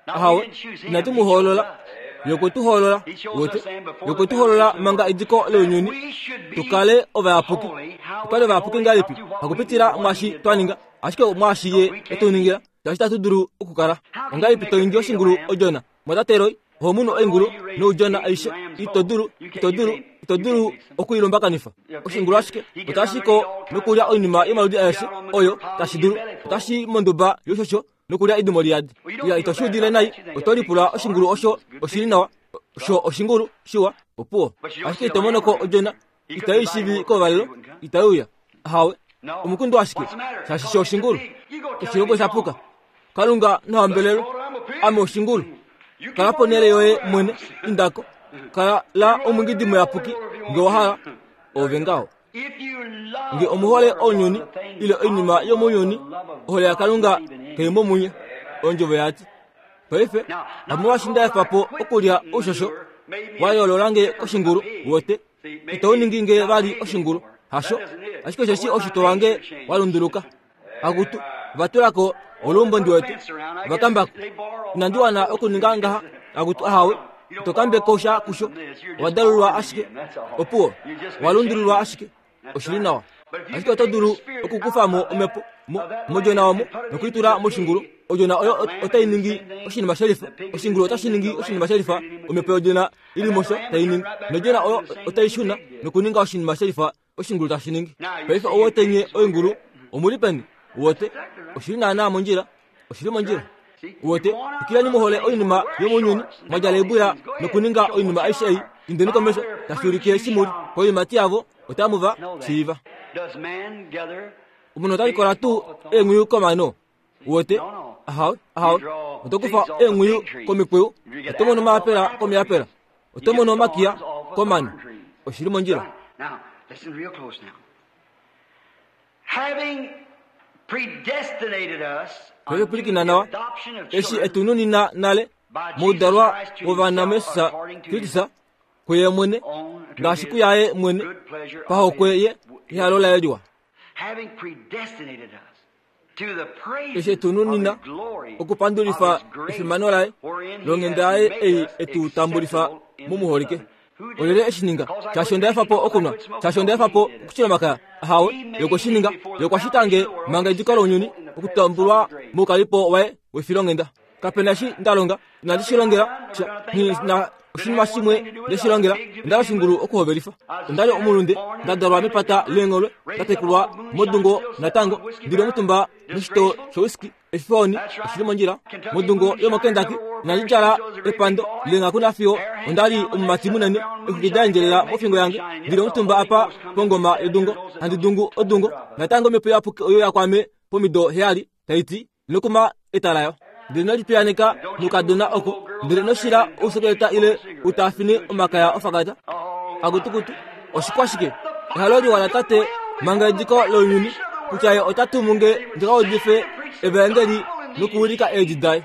Ahawe, inatu mu hoolola. Ye okwe tu hoolola, wete. Ye okwe tu hoolola manga ediko lounyuni, tu kale ovayapuki. Tu kale ovayapuki ngahelipi? Hakupitila mwaashi twa ninga, ashike omwaashi Ye e tu ningila, shaashi itatu dulu okukala. Ongahelipi to ningi oshingulu odjona? Mwatate Roy, oho munu oingulu noudjona aishe. Ito dulu, ito dulu, ito dulu oku i lumbakanifa. Oshingulu ashike otashi ko nokulya oinima yomaludi aeshe oyo tashi dulu. Otashi monduba youshosho nokulya edimo liyadi. Ya ito shi udile nai, oto lipula oshingulu osho oshi li nawa, sho oshingulu shiwa, opuwo. Ashike ito mono ko odjona, itai shivi kovalelo, itai uya. Ahawe, omukundu ashike, shaashi sho oshingulu. Oshilongo osha puka. Kalunga na hambelelwe, ame oshingulu. Kala ponhele yoye mwene, inda ko. Kala la omwingidi muyapuki, nge wa hala, ove ngaho. Nge omu hole ounyuni ile oinima yomounyuni, ohole yaKalunga kai mo munye. Ondjovo ya ti. Paife, hamolwaashi nda efa po okulya oushosho, wa yoolola nge koshingulu, wote. Itau ningi nge vali oshingulu, hasho, ashike osheshi oushitwe wange wa lunduluka. Akutu, va tula ko oluumbo ndi wete, va kamba ko. Inandi wana okuninga ngaha, akutu, ahawe, ito kambe ko sha kusho. Owa dalulwa ashike, opuwo, owa lundululwa ashike. Oshi li nawa. Ashike oto dulu okukufa mo omhepo mo, modjona omo noku i tula moshingulu. Odjona oyo otai ningi oshinima shelifa. Oshingulu otashi ningi oshinima shelifa, omhepo yodjona i li mosho tai ningi. Nodjona oyo otai shuna nokuninga oshinima shelifa oshingulu tashi ningi. Paife ou wete nye oingulu omu li peni? Uwete? Oshi li naanaa mondjila. Oshi li mondjila. Uwete? Twikileni mu hole oinima yomounyuni, mwa djala oibuya nokuninga oinima aishe ei. Indeni komesho, tashi ulike eshi mu li. Koiimati yavo otamu va shiiva. Omunhu ota likola tuu eenghwiyu komano? Uwete? Ahawe, ahawe. Oto kufa eenghwiyu komikweyu, oto mono omayapela komiyapela, oto mono omakiya komano. Oshi li mondjila. Now, listen real close now. Having predestinated us Paife pwilikina nawa. Eshi e tu nunina nale moudalwa wovana muJesus Kristus kuye mwene, ngaashi kuyaye mwene, pahokwe ye yehalo laye liwa. Having predestinated us Eshi e tu nunina okupandulifa efimano laye longhenda yaye ei e tu tambulifa mumuholike. Olyelye e shi ninga? Shaashi onda efa po okunwa? Shaashi onda efa po okushila omakaya? Ahawe, ye okwe shi ninga. Ye okwa shita nge manga ediko lounyuni okutambulwa moukalipo waye wefilonghenda. Kape na eshi nda longa, inandi shi longela sha, nghi na oshinima shimwe nde shi longela. Onda li oshingulu okuhovelifa. Onda li omulunde, nda dalwa mepata leengholwe, nda tekulwa modungo natango, ndi li omutumba moshitoo showhiskey. Efoni oshili mondjila modungo yomoKentucky. Inandi djala epando leenghaku nafiyo onda li omumati munene, exwiki da endjelela mofingo yange, ndi li omutumba apa pongoma yodungo, handi dungu odungo. Natango omhepo iyapuki oyo ya kwame pomido heyali, tai ti, Ino kuma eta layo. Ndele ino lipiyaaneka noukadona oko, ndele ino shila ousekeleta ile u taafine omakaya ofakata. Akutukutu, oshikwashike? Ehalo liwa laTate manga ediko lounyuni, kutya Ye ota tumu nge ndi ka udife Evaengeli nokuwilika eedi daye.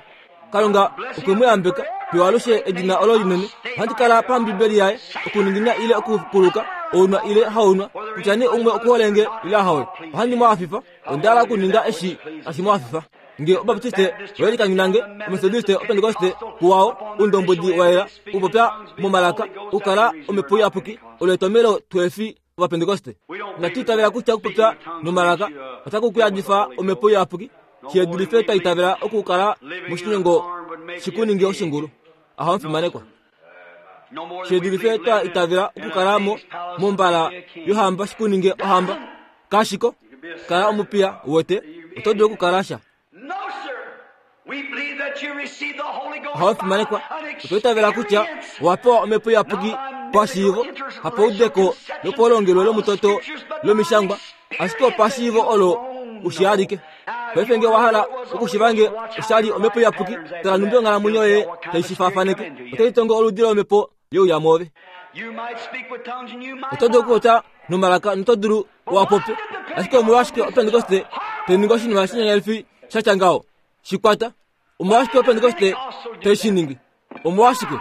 Kalunga okwe mu yambeka fiyo alushe edina olo linene. Ohandi kala paMbibeli yaye, okuningina ile okukuluka, ounwa ile haunwa, kutya nee umwe okuhole nge ile ahawe. Ohandi mu hafifa. Onda hala okuninga eshi tashi mu hafifa. Nge Obaptiste oye likanyunange, Ometodiste, Opentekoste, kuwao, oundombwedi wa yela, okupopya momalaka, okukala Omhepo Iyapuki, olo etomhelo tuhe fi Ovapentekoste. Inatu itavela kutya okupopya nomalaka otaku ku yadifa Omhepo Iyapuki, shi dulife twa itavela okukala moshinyengo shi ku ninge oshingulu. Aha omufimanekwa. Shi dulife twa itavela okukala mo mombala yohamba shi ku ninge ohamba. Kashiko, kala omupiya wete, oto dulu okukala sha. Oho fimanekwa. Otwa itavela kutya owa pewa omhepo iyapuki pashiivo, hapaudeko lopolongelwe lomutoto lomishangwa, ashike opashiivo olo ushialike. Paife nge wa hala okushiva nge oshali omhepo iyapuki, tala nhumbi onghalamwenyo yoye tai shi faafaneke. Otai tongo oludi lomhepo yeuya mwoove. Oto dulu okupopya nomalaka noto dulu wa popye, ashike omolwashike Opentekoste tai ningi oshinima shinyanyalifi sha tya ngaho? Shi kwata. Omolwashike Opentekoste tai shi ningi? Omolwashike?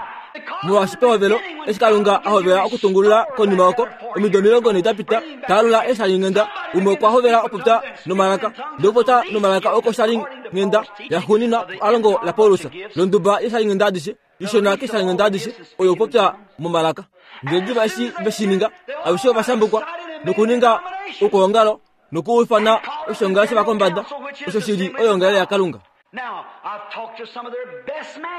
Molwaashi pehovelo, eshi Kalunga a hovela okutungulula konima oko, omido 40 da pita, ta alula eeshalinghenda, umwe okwa hovela okupopya nomalaka. Ndele okupopya nomalaka oko oshalinghenda yaxuuninwa palongo laPaulus, londuba yeeshalinghenda adishe. Ishona keshanghenda adishe oyo okupopya momalaka. Ndele diva eshi ve shi ninga, aveshe ova shambukwa nokuninga okwoongalo nokuufana oshiongalele shovakombada, osho shi li oyoongalele yaKalunga.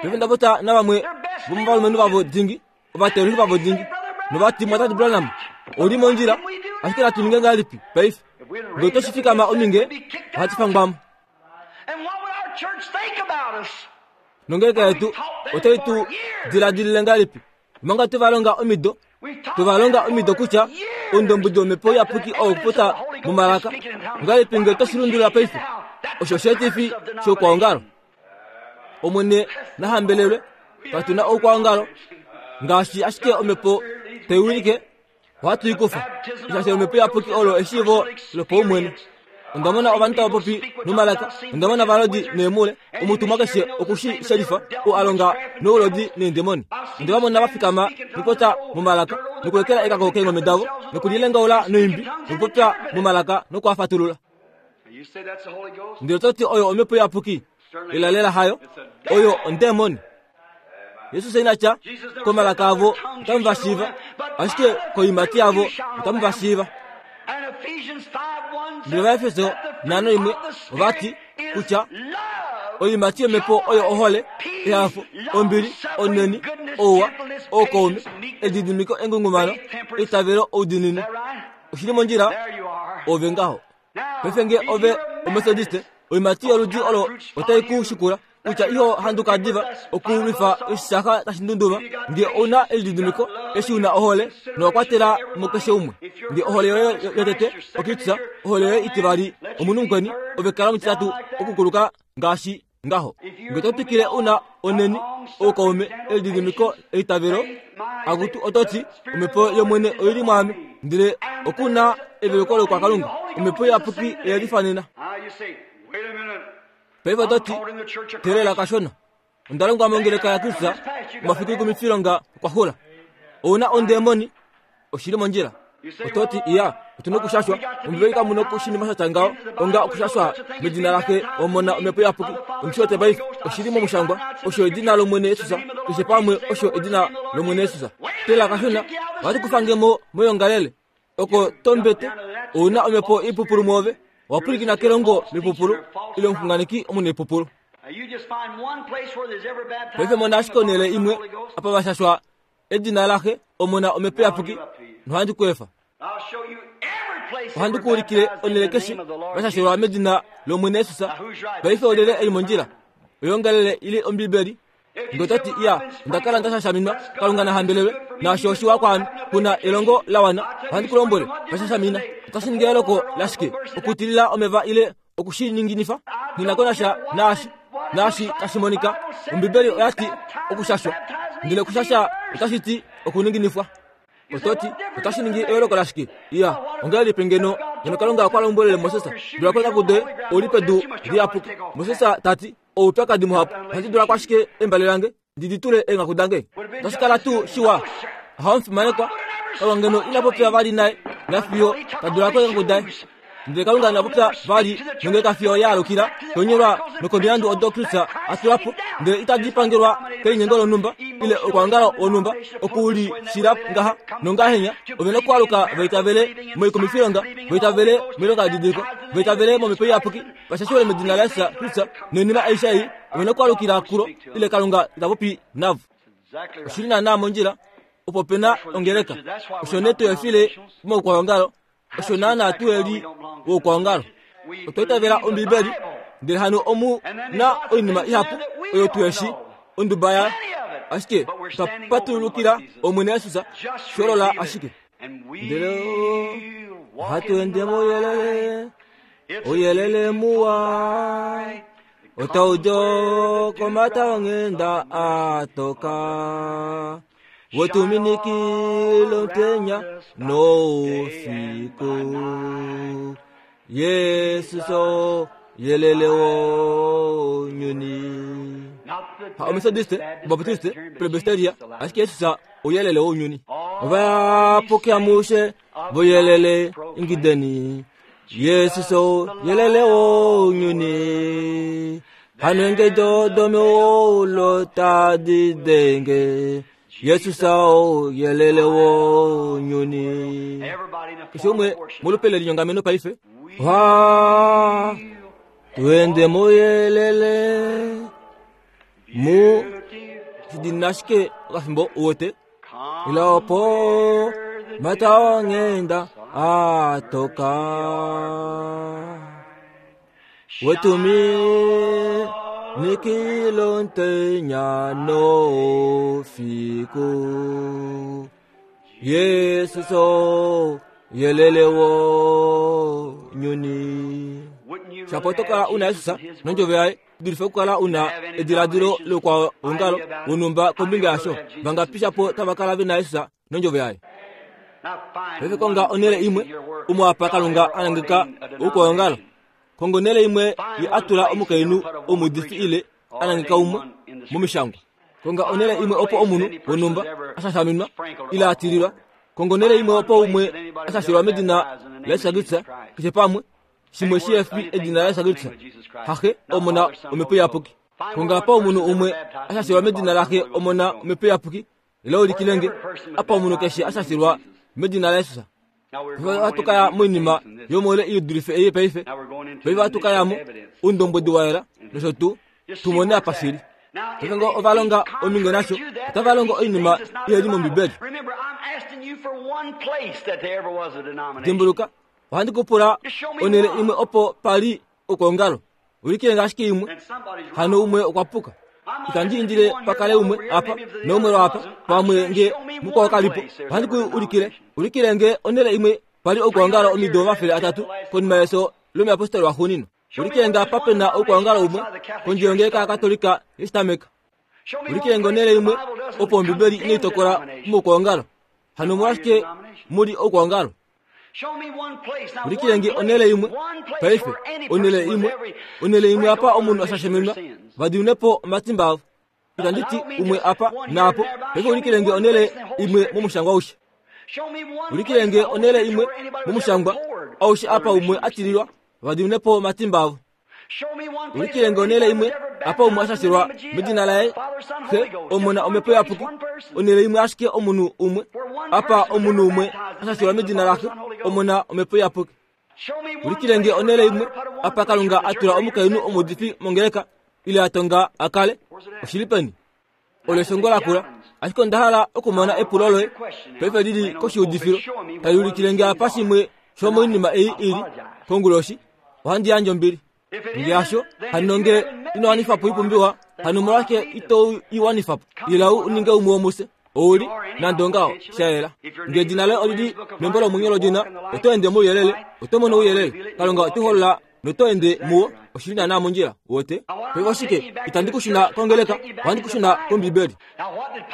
Paife nda popya navamwe vomovalumenhu vavo dingi, ovateolohi vavo dingi, novati, Mwatate Branham, ou li mondjila, ashike natu ninge ngahelipi paife? Ngee oto shi fikama ominge, ohatu fangwa mo. Nongeleka yetu otai tu diladilile ngahelipi omanga twe va longa omido twe va longa omido kutya oundombwedi womhepo iyapuki oo okupopya momalaka ngahelipi ngee oto shi lundulula paife? Osho osheetifi shoukwaongalo. Omwene na hambelelwe, katu na oukwaongalo ngaashi ashike omhepo tai wilike. Ohatu i kufa. Shaashi Omhepo Iyapuki olo eshiivo lopaumwene. Onda mona ovanhu tava popi nomalaka. Onda mona ovalodi neemhule. Omutumwa keshe oku shi shelifa, oo a longa noulodi neendemoni. Onde va mona va fikama nokupopya momalaka, nokulekela ekako keengome davo, nokulilengaula noimbi, nokupopya momalaka noku a fatulula. Ndele oto ti oyo Omhepo Iyapuki? Lelalela hayo. Oyo ondemoni. Jesus ina tya komalaka avo otamu va shiiva, ashike koiimati yavo otamu va shiiva. Ndele Ovaefeso 5:1 ova ti kutya oiimati yomhepo oyo ohole, ehafo, ombili, onheni, ouwa, oukaume, elididimiko, engungumano, eitavelo, oudiinini. Oshi li mondjila? Ove ngaho. Paife nge ove Omethodiste, oiimati yoludi olo otai ku shikula kutya iho handuka diva okulwifa oshisaha tashi ndunduma. Nge ou na elididimiko, eshi u na ohole, nowa kwatela mo keshe umwe. Nge ohole yoye yotete oKristus, ohole yoye itivali omunhu mukweni, ove kala omutitatu okukuluka ngaashi ngaho. Nge to twikile u na onheni, oukaume, elididimiko, eitavelo, akutu oto ti, Omhepo yOmwene oi li mwaame, ndele oku na eveluko loukwakalunga. Omhepo Iyapuki oye lifanena. Paife oto ti, Teelela kashona. Onda longwa mongeleka yaKristus omafiku ikumifilonga okwa xula. Ou na ondemoni? Oshi li mondjila. Oto ti, Iya, otu na okushashwa. Ombibeli kamu na oshinima sha tya ngaho onga okushashwa medina laXe, Omona, Omhepo Iyapuki. Ondi shi wete paife. Oshi li momushangwa. Osho edina lOmwene Jesus. Keshe pamwe osho edina lOmwene Jesus. Teelela kashona. Ohatu kufa nge mo moyoongalele. Oko tombete, ou na omhepo ipupulu mwoove. Owa pwilikina kelongo lipupulu ile omuxunganeki omunaipupulu. Paife mona ashike onhele imwe apa va shashwa edina laXe, Omona, Omhepo Iyapuki, nohandi ku efa. Ohandi ku ulikile onhele keshe va shashelwa medina lOmwene Jesus. Paife olyelye e li mondjila? Oyongalele ile Ombibeli? Nge oto ti, Iya, onda kala nda shashaminwa, Kalunga na hambelelwe, naasho oshiwa kwaame, ku na elongo la wana, ohandi ku lombwele, va shashamina. Otashi ningi eyooloko lashike okutilila omeva ile oku shi ninginifa? Nghi na ko nasha naashi, naashi tashi monika. Ombibeli oya ti okushashwa, ndele okushasha otashi ti okuninginifwa. Oto ti, Otashi ningi eyooloko lashike? Iya, ongahelipi ngeno ngeno Kalunga okwa lombwelele Moses, Dula ko eenghaku doye, ou li pedu liyapuki. Moses ta ti, Oupyakadi muhapu, ohandi dula ko ashike embale lange ndi di tule eenghaku dange. Otashi kala tuu shiwa? Ohamufimanekwa, Kalunga ngeno ina popya vali naye nafiyo ta dula ko eenghaku daye. Ndele Kalunga ina popya vali nongeleka fiyo ya alukila konyolwa nokomilandu odo Kristus a tula po, ndele itadi pangelwa kelinyengo lonhumba ile okwaongalo wonhumba oku li shila ngaha nongahenya. Ove na okwaluka va itavele moikumifilonga, va itavele moilonga yedidiliko, va itavele momhepo iyapuki, va shashiwe medina laJesus Kristus noinima aishe ei ove na okwaalukila kulo ile Kalunga ita popi navo. Oshi li naanaa mondjila opo pe na ongeleka. Osho nee tu efile moukwaongalo osho naanaa tu eli woukwaongalo. Otwa itavela Ombibeli, ndele hano omu na oinima ihapu oyo tu eshi onduba ya ashike twa patulukila Omwene Jesus sholola ashike. Ndele ohatu ende mouyelele, ouyelele muwa otau di komata onghenda a toka. Wetuminikile omutenya noufiku. Yesus ouyelele wounyuni. Ha Ometodiste, Obaptiste, Presbyteria, ashike Jesus ouyelele wounyuni. Ovayapuki amushe voyelele ingideni. Jesus ouyelele wounyuni. Hano engedo domeulu tadi denge. Jesus ouyelele wounyuni. Keshe umwe molupe lelinyongameno paife. Ha, tuende mouyelele mu shidinina ashike okafimbo uwete. Ila opo mata onghenda a toka. Wetumi nikilontenya noufiku. Yesus ouyelele wounyuni. Shapo oto kala u na Jesus nondjovo yaye, dulife okukala u na ediladilo loukwaongalo wonhumba kombinga yasho. Vangapi shapo tava kala ve na Jesus nondjovo yaye? Paife konga onhele imwe omo apa Kalunga a nangeka oukwaongalo. Konga onhele imwe ye a tula omukainhu omuudifi ile a nangeka umwe momishangwa. Konga onhele imwe opo omunhu wonhumba a shashaminwa ile a tililwa. Konga onhele imwe opo umwe a shashelwa medina laJesus Kristus keshe pamwe shimwe shi efi edina laJesus Kristus, haXe, Omona, Omhepo Iyapuki. Konga apa omunhu umwe a shashelwa medina laXe, Omona, Omhepo Iyapuki, ile ulikile nge apa omunhu keshe a shashelwa medina laJesus. Paife ohatu ka ya moinima yomoule i dulife ei paife. Paife ohatu ka ya mo oundombwedi wa yela nosho tuu tu mone apa shili. Paife ngee ova longa ominge nasho, otava longo oinima ihe li mOmbibeli. Dimbuluka, ohandi ku pula onhele imwe opo pa li okwoongalo. Ulikile nge ashike imwe. Hano umwe okwa puka. Itandi indile pa kale umwe apa naumwe lwaapa, pamwe nge mukwao ka li po. Ohandi ku ulikile. Ulikile nge onhele imwe pa li okwoongalo omido 300 konima yefyo lomuyapostoli waxuuninwa. Ulikile nge apa pe na oukwaongalo umwe kondje yongeleka yaKatolika yoshitameka. Ulikile nge onhele imwe opo Ombibeli inai tokola moukwaongalo. Hano omolwashike mu li oukwaongalo? Ulikile nge onhele imwe paife, onhele imwe, onhele imwe apa omunhu a shashemenwa va dimine po omatimba avo. Itandi ti umwe apa naapo, paife ulikile nge onhele imwe momushangwa aushe. Ulikile nge onhele imwe momushangwa aushe apa umwe a tililwa va dimine po omatimba avo. Ulikile nge onhele imwe apa umwe a shashelwa medina laye Xe, Omona, Omhepo Iyapuki. Onhele imwe ashike omunhu umwe apa omunhu umwe a shashelwa medina laXe, Omona, Omhepo Iyapuki. Ulikile nge onhele imwe apa Kalunga a tula omukainhu omuudifi mongeleka. ile a tonga a kale? Oshi li peni? Olo eshongo lakula. Ashike onda hala okumona epulo loye paife li li koshiudifilo tali ulikile nge apa shimwe shomoinima ei i li konguloshi. Ohandi yandje ombili. Nge hasho, hano nge ino wanifa po oipumbiwa, hano omolwashike ito i wanifa po? Ila u ninge umwe womufye. Ou li, nande ongaho, sha yela. Nge edina loye oli li membo lomwenyo lodina, oto ende mouyelele, oto mono ouyelele. Kalunga ote holola noto ende muwo, oshi li naanaa mondjila. Wote? Paife oshike? Itandi ku shuna kongeleka, ohandi ku shuna kOmbibeli.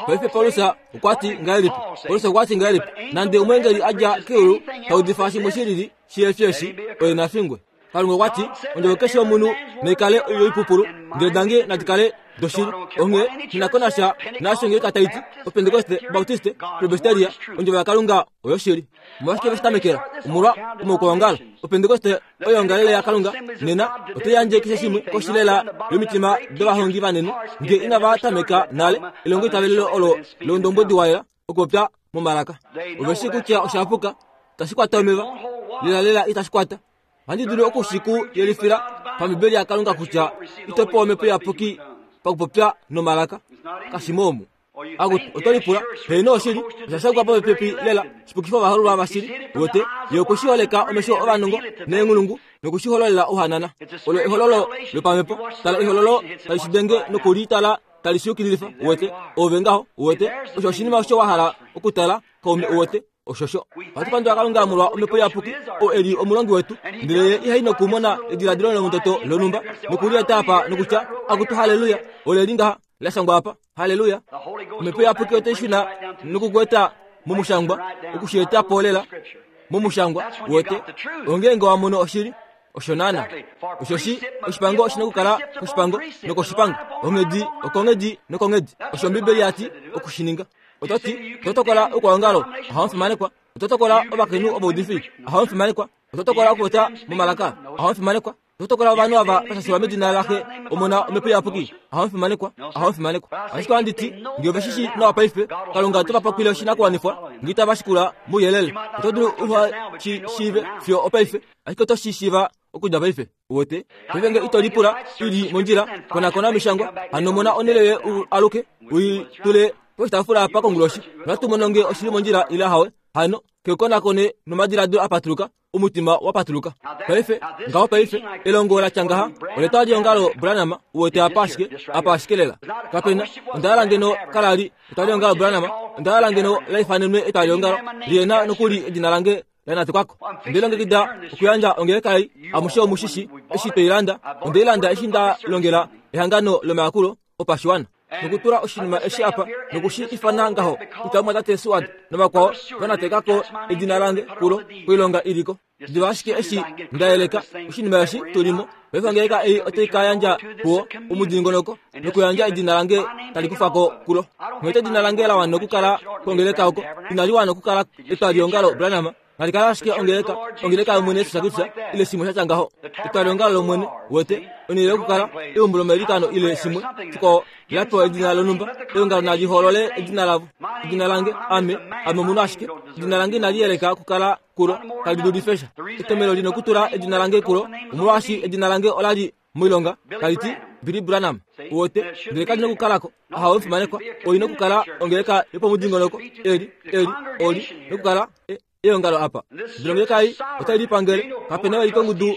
Paife Paulus okwa ti ngahelipi? Paulus okwa ti ngahelipi? Nande omweengeli a dja keulu ta udifa shimwe shi lili shihe fi eshi, oye na fingwe. Kalunga okwa ti, Ondjovo keshe yomunhu nai kale yoipupulu, ndele dange nadi kale doshili. Onghee shi na ko nasha naasho ongeleka tai ti, Opentekoste, Baptiste, Presbyteria, Ondjovo yaKalunga oyoshili. Omolwashike ve shi tamekela? Omolwa omaukwaongalo. Opentekoste oyo ongalele yaKalunga. Nena oto yandje keshe shimwe koshi lela yomitima dovahongi vanene, nge inava tameka nale elongoitavelelo olo loundombwedi wa yela, okupopya momalaka. Ove shii kutya osha puka, itashi kwata omeva, lelalela itashi kwata. Ohandi dulu oku shi ku yelifila pambibeli yaKalunga kutya ito pewa omhepo iyapuki pakupopya nomalaka. Kashi mo omu. Akutu, oto lipula, heeno oshili, osha shangwa popepi lela, shipukifa ovahololwa vashili. Wote, ye okwe shi holeka omesho ovanongo neenghulungu noku shi hololela ohanana. Olo ehololo lopamhepo. Tala ehololo tali shi denge noku li tala tali shi yukililifa. Uwete, ove ngaho, uwete, osho oshinima osho wa hala okutala, kaume, uwete. Oshosho. Ohatu pandula Kalunga molwa Omhepo Iyapuki, oo e li omulongi wetu, ndele ye ihai nokumona ediladilo lomutoto lonhumba noku li eta apa nokutya, Akutu, halleluya, ole li ngaha, la shangwa apa. Halleluya! Omhepo Iyapuki otai shuna noku ku eta momushangwa, oku shi eta po lela momushangwa, uwete, ongeenge wa mono oshili. Osho naana. Oshoshi oshipango oshi na okukala koshipango nokoshipango, onghedi okonghedi nokonghedi. Osho Ombibeli ya ti oku shi ninga. Oto ti, Oto tokola oukwaongalo, ohamu fimanekwa. Oto tokola ovakainhu ovaudifi, ohamu fimanekwa. Oto tokola okupopya momalaka, ohamu fimanekwa. Oto tokola ovanhu ava va shashelwa medina laXe, Omona, Omhepo Iyapuki, ohamu fimanekwa, ohamu fimanekwa. Ashike ohandi ti, nge ove shi shii nawa paife, Kalunga ote va pakwile oshinakuwanifwa, nge itava shikula mouyelele. Oto dulu uha shi shiive fiyo opaife, ashike oto shi shiiva okudja paife. Uwete? Paife nge ito lipula i li mondjila, konakona omishangwa, hano mona onhele yoye u aluke, u i tule poshitaafula apa konguloshi. Nohatu mono nge oshi li mondjila ile ahawe. Hano, ke konakone nomadiladilo a patuluka, omutima wa patuluka. Paife, ngaho paife, elongo la tya ngaha, oletwaliongalo Branham, uwete apa ashike, apa ashike lela. Kapena, onda hala ngeno kala li etwaliongalo Branham, onda hala ngeno la ifanenwe etwaliongalo, lihena nokuli edina lange la natekwako. Onde longekida okuyandja ongeleka ei, amushe omu shi shi, eshi twei landa. Onde i landa eshi nda longela ehangano lomayakulo opashiwana. Nokutula oshinima eshi apa, noku shi ifana ngaho, kutya omumwatate Seward navakwao va nateka ko edina lange kulo, koilonga i li ko. Diva ashike eshi nda yeleka oshinima eshi tu li mo, paife ongeleka ei otai ka yandja kuwo omudingonoko nokuyandja edina lange tali kufa ko kulo. Nghee edina lange la wana okukala kongeleka oko, inali wana okukala etwaliongalo Branham, nali kala ashike ongeleka, ongeleka yOmwene Jesus Kristus, ile shimwe sha tya ngaho. Etwaliongalo lOmwene, uwete, onhele yokukala, eumbo lomailikano ile shimwe shikwao, la pewa edina lonhumba, eongalo nali hoolole edina lavo. Edina lange, ame, ame omunhu ashike, edina lange inali yeleka okukala kulo, tali dulife sha. Etomhelo li nokutula edina lange kulo, omolwaashi edina lange ola li moilonga tali ti Billy Branham. Uwete, ndele kali nokukalako. Ahawe omufimanekwa, oi nokukala ongeleka yopomudingonoko, eli, eli, oli nokukala e, eongalo apa. Ndele ongeleka ei otai lipangele. Kape na vali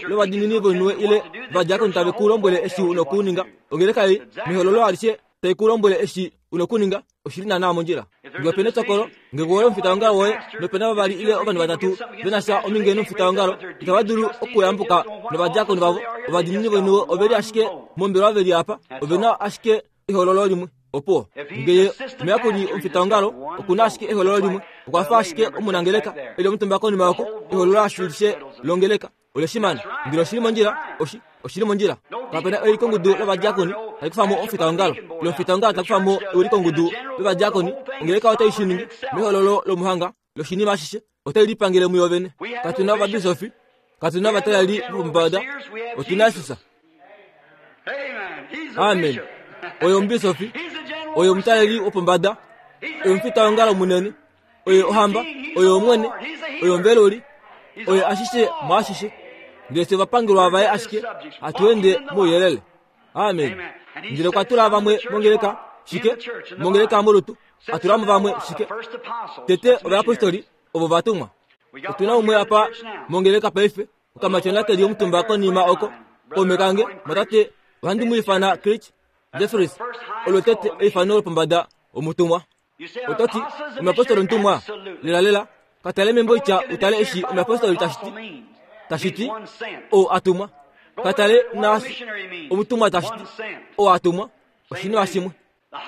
lovadiinini voinhuwe ile ovadiakoni tave ku lombwele eshi u nokuninga. Ongeleka ei, mehololo alishe, tai ku lombwele eshi u nokuninga. Oshi li naanaa mondjila. Nge ope na etokolo, nge woye omufitaongalo woye nope na vavali ile ovanhu vatatu ve na sha ominge nomufitaongalo, itava dulu okuyambuka novadiakoni vavo. Ovadiinini voinhuwe ove li ashike mombelewa ve li apa, ove na ashike ehololo limwe. Opuwo. Nge ye omuyakuli omufitaongalo oku na ashike ehololo limwe, okwa fa ashike omunangeleka e li omutumba konima oko, ehololo ashishe longeleka. Oleshimana. Ndele oshi li mondjila, oshi, oshi li mondjila. Kape na eulikongudu lovadiakoni tali kufa mo omufitaongalo, ile omufitaongalo ta kufa mo eulikongudu lovadiakoni. Ongeleka otai shi ningi mehololo lomuhanga loshinima ashishe, otai lipangele muyo vene. Katu na ovabisofi, katu na ovataleli vopombada, otu na Jesus. Amen. Oye omubisofi, oye omutaleli wopombada, oye omufitaongalo munene. Oye ohamba, oye Omwene, oye Omveluli, oye ashishe mwaashishe. Ndele fye ovapangelwa vaye ashike hatu ende mouyelele. Amen. Ndele okwa tula vamwe mongeleka, shike? Mongeleka molutu. A tula mo vamwe, shike? Tete ovayapostoli, ovo va tumwa. Otu na umwe apa mongeleka paife, okamatyona ke li omutumba konima oko, kaume kange, mwatate, ohandi mu ifana Creech Jeffries, olo tete eifano lopombada omutumwa. Oto ti, Omuyapostoli omutumwa? Lelalela, ka tale membo itya u tale eshi omuyapostoli tashi ti. Tashi ti, ou a tumwa. Ka tale naashi omutumwa tashi ti, ou a tumwa. Oshinima shimwe.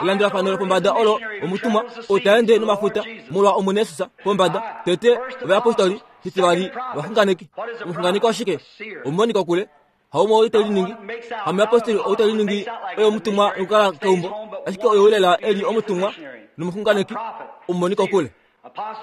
Elandulafano lopombada olo omutumwa ou ta ende nomafuta molwa Omwene Jesus pombada. Tete ovayapostoli, shitivali ovaxunganeki. Omuxunganeki oshike? Omumoni kokule. Haumwe ou te liningi hamuyapostoli ou te liningi oye omutumwa nokukala keumbo, ashike oye lela e li omutumwa nomuxunganeki omumoni kokule.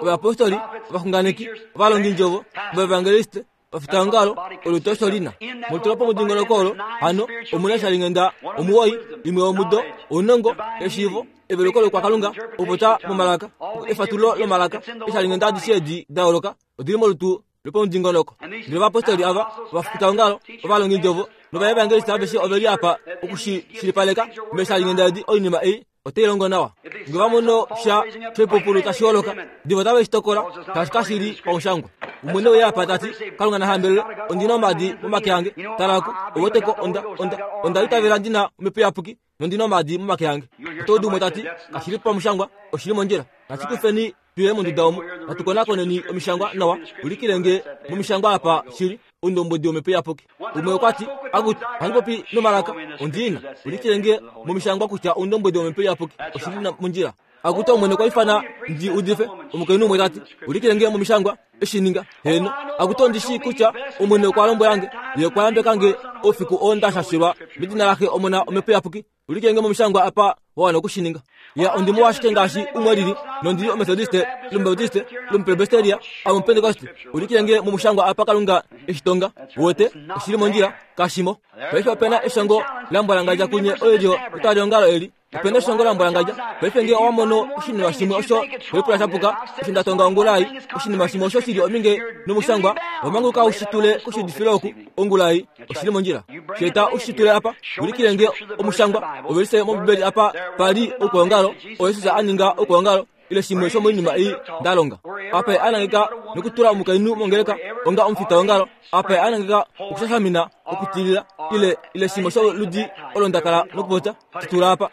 Ovayapostoli, ovaxunganeki, ovalongindjovo, ovaevangeliste, ovafitaongalo, olutu osho li na. Mutula pomudingonoko olo hano omu na shalinghenda omuwoi, imwe yomudo, ounongo, eshiivo, eveluko lokwakalunga, okupopya momalaka, efatululo lomalaka, eeshalinghenda adishe edi da yooloka odi li molutu lopomudingonoko. Ndele ovapostoli ava, ovafitaongalo, ovalongindjovo novaevangeliste aveshe ove li apa oku shi shilipaleka meeshalinghenda edi oinima ei otai longo nawa. Nge va mono sha shoipupulu tashi holoka, diva otave shi tokola shaashi kashi li pamushangwa. Umwe ne uya apa ta ti, Kalunga na hambelelwe, ondi na omaadi momake ange. Tala oku, ou weteko, onda, onda, onda itavela ndi na Omhepo Iyapuki nondi na omaadi momake ange. Oto udu umwe ta ti, Kashi li pamushangwa, oshi li mondjila. Nashi kufeni tu ye monduda omu, natu konakoneni omishangwa nawa, ulikile nge momishangwa apa shi li oundombwedi wOmhepo Iyapuki. Umwe okwa ti, Akutu, ohandi popi nomalaka, ondi na. Ulikile nge momishangwa kutya oundombwedi wOmhepo Iyapuki oshi li mondjila. Akutu, Omwene okwa ifana ndi udife, omukainhu umwe ta ti, ulikile nge momishangwa eshi ninga. Heeno, akutu ondi shii kutya Omwene okwa lombwela nge, Ye okwa yambeka nge oufiku oo nda shashelwa medina laXe, Omona, Omhepo Iyapuki. Ulike nge momushangwa apa wa wana oku shi ninga. Ya, ondi muwa ashike ngaashi umwe lili, nondi li Omethodiste, ile Omubaptiste, ile Omupresbyteria, ame Omupentekoste. Ulike nge momushangwa apa Kalunga e shi tonga. Uwete, oshi li mondjila, kashi mo. Paife ope na eshongo la mbwalangadja kunye oilyo yetwaliongalo eli. Ope na eshongo la mbwalangadja. Paife nge owa mono oshinima shimwe osho to lipula sha puka, osho nda tonga ongula ei, oshinima shimwe osho shi li ominge nomushangwa, owa manguluka u shi tule koshiudifilo oku, ongula ei. Oshi li mondjila. Shi eta u shi tule apa, ulikile nge omushangwa, ovelise mOmbibeli apa pa li oukwaongalo, oo Jesus a ninga oukwaongalo, ile shimwe shomoinima ei nda longa. Apa ye a nangeka nokutula omukainhu mongeleka onga omufitaongalo, apa ye a nangeka okushashamina, okutilila, ile, ile shimwe sholudi olo nda kala nokupopya, shi tula apa.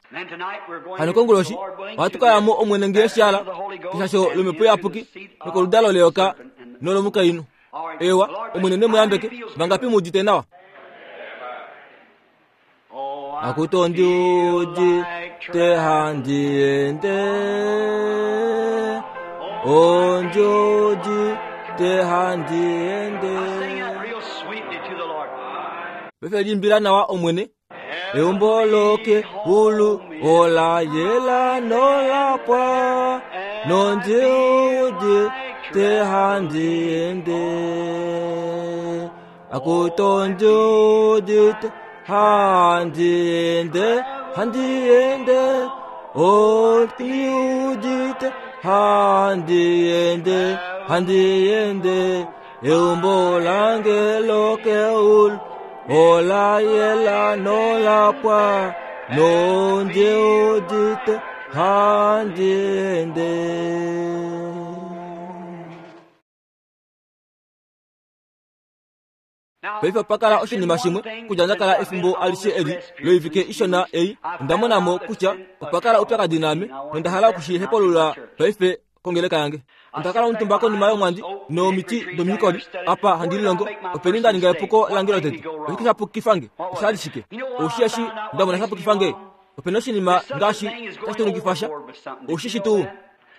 Hano konguloshi, ohatu ka ya mo Omwene nge shi hala, keshasho lOmhepo Iyapuki, nokoludalo leyoka nolomukainhu. Ewa, Omwene ne mu yambeke. Vangapi mu udite nawa? Akutu ondi udite handi ende, ondi udite handi ende. Paife liimbila nawa Omwene. Eumbo lokeulu ola yela nola pwa, nondi udite handi ende. Akutu ondi udite handi ende, handi ende. Ondi udite handi ende, handi ende. Eumbo lange lokeulu ola yela nola pwa, nondi udite handi ende. Paife opa kala oshinima shimwe kudja nda kala efimbo alishe eli loivike ishona ei, onda mona mo kutya opa kala oupyakadi naame, nonda hala oku shi hepalula paife kongeleka yange. Onda kala omutumba konima yomwandi nomiti domikoli apa handi lilongo. Openi nda ninga epuko lange lotete? Oshike sha pukifa nge? Osha li shike? Oushi eshi nda mona sha pukifa nge? Opena oshinima ngaashi tashi tunukifa sha. Oushi shi tuu?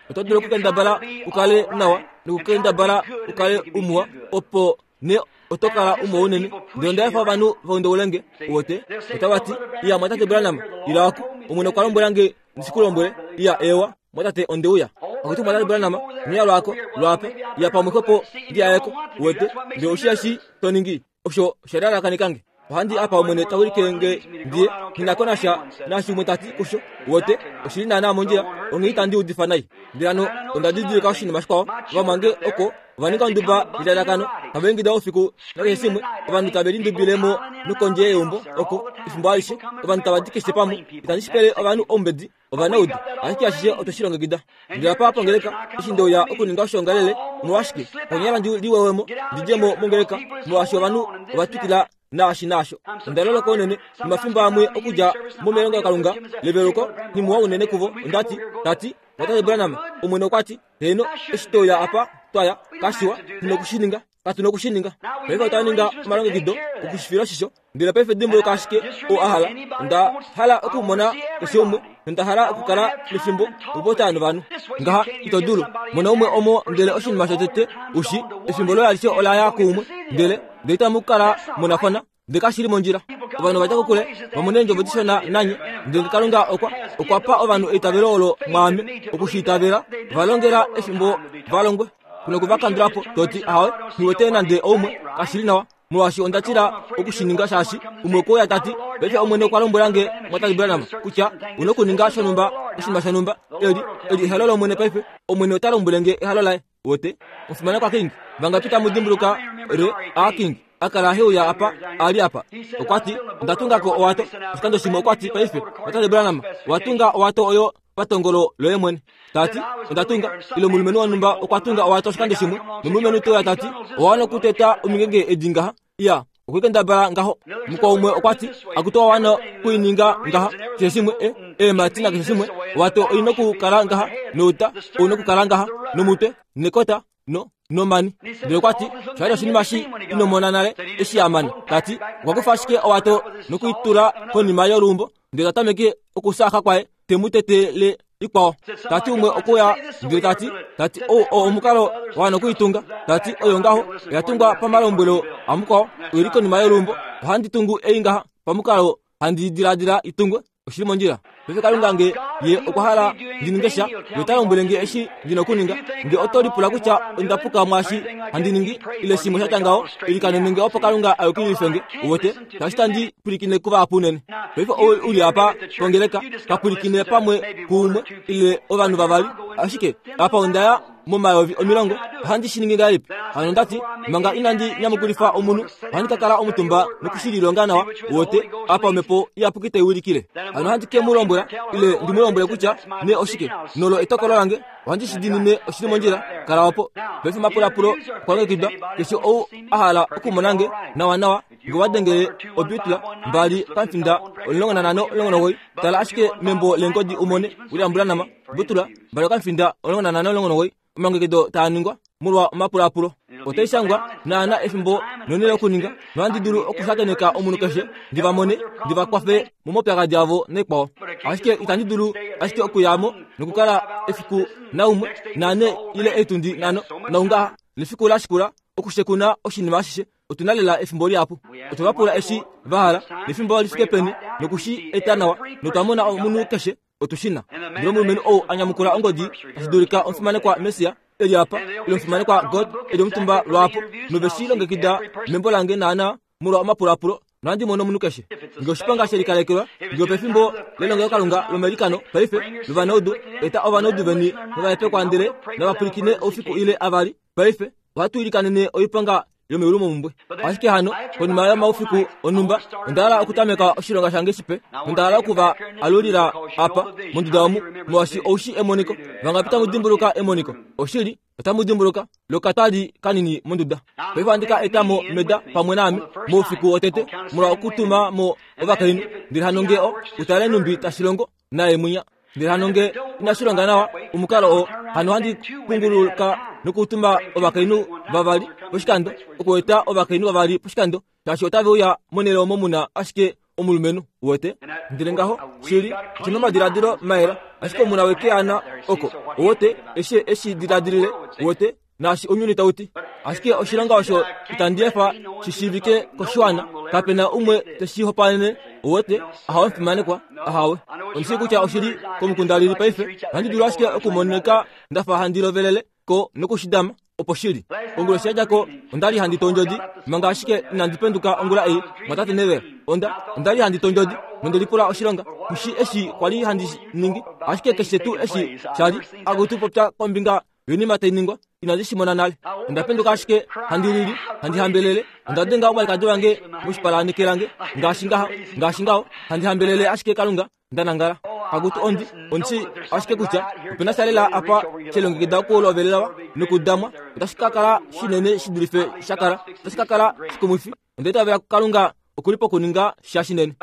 Oto dulu okukendabala u kale nawa nokukendabala u kale umuwa opo ne oto kala umwe unene. Ndele onda efa ovanhu va undaule nge. Uwete? Otava ti, Iya, mwatate Branham, ila oku. Omwene okwa lombwela nge ndi shi ku lombwele. Iya, eewa, mwatate, onde uya. Akutu mwatate Branham, ino lwaako, lwaapa. Iya pamwe xwepo ndi ya yeko. Uwete? Ndele oshi eshi to ningi, osho osha lalakanika nge. Ohandi apa Omwene ta wilike nge ndiye, nghi na ko nasha naashi umwe ta ti kusho. Uwete, oshi li naanaa mondjila, onghee itandi udifa nai. Ndele hano onda didilika oshinima shikwao, ovamwange oko ova ninga onduba yelalakano, tava ingida oufiku nakeshe shimwe, ovanhu tave lindubile mo nokondje yeumbo oko, efimbo alishe, ovanhu tava di keshe pamwe. Itandi shi pele ovanhu oumbedi, ovanaudu, ashike ashishe otwe shi longekida. Ndele apa pongeleka, eshi nde uya okuninga oshoongalele, omolwashike, konyala ndi liwewe mo, ndi dje mo mongeleka, molwaashi ovanhu ova twikila naashi naasho. Onda loloka unene, nomafimbo amwe okudja mo melongelokalunga leveluko, nghimuwa unene kuvo, onda ti, ta ti, Tate Branham, Omwene okwa ti, Heeno, eshi twe uya apa, twa ya, kashiwa, tu noku shi ninga. Katu noku shi ninga. Paife otwa ninga omalongekido oku shi fila oshisho. Ndele paife dimbuluka ashike oo a hala. Onda hala okumona keshe umwe, nonda hala okukala nefimbo okupopya novanhu. Ngaha, ito dulu. Mona umwe omo ndele oshinima shotete u shi, efimbo loye alishe ola ya kuumwe, ndele, ndele itamu kala munafana. Ndele kashi li mondjila. Ovanhu ova dja kokule, va mone eendjovo dishona nanye. Ndele Kalunga okwa, okwa pa ovanhu eitavelo olo mwaame, oku shi itavela, va longela efimbo va longwe. Ku noku va kandula po, to ti, Ahawe, nghi wete nande oumwe, kashi li nawa, molwaashi onda tila oku shi ninga shaashi umwe okwe uya ta ti, Paife Omwene okwa lombwela nge, Mwatate Branham, kutya u nokuninga shonhumba, oshinima shonhumba. Eli, eli ehalo lOmwene paife. Omwene ota lombwele nge ehalo laye. Wote, omufimanekwa King, vangapi tamu dimbuluka re a King a kala he uya apa, a li apa? Okwa ti, Onda tunga ko owato. Oshikando shimwe okwa ti, Paife, Tate Branham, owa tunga owato oyo patongolo loye mwene. Ta ti, Onda tunga. Ile omulumenhu wonhumba okwa tunga owato oshikando shimwe, nomulumenhu te uya ta ti, Owa wana okuteta omingenge edi ngaha. Iya, okwe kendabala ngaho. Mukwao umwe okwa ti, Akutu owa wana okuininga ngaha, keshe shimwe, e, eemhati nakeshe shimwe. Owato oi nokukala ngaha, nouta ou nokukala ngaha, nomutwe, nekota, no, nomani. Ndele okwa ti, Osha li oshinima shi ino mona nale, eshi a mana. Ta ti, Okwa kufa ashike owato nokuitula konima yoluumbo, ndele ta tameke okusaaxa kwaye, te mu tetele ikwao. Ta ti umwe okuya ndele ta ti, ta ti ou oo omukalo wa wana okuitunga. Ta ti oyo ngaho oya tungwa pamalombwelo amukwao, oi li konima yoluumbo. Ohandi tungu ei ngaha pamukalo handi diladila i tungwe. Oshi li mondjila. Paife Kalunga nge ye okwa hala ndi ninge sha, ye ota lombwele nge eshi ndi na okuninga. Nge oto lipula kutya onda puka mwaashi handi ningi, ile shimwe sha tya ngaho, ilikanene nge opo Kalunga a yukililife nge. Uwete? Shaashi tandi pwilikine kuvahapu unene. Paife ou u li apa pongeleka, ka pwilikine pamwe kuumwe ile ovanhu vavali, ashike apa onda ya momayovi omilongo. Ohandi shi ningi ngahelipi? Hano onda ti, manga inandi nyamukulifa omunhu, ohandi ka kala omutumba noku shi lilonga nawa, uwete, apa Omhepo Iyapuki tai wilikile. Hano ohandi ke mu lombwela, ile ndi mu lombwele kutya ne oshike, nolo etokolo lange. Ohandi shi dimine oshi li mondjila. Kala opo. Paife omapulapulo okwa longekidwa. Keshe ou a hala okumona nge nawanawa, nge wa dengele obutla mbali pamfinda 15 19, tala ashike membo leengodi u mone William Branham, butla mbali okamfinda 15 19, omalongekido taa ningwa molwa omapulaapulo. Otai shangwa naana efimbo nonhele okuninga, nohandi dulu okushakeneka omunhu keshe ndi va mone, ndi va kwafe momaupyakadi avo naikwao. Ashike itandi dulu ashike okuya mo nokukala efiku naumwe, naane ile eetundi nhano, naungaha, nefiku la shikula okushekuna oshinima ashishe. Otu na lela efimbo lihapu. Otwe va pula eshi va hala, nefimbo li fike peni, noku shi eta nawa, notwa mona omunhu keshe. Otu shi na. Ndele omulumenhu ou a nyamukula ongodi, tashi dulika omufimanekwa Messia e li apa, ile omufimanekwa God e li omutumba lwaapo, nove shi longekida membo lange naanaa molwa omapulaapulo, nohandi mono omunhu keshe. Nge oshiponga she likalekelwa, nge opefimbo lelongelokalunga lomailikano paife, lovanaudu, eta ovanaudu veni novahepekwa ndele nava pwilikine oufiku ile avali paife. Ohatu ilikanene oiponga yomeulu momumbwe. Ashike hano, konima yomaufiku onhumba, onda hala okutameka oshilonga shange shipe, nonda hala oku va alulila apa, monduda omu, molwaashi ou shii emoniko. Vangapi tamu dimbuluka emoniko? Oshili, otamu dimbuluka, lokatali kanini monduda. Paife ohandi ka eta mo Meda pamwe naame, moufiku wotete, molwa okutuma mo ovakainhu. Ndele hano nge o, u tale nhumbi tashi longo, naye mwinya. Ndele hano nge inashi longa nawa omukalo oo, hano ohandi punguluka nokutuma ovakainhu vavali poshikando, okueta ovakainhu vavali poshikando, shaashi otave uya monhele omo mu na ashike omulumenhu, uwete. Ndele ngaho, shili, oshi na omadiladilo mayela, ashike omu na wekeana oko, uwete, eshi e shi diladilile, uwete. naashi ounyuni tau ti. Ashike oshilonga osho itandi efa shi shiivike koshiwana, kape na umwe te shi hopaenene. Uwete? Ahawe mufimanekwa, ahawe. Ondi shii kutya oshi li komukunda lili paife. Ohandi dulu ashike okumonika nda fa handi lovelele ko noku shi dama. Opo shili. Onguloshi ya dja ko, onda li handi tondjodi, manga ashike inandi penduka ongula ei, mwatate Neville. Onda, onda li handi tondjodi, nonde lipula oshilonga, kushi eshi kwa li handi ningi, ashike keshe tuu eshi sha li, akutu popya kombinga yoinima tai ningwa, inandi shi mona nale. Onda penduka ashike handi lili, handi hambelele, onda denga omwalikadi wange moshipala neke lange, ngaashi ngaha, ngaashi ngaho, handi hambelele ashike Kalunga, nda nangala. Akutu ondi, ondi ashike kutya ope na sha lela apa she longekida okulovelelwa nokudamwa. Otashi ka kala shinene shi dulife sha kala. Otashi ka kala shikumwifi. Onda itavela Kalunga oku li pokuninga sha shinene.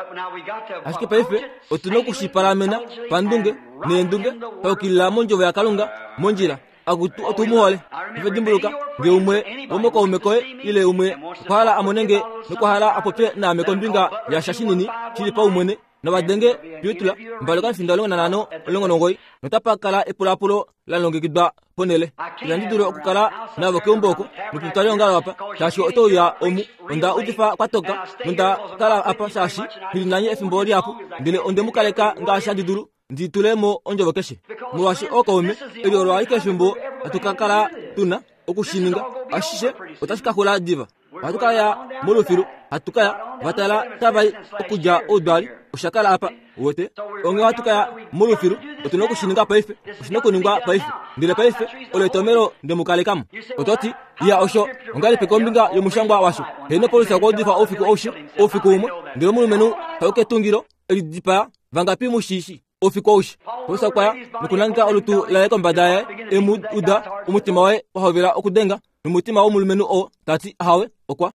Ashike paife otu na oku shi palamena pandunge neendunge, paukilila mondjovo yaKalunga, mondjila. Akutu otu mu hole. Ove dimbuluka, nge umwe womokaume koye ile umwe okwa hala a mone nge nokwa hala a popye naame kombinga yasha shinini shi li paumwene, nava denge Beulah 25519 notapa kala epulaapulo la longekidwa ponhele. Inandi dula okukala navo keumbo oko nopetwaliongalo apa, shaashi oto uya omu. Onda udifa kwa toka nonda kala apa shaashi nghi li nanye efimbo lihapu, ndele onde mu kaleka ngaashi handi dulu ndi tule mo ondjovo keshe. Molwaashi ookaume, eli olo alike efimbo hatu ka kala tu na oku shi ninga. Ashishe otashi ka xula diva. Ohatu ka ya molufilu, hatu ka ya, va tala tava i okudja oudwali, osha kala apa, uwete. Onghee ohatu ka ya molufilu, otu na oku shi ninga paife, oshi na okuningwa paife. Ndele paife, olo etomelo nde mu kaleka mo. Oto ti, Ya, osho ongahelipi kombinga yomushangwa washo? Heeno, Paulus okwa udifa oufiku aushe, oufiku umwe, ndele omulumenhu ta u ketungilo, e lidipaa, vangapi mu shi shii? Oufiku aushe, Paulus okwa ya nokunangeka olutu laye kombada yaye, e mu uda, omutima waye wa hovela okudenga, nomutima womulumenhu oo ta ti, Ahawe, okwa.